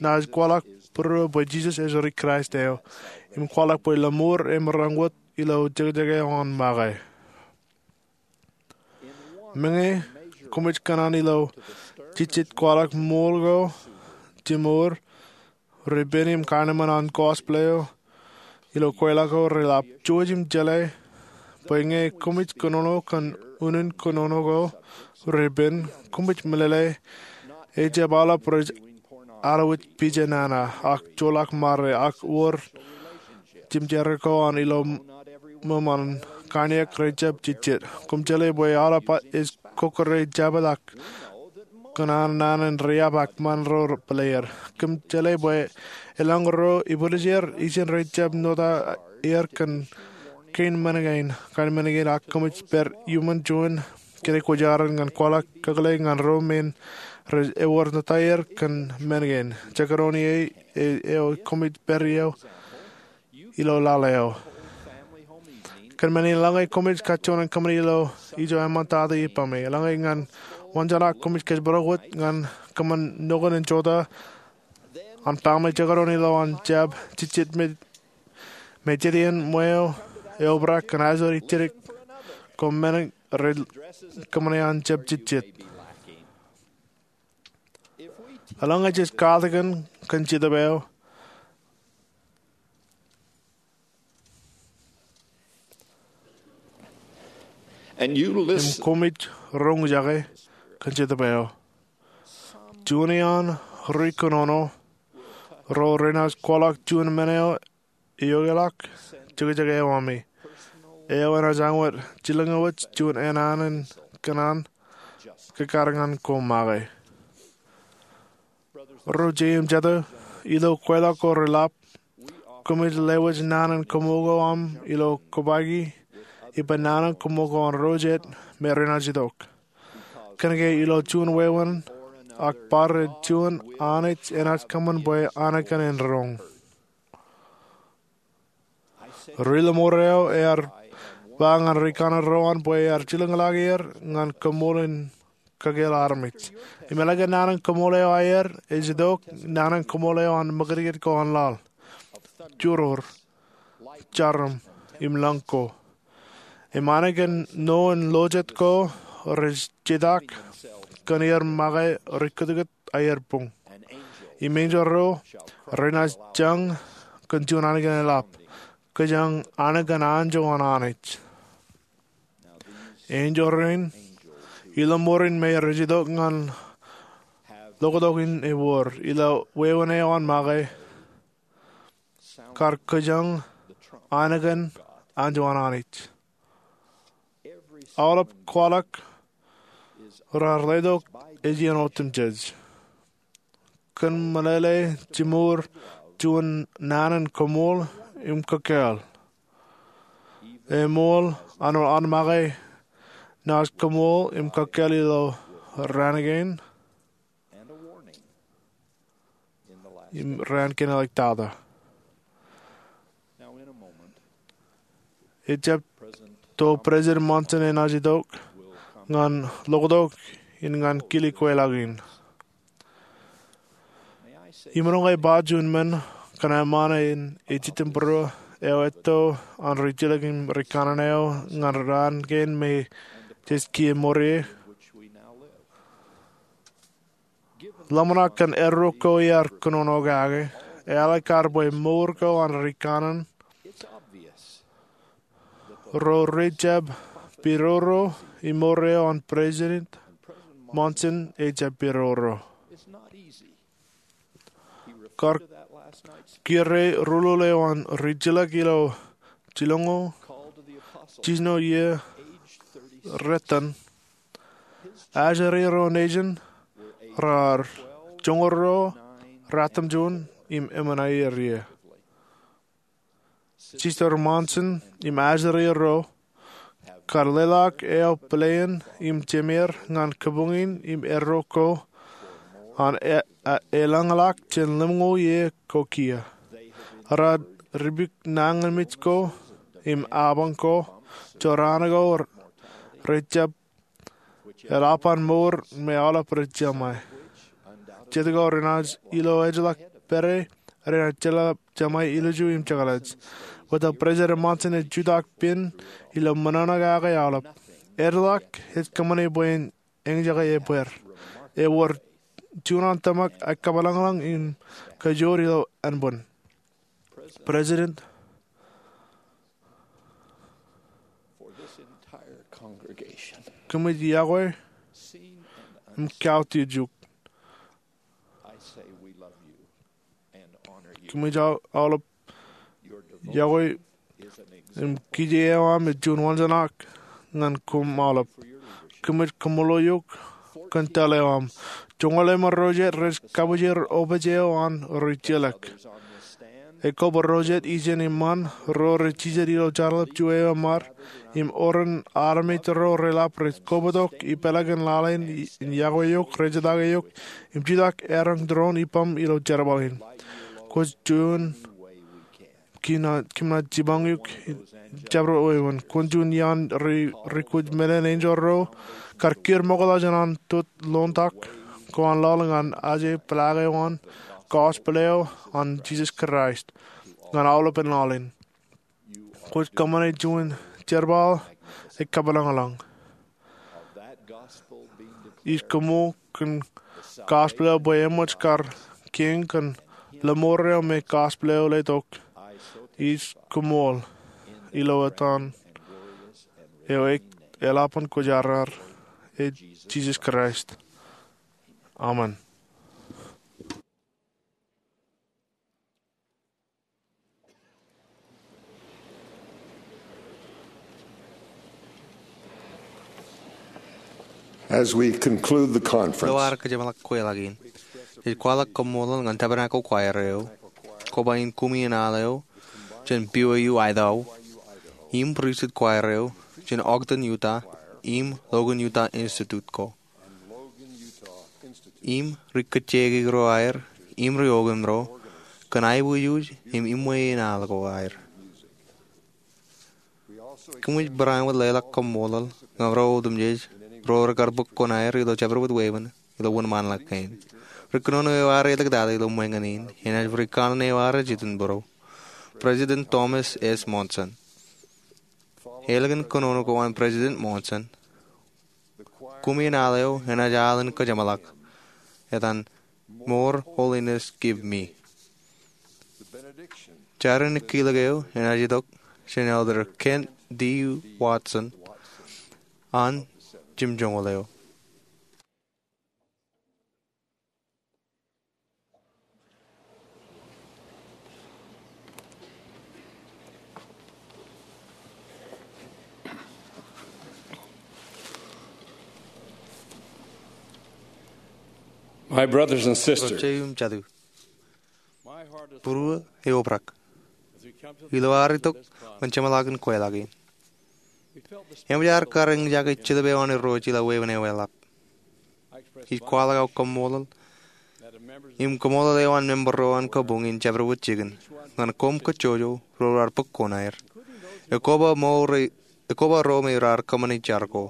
naaj kwaḷọk būruō bwe Jisōs ej ri-Kraist eo im kwaḷọk bwe lọmọọr emaroñ wōt ilo jekjek eo an make. Meñe koṃij kōṇaan ilo jejjet kwaḷọk ṃool ko, jimor, ri-pen im kanemān an gospel eo ilo kweilọk ko reḷap, jouj im jeḷā bwe ñe koṃij kōnono kōn unin kōnono ko, ri-pen, koṃij meḷeḷe ejjab aolep rej alwōj pija nana ak joḷọk ṃare ak wōr jimjare ko an ilo ṃōṃ an kain eok rejjab jejjet. Koṃ jeḷā bwe aolep ej kokkure jabōt ak kōṇaan naan in riab ak ṃaan ro bōleer. Koṃ jeḷā bwe elōñ ro ibwiljāer ijin rejjab nota er kōn kein men kein, kain men kein, ak koṃij pād iuṃwin juon kōrā kwōjarjar ñan kwaḷọk kakōḷḷe ñan ro men rej ewōr nota er kōn men kein. Jekdọọn ie eo koṃij pād ie ilo laḷ eo. Kōn men in, eḷaññe koṃij kajjojo in kōṃṃani ilo ijo eṃṃantata ippaṃ, eḷaññe ñan wōnjeṇak koṃij kōjparok wōt ñan kōṃṃan nokun in jota an paṃ eo jekdọọn ilo an jab jejjet me, me jet iien ṃweo eobrak kōn aer ijjitōk ko men rej kōṃṃane an jab jejjet. Eḷaññe jej katakin kōn Jetōb eo im koṃij roñjake kōn Jetōb eo, juon iaan ri-kōnono ro renaaj kwaḷọk juon men eo eokḷọk jekjek eo ami. Eo enaaj añwōt jilkinwōj juon enaan in kōṇaan kōkkar ñan ko make. Ro jet im jete, ilo kweilọk ko reḷap, koṃij lewōj naan in koṃṃool ko aṃ ilo kōpaiki ippān naan in koṃṃool ko an ro jet me renaaj itok. Kōnke ilo juon wāween ak bar ej juon Anij enaaj kōṃṃan bwe Anij kōn en roñ. Ri-lọmọọr eo ear ba ñan ri-kanaan ro an bwe ear jilkinḷọk er ñan koṃṃool in kakōḷḷe armej. Im eḷaññe naan in koṃṃool eo aer ej itok, naan in koṃṃool eo an ṃakūtkūt ko an laḷ, juror, jarom, im lōñ ko. Im Anij kōn ṇo in lo jet ko rej jetak kōn er make ri kutkut aer buñ. Im enjeḷ ro renaaj jañ kōn juon anij in eḷap, kōjañ anij in anjọ an Anij. Enjeḷ rein, ri-lọmọọr in me rej itok ñan lokatok in ewōr ilo wāween eo an make, kar kōjañ anij in anjọ an Anij. Aolep kwaḷọk raar letok ej iien otemjej. Kōn meḷeḷe jimor juon naan in koṃṃool im kōkkāāl. Eṃool an make naaj koṃṃool im kōkkāāl ilo raan kein. im raan kein āliktata. Ejjab to President Monson enaaj itok ñan ḷoktok in ñan kile kweilọk in. Im ḷọk ej ba juon men kōn eṃṃan in ejitōñbōro eo etto an rijjelōk im rikanaan eo ñan raan kein me jej kiiō ṃōrei. Ḷōmṇak kōn erro ko iar kōnono kake, eḷak kar bwe mour ko an rikanaan ro rejjab pidodo im ṃōrei eo an President Monson ejjab pidodo. Kar kūr ruḷuḷ eo an rijjelōk ilo jilñuul jiljino iiō retan, ajri ro nejin raar joñoul ruo, ratimjuon im emān aier iiō. Sister Monson im ajri ro kar leḷọk eo pilein im jemeir ñan kabuñ in im erro ko an e- e- elōñḷọk jān lemñoul iiō ko kiiō. Raar ripik nañinmej ko im apañ ko, jorrāān ko rejjab eḷap an mour me aolep rej jeṃae. Jet ko renaaj ilo ejjeḷọk pere renaaj jeḷā jeṃae ilju im jekḷaj. Bwe ta President Monson ej jutak pen ilo ṃōṇōṇō kake aolep. Ejjeḷọk ej kōṃṃane bwe en eñjake ebbeer. Ewōr juon an tōmak ej kōpeḷḷọk im kajoor ilo ānbwin. President, kōmij yokwe im kautiej eok. Kōmij aolep yokwe im kije eo aṃ ej juon wanjeṇak ñan koṃ aolep. Kōmij kaṃṃoolol eok kōn tōl eo aṃ. Joñoul eṃṃan ro jet rej kabwijin opej eo an rijjelōk. Ekwe bwe ro jet ijin eṃṃan ro rej jijet ilo jeorḷọk juon eo eṃṃan im oren armej ro reḷap rej kobatok ipeḷaakin lale in yokwe eok, rejetaake eok im jutak eroñ doon ippaṃ ilo jerbal in. Kwōj juon kōm naaj jipañ eok jabdewōt wāween. Kwōn juon iaan ri kwōj men in enjeḷ ro kar kūr ṃokta jān an tōt ḷoontak ko an laḷ ñan aje peḷaak eo an gospel eo an Jisōs Kraist ñan aolepen laḷ in. Kwōj kōṃṃane juon jerbal ej kōpeḷḷọk. Ij koṃṃool kōn gospel eo bwe eṃōj kar kiiñ kōn lọmọọr eo me gospel eo letok. Ij koṃṃool ilo etan eo eḷap an kwōjarjar, ej Jisōs Kraist. Amen. As we conclude the conference, ilo ad kōjeṃḷọk kweilọk in, ij kwaḷọk kaṃṃoolol ñan Tabernacle Choir eo, koba in Kumi in Al eo jān B Y U Idaho, im pristut choir eo jān Ogden Utah im Logan Utah Institute ko, im ri kōjjeiki ro aer im ri okim ro kōn aiboojoj im iṃwe in al ko aer. Kōmij barāinwōt leḷọk kaṃṃoolol ñan ro otemjej ro rekar bōk kuṇaer ilo jabdewōt wāween ilo wōnṃaanḷọk kein. Ri kōnono eo ad āliktata ilo ṃōñā in enaaj rikanaan eo ad ej itok bōro, President Thomas S. Monson. Ālikin kōnono ko an President Monson, Kumi in Al eo enaaj al in kōjeṃḷọk etan More Holiness Give Me. Jar in kilōk eo enaaj itok jān Elder Kent D. Watson an jimjuonñoul eo. My brothers and sisters, Ro jeiū im jatū, būruō eobrak ilo ad itok ñan jeṃḷọkin kweilọk in. Eṃōj ad kar eñjake jetōb eo an Irooj ilo wāween eo eḷap. Ij kwaḷọk aō kaṃṃoolol Im koṃṃool eo an member ro an kabuñ in jabdewōt jikin ñan koṃ kajjojo ro raar bōk koṇaer, ekwe ba ro me raar kōṃṃane jar ko.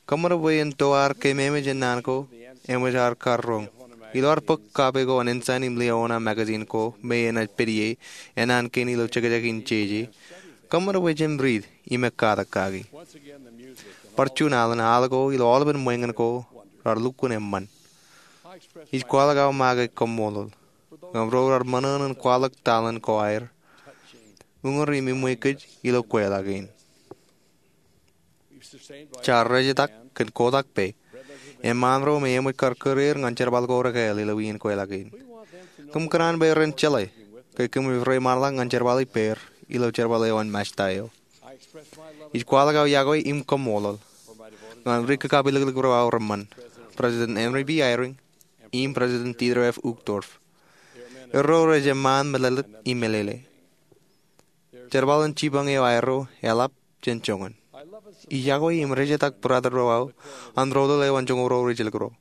Kōṃṃan bwe en to ad keememej jān naan ko eṃōj ad kar roñ ilo ad bōk kape ko an Ensign im Liahona magazine ko me enaaj pād ie, enaan kein ilo jekjek in jeje. Kōṃṃan bwe jen riit im ekkatak kaki. Bar juon alen, al ko ilo aolepen ṃweeñin ko raar lukkuun eṃṃan. Ij kwaḷọk aō make koṃṃool ñan ro raar ṃōṇōṇō in kwaḷọk taḷen ko aer, uñūr im eṃṃan kōj ilo kweilọk in. Jaar rejetak kōn kotak pā eṃṃaan ro me eṃōj kar kūr er ñan jerbal ko rekāāl ilo iien kweilọk in. Kōm kōṇaan bwe ren jeḷā ke kōmij reiṃaanḷọk ñan jerbal ippāer ilo jerbal eo an Mājta eo. Ij kwaḷọk aō iọkwe im koṃṃool ñan ri kakapeliklik ro aō reṃṃan, President Henry B. Eyring im President Dieter F. Uchtdorf. Erro rej eṃṃaan meḷeḷe im meḷeḷe. Jerbal in jipañ eo aerro eḷap jān joñan. Ij iọkwe im rejetak brother ro aō an rōtōl eo an joñoul ro ri jilkinro.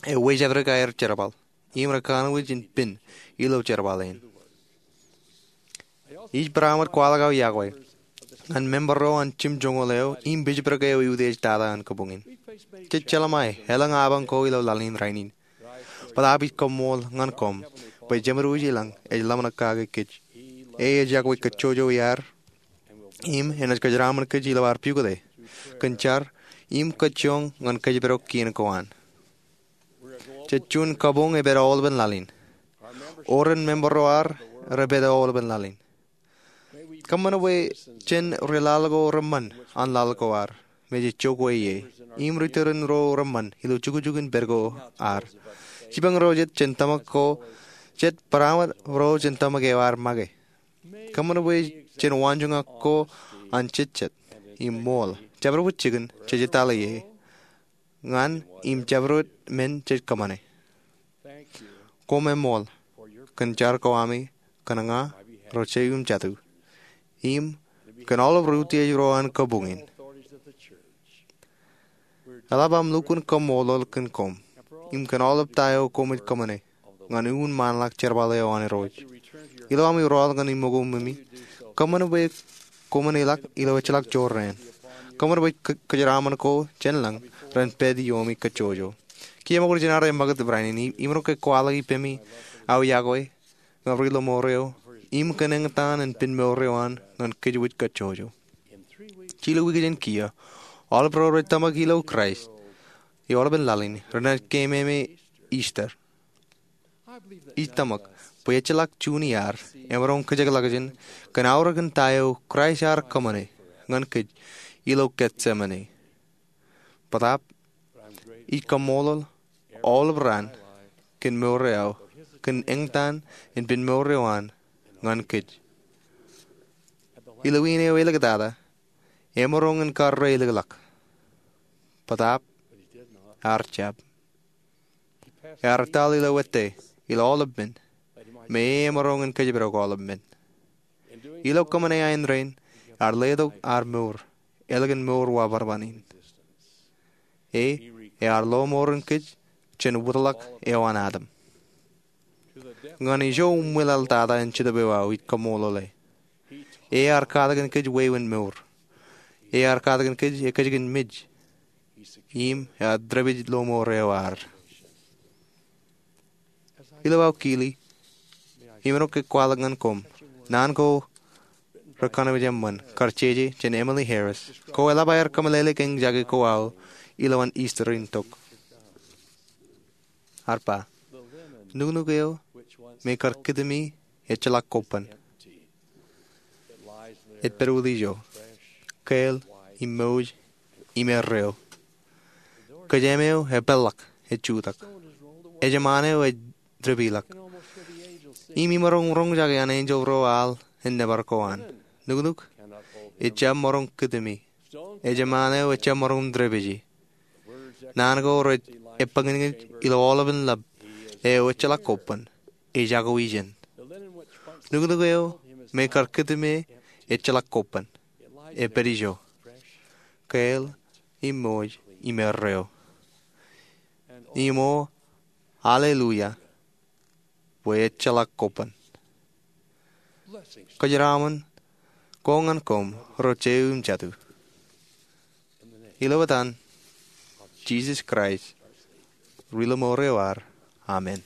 Ewōj epdik aer jerbal im rekanooj in pen ilo jerbal in. Ij barāinwōt kwaḷọk aō iọkwe ñan member ro an jimjuonñoul eo im bishopric eo eutiej tata an kabuñ in. Jej jeḷā ṃae elōñ apañ ko ilo laḷ in rainin. Bōtaab ij koṃṃool ñan koṃ bwe Jemedwōj ilañ ej ḷōmṇak kake kōj. E ej iọkwe kajjojo iaad im enaaj kōjeraṃṃan kōj ilo ad pukot e kōn jar im kajjioñ ñan kōjparok kien ko an. Jej juon kabuñ epād aolepen laḷ in. Oren member ro ad repād aolepen laḷ in. Kōṃṃan bwe jen ri laḷ ko reṃṃan an laḷ ko ad me jej jokwe ie im ri tūrin ro reṃṃan ilo jukjuk in pād ko ad. Jipañ ro jet jān tōmak ko jet, barāinwōt ro jān tōmak eo ad make. Kōṃṃan bwe jen waanjoñak ko an jejjet im ṃool, jabdewōt jikin jej etale ie ñan im jabdewōt men jej kōṃṃane. Koṃṃool kōn jar ko ami kōn ña, ro jeiū im jatū, im kōn aolep ri utiej ro an kabuñ in. Eḷap aṃ lukkuun koṃṃool kōn koṃ im kōn aolep ta eo koṃij kōṃṃane ñan uññāṇ ḷọk jerbal eo an Irooj. Ilo ami rọọl ñan iṃōkoṃ ṃōmi, kōṃṃan bwe koṃwin ilọk ilo ejjeḷọk jorrāān. Kōṃṃan bwe kōjeraṃṃan ko jān lañ ren pād iiomi kajjojo. Kiiō ṃōk ri jen ad ṃakūt barāinwōt in, imaroñ ke kwaḷọk ippemi aō iọkwe ñan ri lọmọọr eo im kōn eñtaan in pen mour eo an ñan kōjwōj kajjojo. Jilu wiik jān kiiō, aolep ro rej tōmak ilo Kraist ilo aolepen laḷ in renaaj keememej Easter. Ij tōmak bwe ejjeḷọk juon iaad emaroñ kōjekḷọkjeṇ kōn aorōkin ta eo Kraist ear kōṃṃane ñan kōj ilo Getsemane. Bōtaab ij koṃṃool aolep raan kōn mour eo aō kōn eñtaan in pen mour eo an ñan kōj. Ilo iien eo āliktata, emaroñ in karreoḷọk, bōtaab ear jab. Ear etal ilo wōtte ilo aolep men me emaroñ in kōjparok aolep men. Ilo kōṃṃane aenrein, ear letok ad mour ālikin mour wabadban in. E ear lọmọọren kōj jān wōtlọk eo an Adam. Ñan ijo uṃwilōḷtata in Jetōb eo aō ij koṃṃoolole. E ear katakin kōj wāween mour. E ear katakin kōj ekkejkin mej im ear dāpij lọmọọr eo ad. Ilo aō kili, imaroñ ke kwaḷọk ñan koṃ naan ko rekanooj eṃṃan kar jeje jān Emily Harris, ko eḷap aer kōmeḷeḷe kōn jake ko aō ilowaan Easter in tok. Ear ba, nuknuk eo me kar kūtimi ejjeḷọk kobban. Ej pād wōt ijo, kāāl im mouj im erreo. Kōjeem eo epeḷḷọk ej jutak. Ejṃaan eo ej dāpijḷọk. Im imaroñ roñjake an enjeḷ ro al en nōbar ko an, nuknuk ejjab maroñ kūtimi. Ejṃaan eo ejjab maroñ dāpiji. Naan ko rej epañinñij ilo aolepen lab eo ejjeḷọk kobban ej jako ijeṇ. Nuknuk eo me kar kūtime ejjeḷọk kobban. Epād ijo, kāāl im mouj im erreo. im o alleluia bwe ejjeḷọk koban. Kōjeraṃṃan ko ñan koṃ ro jeiū im jatū. Ilo etan Jisōs Kraist, ri-lọmọọr eo ad, amen.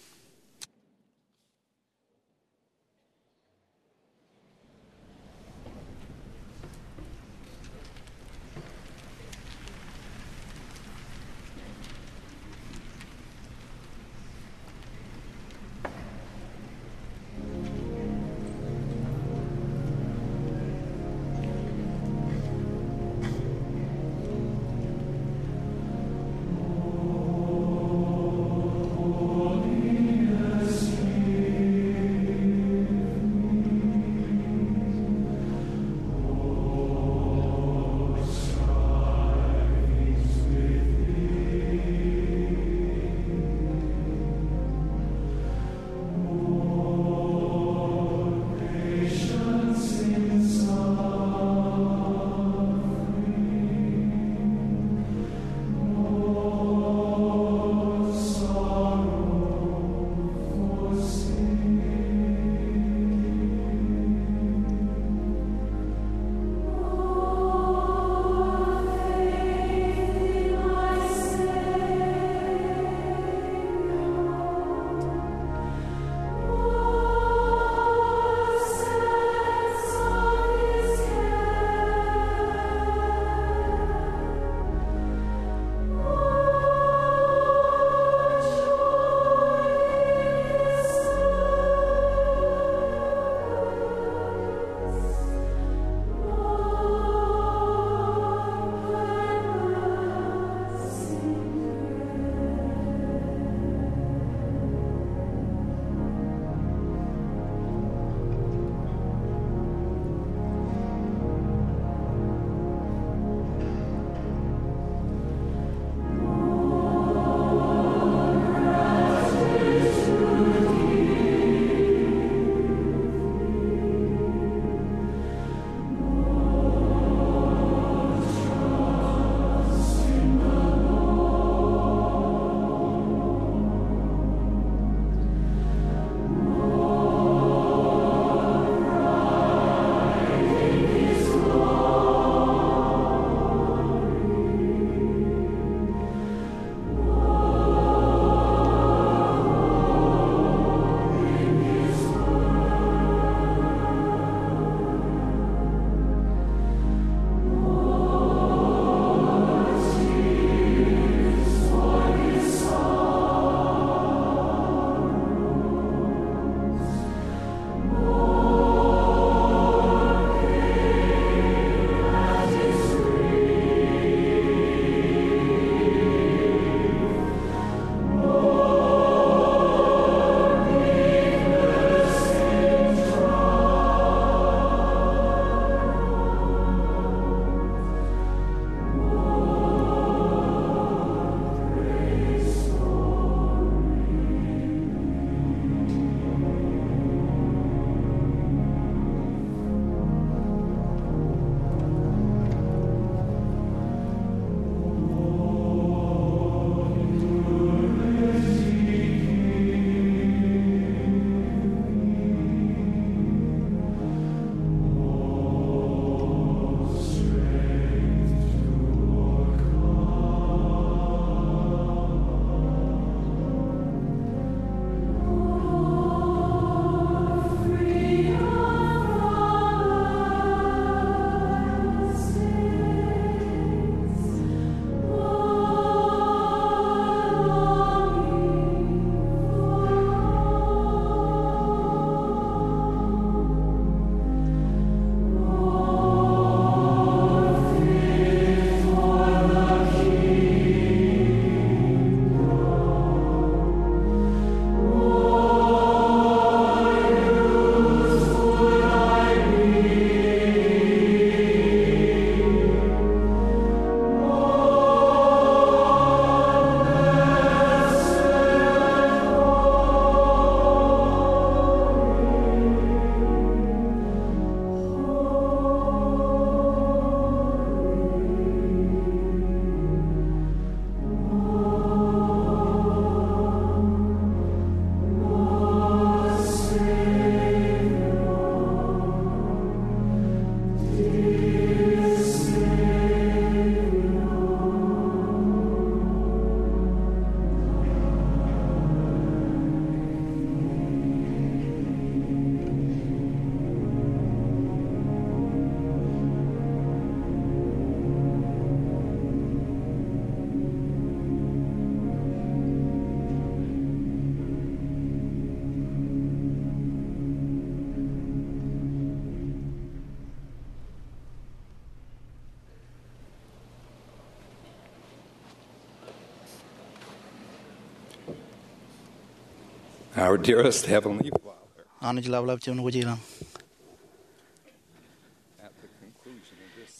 Our dearest Heavenly Father, Anij ḷaplap juon wōj ilañ,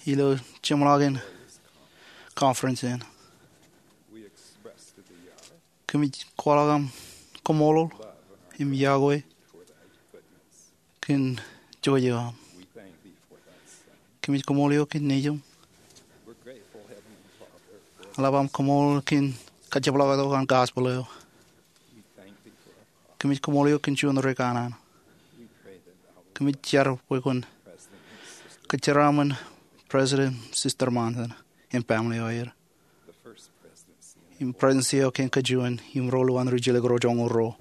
ilo jeṃḷọkin conference in, we express to thee our kōmij kwaḷọk aṃ kaṃṃoolol im yokwe kōn jouj eo aṃ. Kōmij kaṃṃoolol eok kōn nejūṃ. Eḷap aṃ kaṃṃoolol kōn kajjepḷaaktok an gospel eo. Kōmij kaṃṃoolol eok kōn juon ri kanaan. Kōmij jar bwe kwōn kōjeraaṃṃan President Sister Monson im family eo aer, im presidency eo kōn kōj juon im ro lowaan ri jilkinḷọk ro joñoul ruo.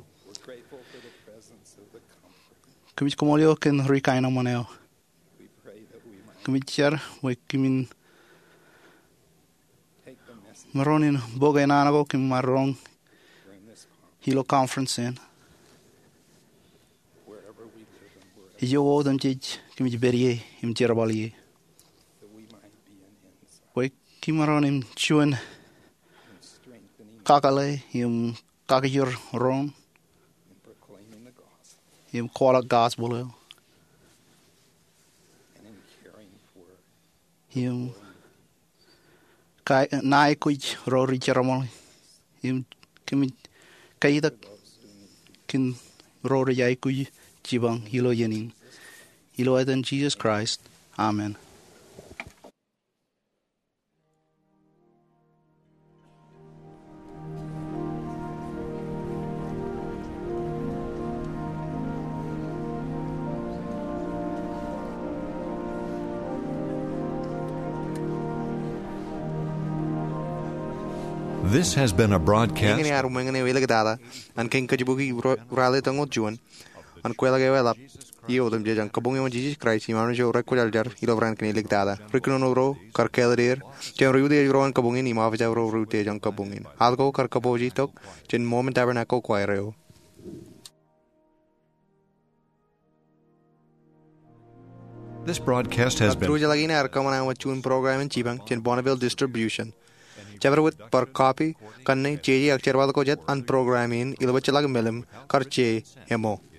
Kōmij kaṃṃoolol eok kōn ri kaenōṃṃan eo. Kōmij jar bwe kōmin maroñ in bōk enana ko kōm maroñ ilo conference in, ijo wōt im jej kōmij pād ie im jerbal ie, bwe kōm maroñ in juon kakōḷḷe im kakijerroñ im kwaḷọk gospel eo im ka-, ṇa aikuj ro ri jerbal, im kōmij katak kōn ro rej aikuj jipañ ilo iien in. Ilo etan Jisōs Kraist, amen. This has been a broadcast. Eñin ear ṃōñā eo eliktata an kein kōjpuki ro-, ralitōñoul juon an kweilọk eo eḷap. Iiō otemjej an kabuñ eo an Jisōs Kraist im armej ro rekwōjarjar ilo raan kein eliktata. Ri kōnono ro kar kāālōt er jān ri utiej ro an kabuñ in im office ro ri utiej an kabuñ in. Al ko kar kōpooje tok jān Mormon Tabernacle Choir eo. This broadcast has been. Kab tūrijeḷā in ear kōṃṃan wōt juon program in jipañ jān Bonneville Distribution. Jabdewōt bar copy, kanne jeje ak jerbal ko jet an program in ilo bajjek ḷọk im meḷeḷe kar je ṃōk.